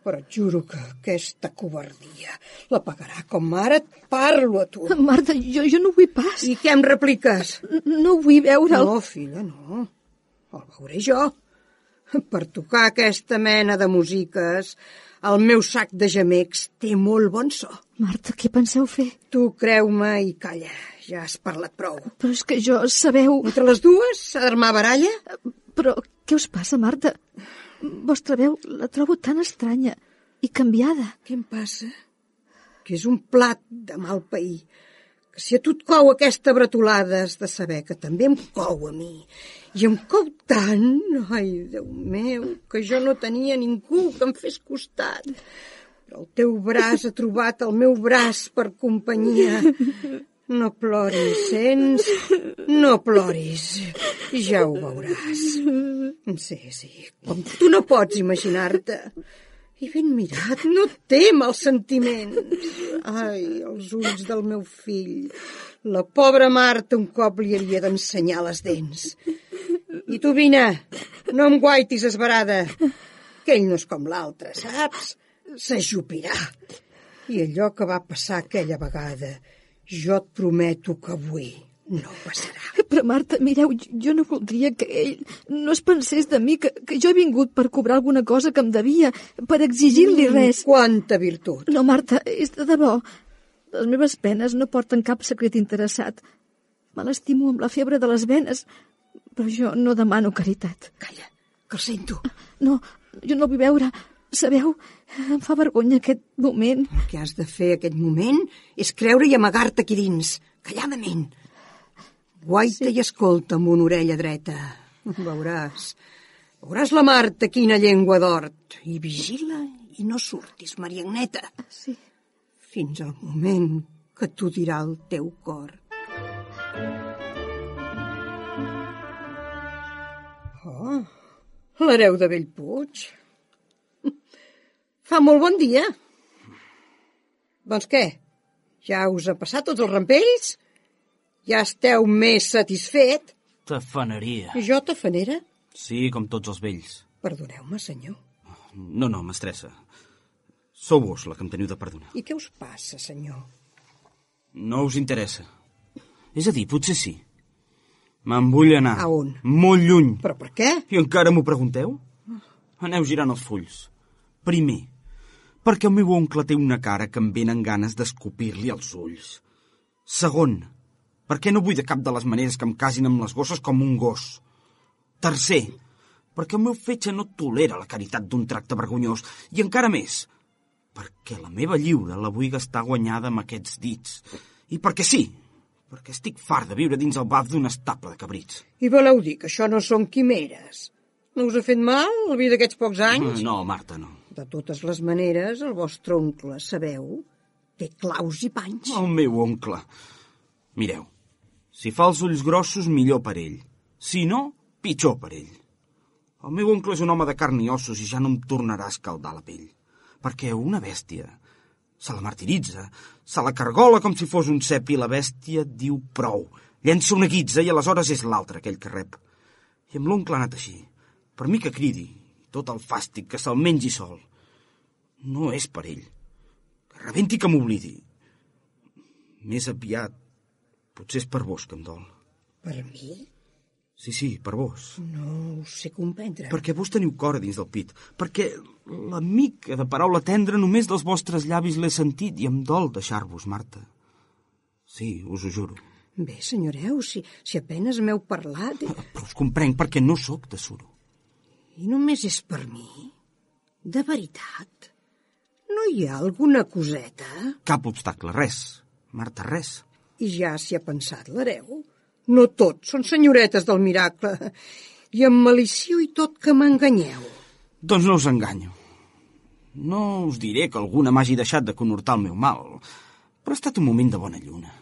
però et juro que aquesta covardia la pagarà com ara et parlo a tu. Marta, jo no vull pas. I què em repliques? No vull veure'l. No, filla, no. El veuré jo. Per tocar aquesta mena de músiques, el meu sac de gemecs té molt bon so. Marta, què penseu fer? Tu creu-me i calla, ja has parlat prou. Però és que jo, sabeu... Entre les dues s'ha d'armar baralla? Però què us passa, Marta? Vostra veu la trobo tan estranya i canviada. Què em passa? Que és un plat de mal pair. Que si a tu et cou aquesta bretolada has de saber que també em cou a mi. I em cou tant, ai, Déu meu, que jo no tenia ningú que em fes costat. Però el teu braç ha trobat el meu braç per companyia. No ploris, sents? No ploris. Ja ho veuràs. Sí, com tu no pots imaginar-te. I ben mirat, no té mals sentiments. Ai, els ulls del meu fill. La pobra Marta un cop li havia d'ensenyar les dents. I tu, vine, no em guaitis esverada, que ell no és com l'altre, saps? S'ajupirà. I allò que va passar aquella vegada, jo et prometo que avui no passarà. Però, Marta, mireu, jo no voldria que ell no es pensés de mi, que jo he vingut per cobrar alguna cosa que em devia, per exigir-li res. Quanta virtut! No, Marta, és de debò. Les meves penes no porten cap secret interessat. Me l'estimo amb la febre de les venes, però jo no demano caritat. Calla, que el sento. No, jo no el vull veure. Sabeu, em fa vergonya aquest moment. El que has de fer aquest moment és creure i amagar-te aquí dins, calladament. Guaita i escolta amb una orella dreta. Veuràs la Marta quina llengua d'hort. I vigila i no surtis, Maria Agneta. Sí. Fins al moment que t'ho dirà el teu cor. Oh, l'hereu de Bellpuig. Fa molt bon dia. Doncs què? Ja us ha passat tots els rampells? Ja esteu més satisfet? Tafaneria. I jo tafanera? Sí, com tots els vells. Perdoneu-me, senyor. No, m'estressa. Sou vos la que em teniu de perdonar. I què us passa, senyor? No us interessa. És a dir, potser sí. Me'n vull anar. A on? Molt lluny. Però per què? I encara m'ho pregunteu? Aneu girant els fulls. Primer, perquè el meu oncle té una cara que em venen ganes d'escopir-li els ulls. Segon, perquè no vull de cap de les maneres que em casin amb les gosses com un gos. Tercer, perquè el meu fetge no tolera la caritat d'un tracte vergonyós. I encara més, perquè la meva lliure la vull gastar guanyada amb aquests dits. I perquè sí, perquè estic fart de viure dins el baf d'un estable de cabrits. I voleu dir que això no són quimeres? No us ha fet mal el vi d'aquests pocs anys? No, Marta, no. De totes les maneres, el vostre oncle, sabeu, té claus i panys. El meu oncle. Mireu, si fa els ulls grossos, millor per ell. Si no, pitjor per ell. El meu oncle és un home de carn i ossos i ja no em tornarà a escaldar la pell. Perquè una bèstia se la martiritza, se la cargola com si fos un cep i la bèstia diu prou. Llença una guitza i aleshores és l'altre aquell que rep. I amb l'oncle ha anat així. Per mi que cridi, tot el fàstic, que se'l mengi sol. No és per ell. Que rebenti, que m'oblidi. Més aviat, potser és per vos que em dol. Per mi? Sí, per vos. No ho sé comprendre. Perquè vos teniu cor a dins del pit. Perquè la mica de paraula tendra només dels vostres llavis l'he sentit i em dol deixar-vos, Marta. Sí, us ho juro. Bé, senyoreu, si apenes m'heu parlat... Però us comprenc perquè no sóc de suro. I només és per mi? De veritat? No hi ha alguna coseta? Cap obstacle, res. Marta, res. I ja s'hi ha pensat l'hereu? No tots són senyoretes del miracle. I amb malició i tot que m'enganyeu. Doncs no us enganyo. No us diré que alguna m'hagi deixat de conhortar el meu mal, però ha estat un moment de bona lluna.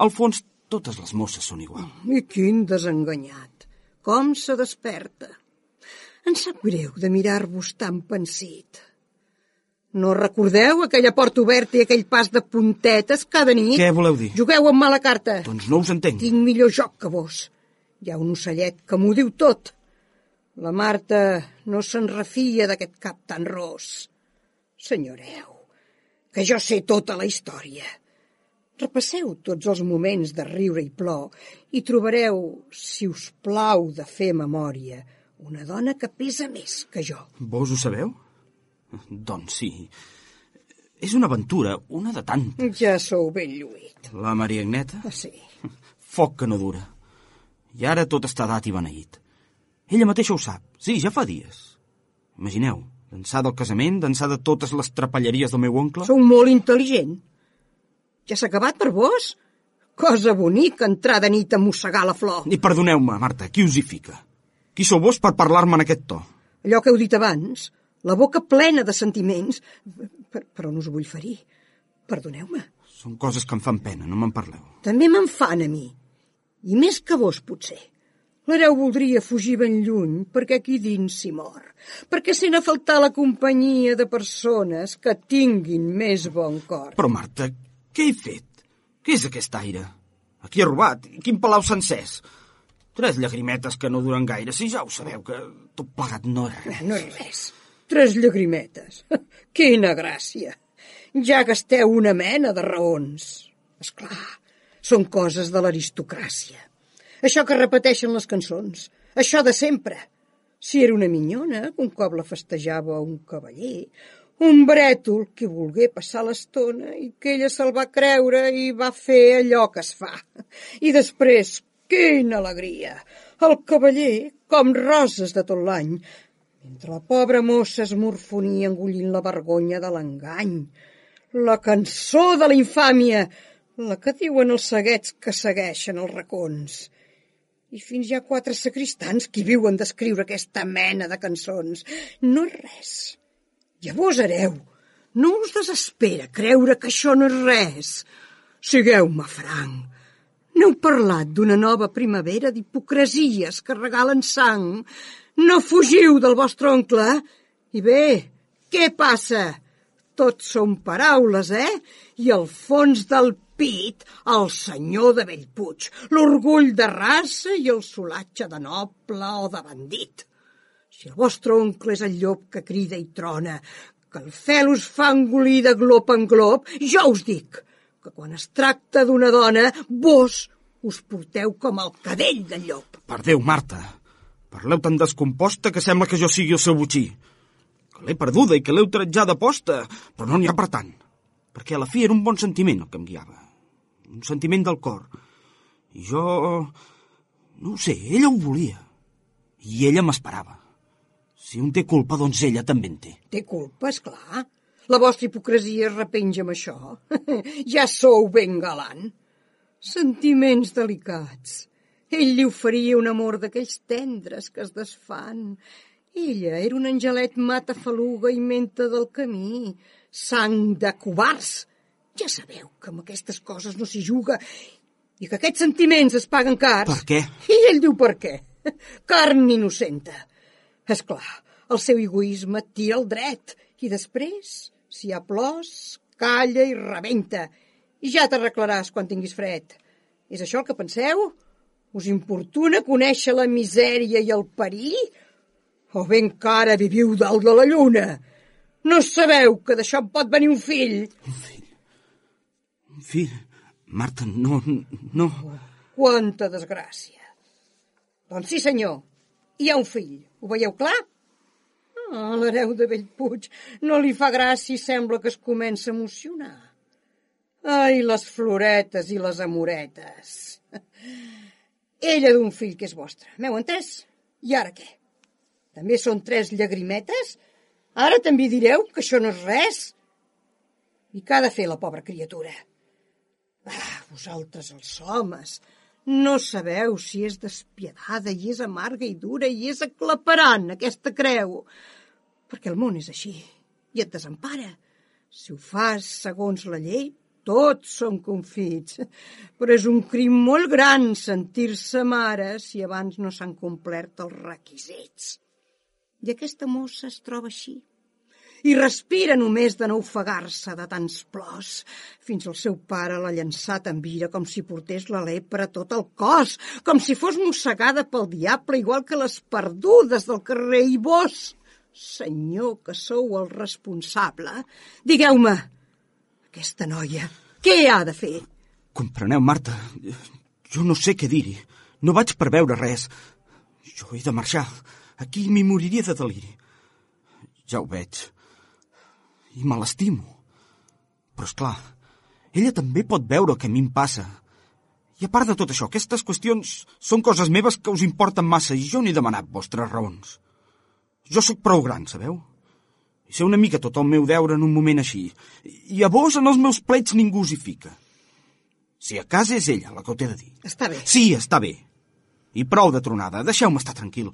Al fons, totes les mosses són igual. I quin desenganyat. Com se desperta. Em sap greu de mirar-vos tan pensit. No recordeu aquella porta oberta i aquell pas de puntetes cada nit? Què voleu dir? Jugueu amb mala carta. Doncs no us entenc. Tinc millor joc que vos. Hi ha un ocellet que m'ho diu tot. La Marta no se'n refia d'aquest cap tan ros. Senyoreu, que jo sé tota la història. Repasseu tots els moments de riure i plor i trobareu, si us plau de fer memòria, una dona que pesa més que jo. Vos ho sabeu? Doncs sí. És una aventura, una de tantes. Ja sou ben lluït. La Maria Agneta? Sí. Foc que no dura. I ara tot està dat i beneït. Ella mateixa ho sap. Sí, ja fa dies. Imagineu, d'ençà del casament, d'ençà de totes les trapelleries del meu oncle... Sou molt intel·ligent. Ja s'ha acabat per vos? Cosa bonica entrar de nit a mossegar la flor. I perdoneu-me, Marta, qui us hi fica? Qui sou vos per parlar-me en aquest to? Allò que heu dit abans, la boca plena de sentiments, però no us vull ferir. Perdoneu-me. Són coses que em fan pena, no me'n parleu. També me'n fan a mi. I més que vos, potser. L'hereu voldria fugir ben lluny, perquè aquí dins s'hi mor. Perquè sent a faltar la companyia de persones que tinguin més bon cor. Però, Marta, què he fet? Què és aquest aire? A qui he robat? Quin palau s'ha encès? 3 llagrimetes que no duren gaire, si ja ho sabeu, que tot plegat no és res. No és res. 3 llagrimetes. Quina gràcia. Ja gasteu una mena de raons. Esclar, són coses de l'aristocràcia. Això que repeteixen les cançons. Això de sempre. Si era una minyona, un cop la festejava un cavaller, un brètol que volgué passar l'estona i que ella se'l va creure i va fer allò que es fa. I després, quina alegria! El cavaller, com roses de tot l'any, mentre la pobra mossa es morfonia engollint la vergonya de l'engany. La cançó de la infàmia, la que diuen els seguets que segueixen els racons. I fins hi ha 4 sacristans que viuen d'escriure aquesta mena de cançons. No és res. Llavors, hereu, no us desespera creure que això no és res. Sigueu-me franc. N'heu parlat d'una nova primavera d'hipocresies que regalen sang. No fugiu del vostre oncle. I bé, què passa? Tot són paraules, I al fons del pit, el senyor de Bellpuig, l'orgull de raça i el solatge de noble o de bandit. Si el vostre oncle és el llop que crida i trona, que el fel us fa engolir de glop en glop, jo us dic que quan es tracta d'una dona, vos us porteu com el cadell del llop. Per Déu, Marta, parleu tan descomposta que sembla que jo sigui el seu botxí. Que l'he perduda i que l'he utilitzada aposta, però no n'hi ha per tant. Perquè a la fi era un bon sentiment el que em guiava. Un sentiment del cor. I jo... no ho sé, ella ho volia. I ella m'esperava. Si un té culpa, doncs ella també en té. Té culpa, esclar. La vostra hipocresia es repenja amb això. Ja sou ben galant. Sentiments delicats. Ell li oferia un amor d'aquells tendres que es desfan. Ella era un angelet matafaluga i menta del camí. Sang de covards. Ja sabeu que amb aquestes coses no s'hi juga i que aquests sentiments es paguen cars. Per què? I ell diu per què. Carn innocenta. Esclar, el seu egoisme et tira el dret i després, si hi ha plors, calla i rebenta. I ja t'arreglaràs quan tinguis fred. És això el que penseu? Us importuna conèixer la misèria i el perill? O bé encara viviu dalt de la lluna? No sabeu que d'això pot venir un fill? Un fill? Un fill? Marta, no... Quanta desgràcia. Doncs sí, senyor, hi ha un fill. Ho veieu clar? L'hereu de Bellpuig no li fa gràcia i sembla que es comença a emocionar. Ai, les floretes i les amoretes. Ella d'un fill que és vostre, m'heu entès? I ara què? També són 3 llagrimetes? Ara també direu que això no és res? I què ha de fer la pobra criatura? Vosaltres els homes no sabeu si és despiadada i és amarga i dura i és aclaparant aquesta creu. Perquè el món és així i et desempara. Si ho fas segons la llei, tots són confits. Però és un crim molt gran sentir-se mare si abans no s'han complert els requisits. I aquesta mossa es troba així. i respira només de no ofegar-se de tants plors. Fins el seu pare l'ha llançat en ira com si portés la lepra a tot el cos, com si fos mossegada pel diable, igual que les perdudes del carrer. I vos, senyor, que sou el responsable, digueu-me, aquesta noia, què ha de fer? Compreneu, Marta, jo no sé què dir-hi. No vaig preveure res. Jo he de marxar. Aquí m'hi moriria de deliri. Ja ho veig. I me l'estimo. Però, esclar, ella també pot veure el que a mi em passa. I a part de tot això, aquestes qüestions són coses meves que us importen massa i jo no he demanat vostres raons. Jo sóc prou gran, sabeu? I sé una mica tot el meu deure en un moment així. I a vos, en els meus plets, ningú s'hi fica. Si a casa és ella la que ho té de dir. Està bé. Sí, està bé. I prou de tronada. Deixeu-me estar tranquil.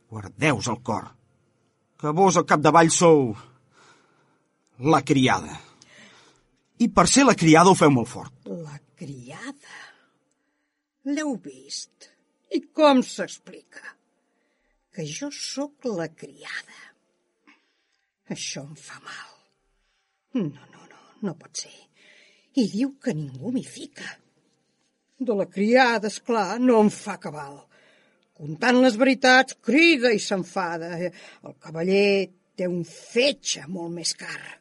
Guardeu-vos el cor. Que vos al capdavall sou la criada. I per ser la criada ho feu molt fort. La criada? L'heu vist? I com s'explica? Que jo sóc la criada. Això em fa mal. No pot ser. I diu que ningú m'hi fica. De la criada, esclar, no em fa cabal. Contant les veritats, crida i s'enfada. El cavaller té un fetge molt més car.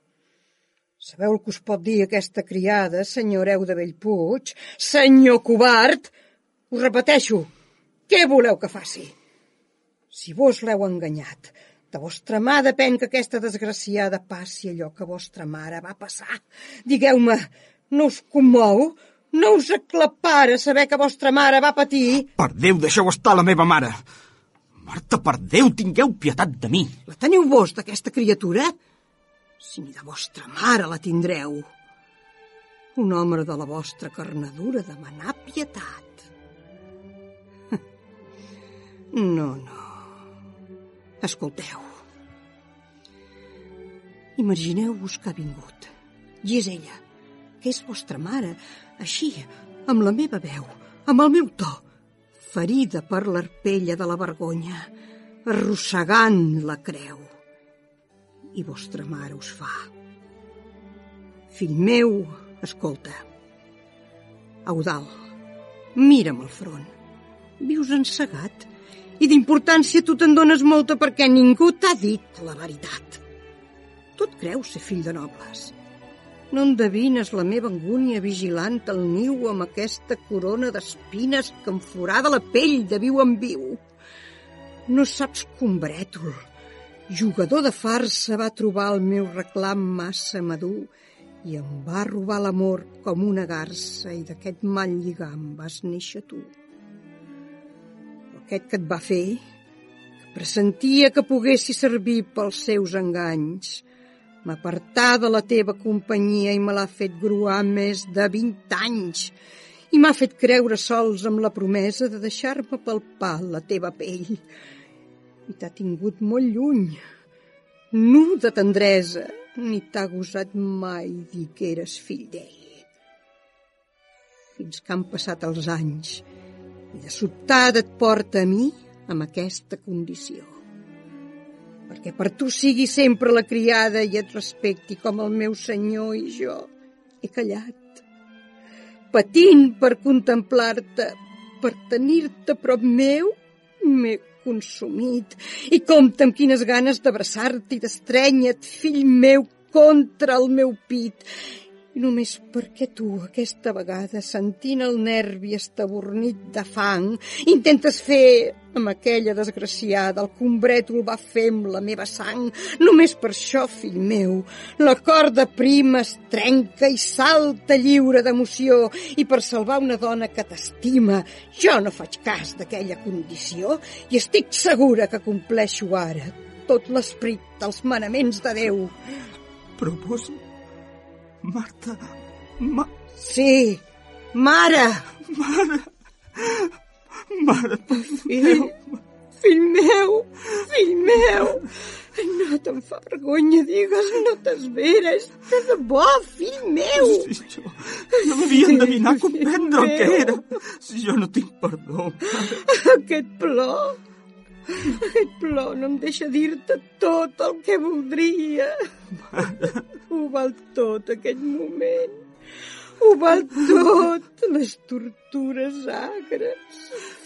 Sabeu el que us pot dir aquesta criada, senyor Hereu de Bellpuig? Senyor covard! Us repeteixo, què voleu que faci? Si vos l'heu enganyat, de vostra mà depèn que aquesta desgraciada passi allò que vostra mare va passar. Digueu-me, no us commou? No us aclapara saber que vostra mare va patir? Per Déu, deixeu estar la meva mare. Marta, per Déu, tingueu pietat de mi. La teniu vos, d'aquesta criatura? Si ni de vostra mare la tindreu. Un home de la vostra carnadura demanar pietat. No. Escolteu. Imagineu-vos que ha vingut. I és ella, que és vostra mare, així, amb la meva veu, amb el meu to, ferida per l'arpella de la vergonya, arrossegant la creu. I vostra mare us fa: fill meu, escolta. Eudald, mira'm al front. Vius encegat i d'importància tu te'n dones molta perquè ningú t'ha dit la veritat. Tu et creus ser fill de nobles. No endevines la meva angúnia vigilant el niu amb aquesta corona d'espines que em forada la pell de viu en viu. No saps que un brètol, jugador de farsa, va trobar el meu reclam massa madur i em va robar l'amor com una garça i d'aquest mal lligam vas néixer tu. Aquest que et va fer, que pressentia que poguessi servir pels seus enganys, m'apartà de la teva companyia i me l'ha fet gruar més de 20 anys i m'ha fet creure sols amb la promesa de deixar-me palpar la teva pell. I t'ha tingut molt lluny, nu de tendresa, ni t'ha gosat mai dir que eres fill d'ell. Fins que han passat els anys i de sobtada et porta a mi amb aquesta condició. Perquè per tu sigui sempre la criada i et respecti com el meu senyor i jo he callat, patint per contemplar-te, per tenir-te prop meu, m'he consumit i compta amb quines ganes d'abraçar-te i d'estrènyer-te, fill meu, contra el meu pit. I només perquè tu, aquesta vegada, sentint el nervi estabornit de fang, intentes fer amb aquella desgraciada el que un brètol va fer amb la meva sang. Només per això, fill meu, la corda prima es trenca i salta lliure d'emoció, i per salvar una dona que t'estima, jo no faig cas d'aquella condició i estic segura que compleixo ara tot l'esperit dels manaments de Déu. Però vos... Marta... Sí, mare! Mare, fill meu! No te'n fa vergonya, digues, no t'esveres, de debò, fill meu! Si jo no m'havia endevinat comprendre el que era. Si jo no tinc perdó, mare. Aquest plor, Aquest plor no em deixa dir-te tot el que voldria. Ho val tot, aquest moment. Ho val tot, les tortures agres,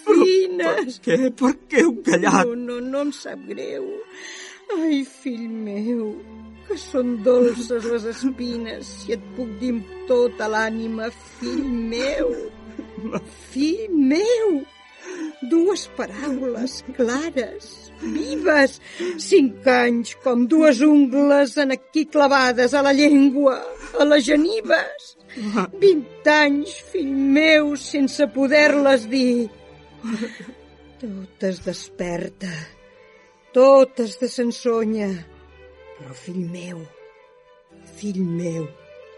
fines. Per què heu callat? No em sap greu. Ai, fill meu, que són dolces les espines, si et puc dir amb tota l'ànima, fill meu. Fill meu, 2 paraules clares, vives, 5 anys com 2 ungles en aquí clavades a la llengua, a les genives. 20 anys, fill meu, sense poder-les dir. Totes desperta, totes de sensonya, però fill meu,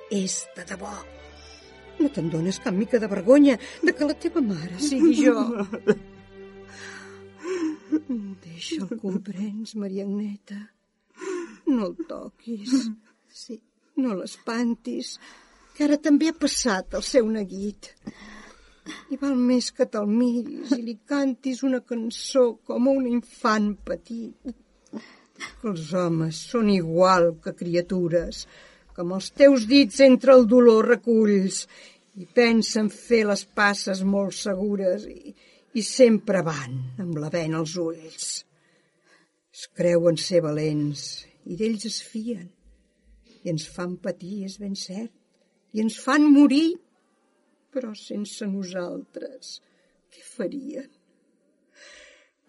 és de debò. No te'n dones cap mica de vergonya de que la teva mare sigui jo. Deixa'l, comprens, Maria Agneta. No el toquis. Sí, no l'espantis, que ara també ha passat el seu neguit. I val més que te'l miris i li cantis una cançó com a un infant petit. Els homes són igual que criatures, que amb els teus dits entre el dolor reculls i pensen fer les passes molt segures i sempre van amb la bena als ulls. Es creuen ser valents i d'ells es fien i ens fan patir, és ben cert, i ens fan morir, però sense nosaltres què farien?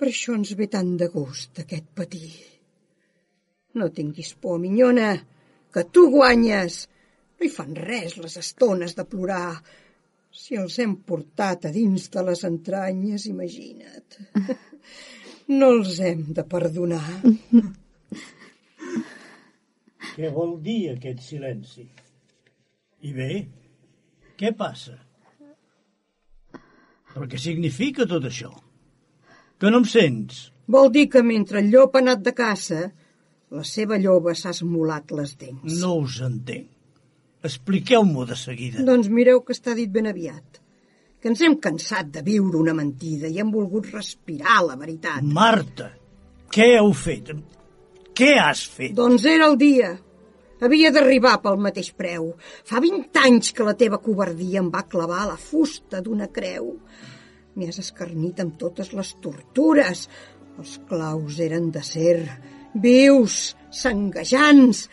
Per això ens ve tant de gust aquest patir. No tinguis por, minyona, que tu guanyes. No hi fan res les estones de plorar. Si els hem portat a dins de les entranyes, imagina't. No els hem de perdonar. Què vol dir aquest silenci? I bé, què passa? Però què significa tot això? Que no em sents? Vol dir que mentre el llop ha anat de caça, la seva lloba s'ha esmolat les dents. No us entenc. Expliqueu-m'ho de seguida. Doncs mireu que està dit ben aviat. Que ens hem cansat de viure una mentida i hem volgut respirar la veritat. Marta, què heu fet? Què has fet? Doncs era el dia. Havia d'arribar pel mateix preu. Fa 20 anys que la teva covardia em va clavar a la fusta d'una creu. M'hi has escarnit amb totes les tortures. Els claus eren d'acer, vius, sanguejants,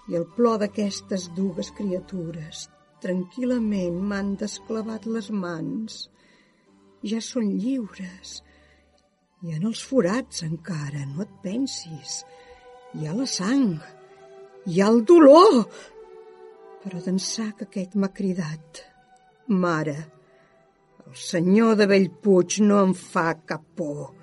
i el plor d'aquestes dues criatures tranquil·lament m'han desclavat les mans. Ja són lliures. I en els forats encara, no et pensis. Hi ha la sang, hi ha el dolor. Però d'ençà que aquest m'ha cridat, mare, el senyor de Bellpuig no em fa cap por.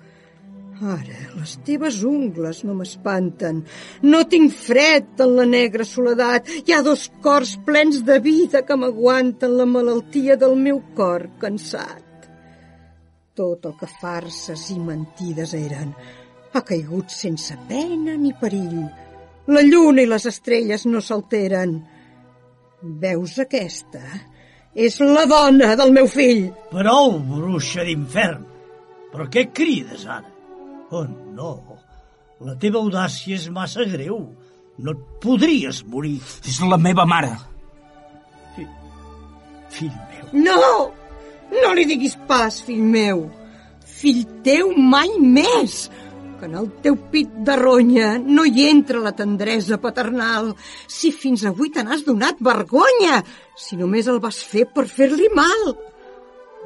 Ara, les teves ungles no m'espanten. No tinc fred en la negra soledat. Hi ha 2 cors plens de vida que m'aguanten la malaltia del meu cor cansat. Tot el que farses i mentides eren ha caigut sense pena ni perill. La lluna i les estrelles no s'alteren. Veus aquesta? És la dona del meu fill. Prou, bruixa d'infern. Però què crides ara? Oh, no. La teva audàcia és massa greu. No et podries morir. És la meva mare. Fill meu. No! No li diguis pas, fill meu. Fill teu mai més. Que en el teu pit de ronya no hi entra la tendresa paternal. Si fins avui te n'has donat vergonya, si només el vas fer per fer-li mal.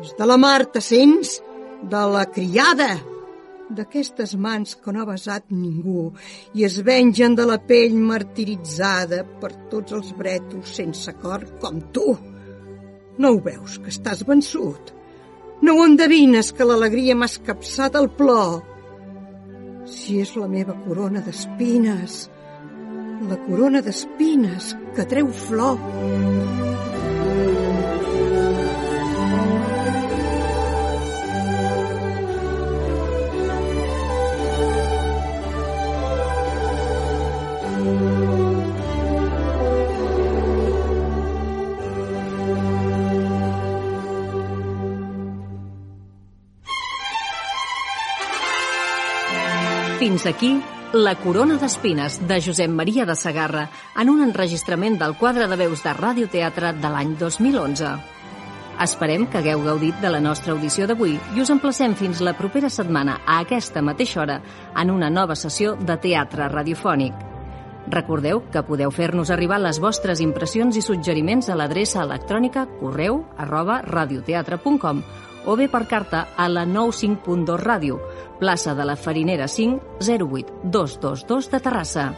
És de la Marta, sents? De la criada. D'aquestes mans que no ha besat ningú i es vengen de la pell martiritzada per tots els brètols sense cor com tu. No ho veus, que estàs vençut? No ho endevines, que l'alegria m'ha escapçat el plor? Si és la meva corona d'espines, la corona d'espines que treu flor. Fins aquí La corona d'espines, de Josep Maria de Segarra, en un enregistrament del quadre de veus de radioteatre de l'any 2011. Esperem que hagueu gaudit de la nostra audició d'avui i us emplacem fins la propera setmana a aquesta mateixa hora en una nova sessió de teatre radiofònic. Recordeu que podeu fer-nos arribar les vostres impressions i suggeriments a l'adreça electrònica correu@radioteatre.com o bé per carta a la 95.2 Ràdio, plaça de la Farinera 5, 08222 de Terrassa.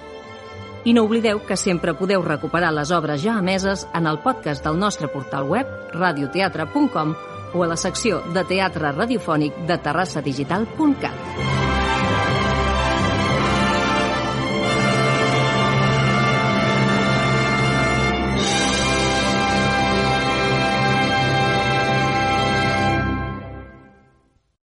I no oblideu que sempre podeu recuperar les obres ja emeses en el podcast del nostre portal web, radioteatre.com, o a la secció de teatre radiofònic de terrassadigital.cat.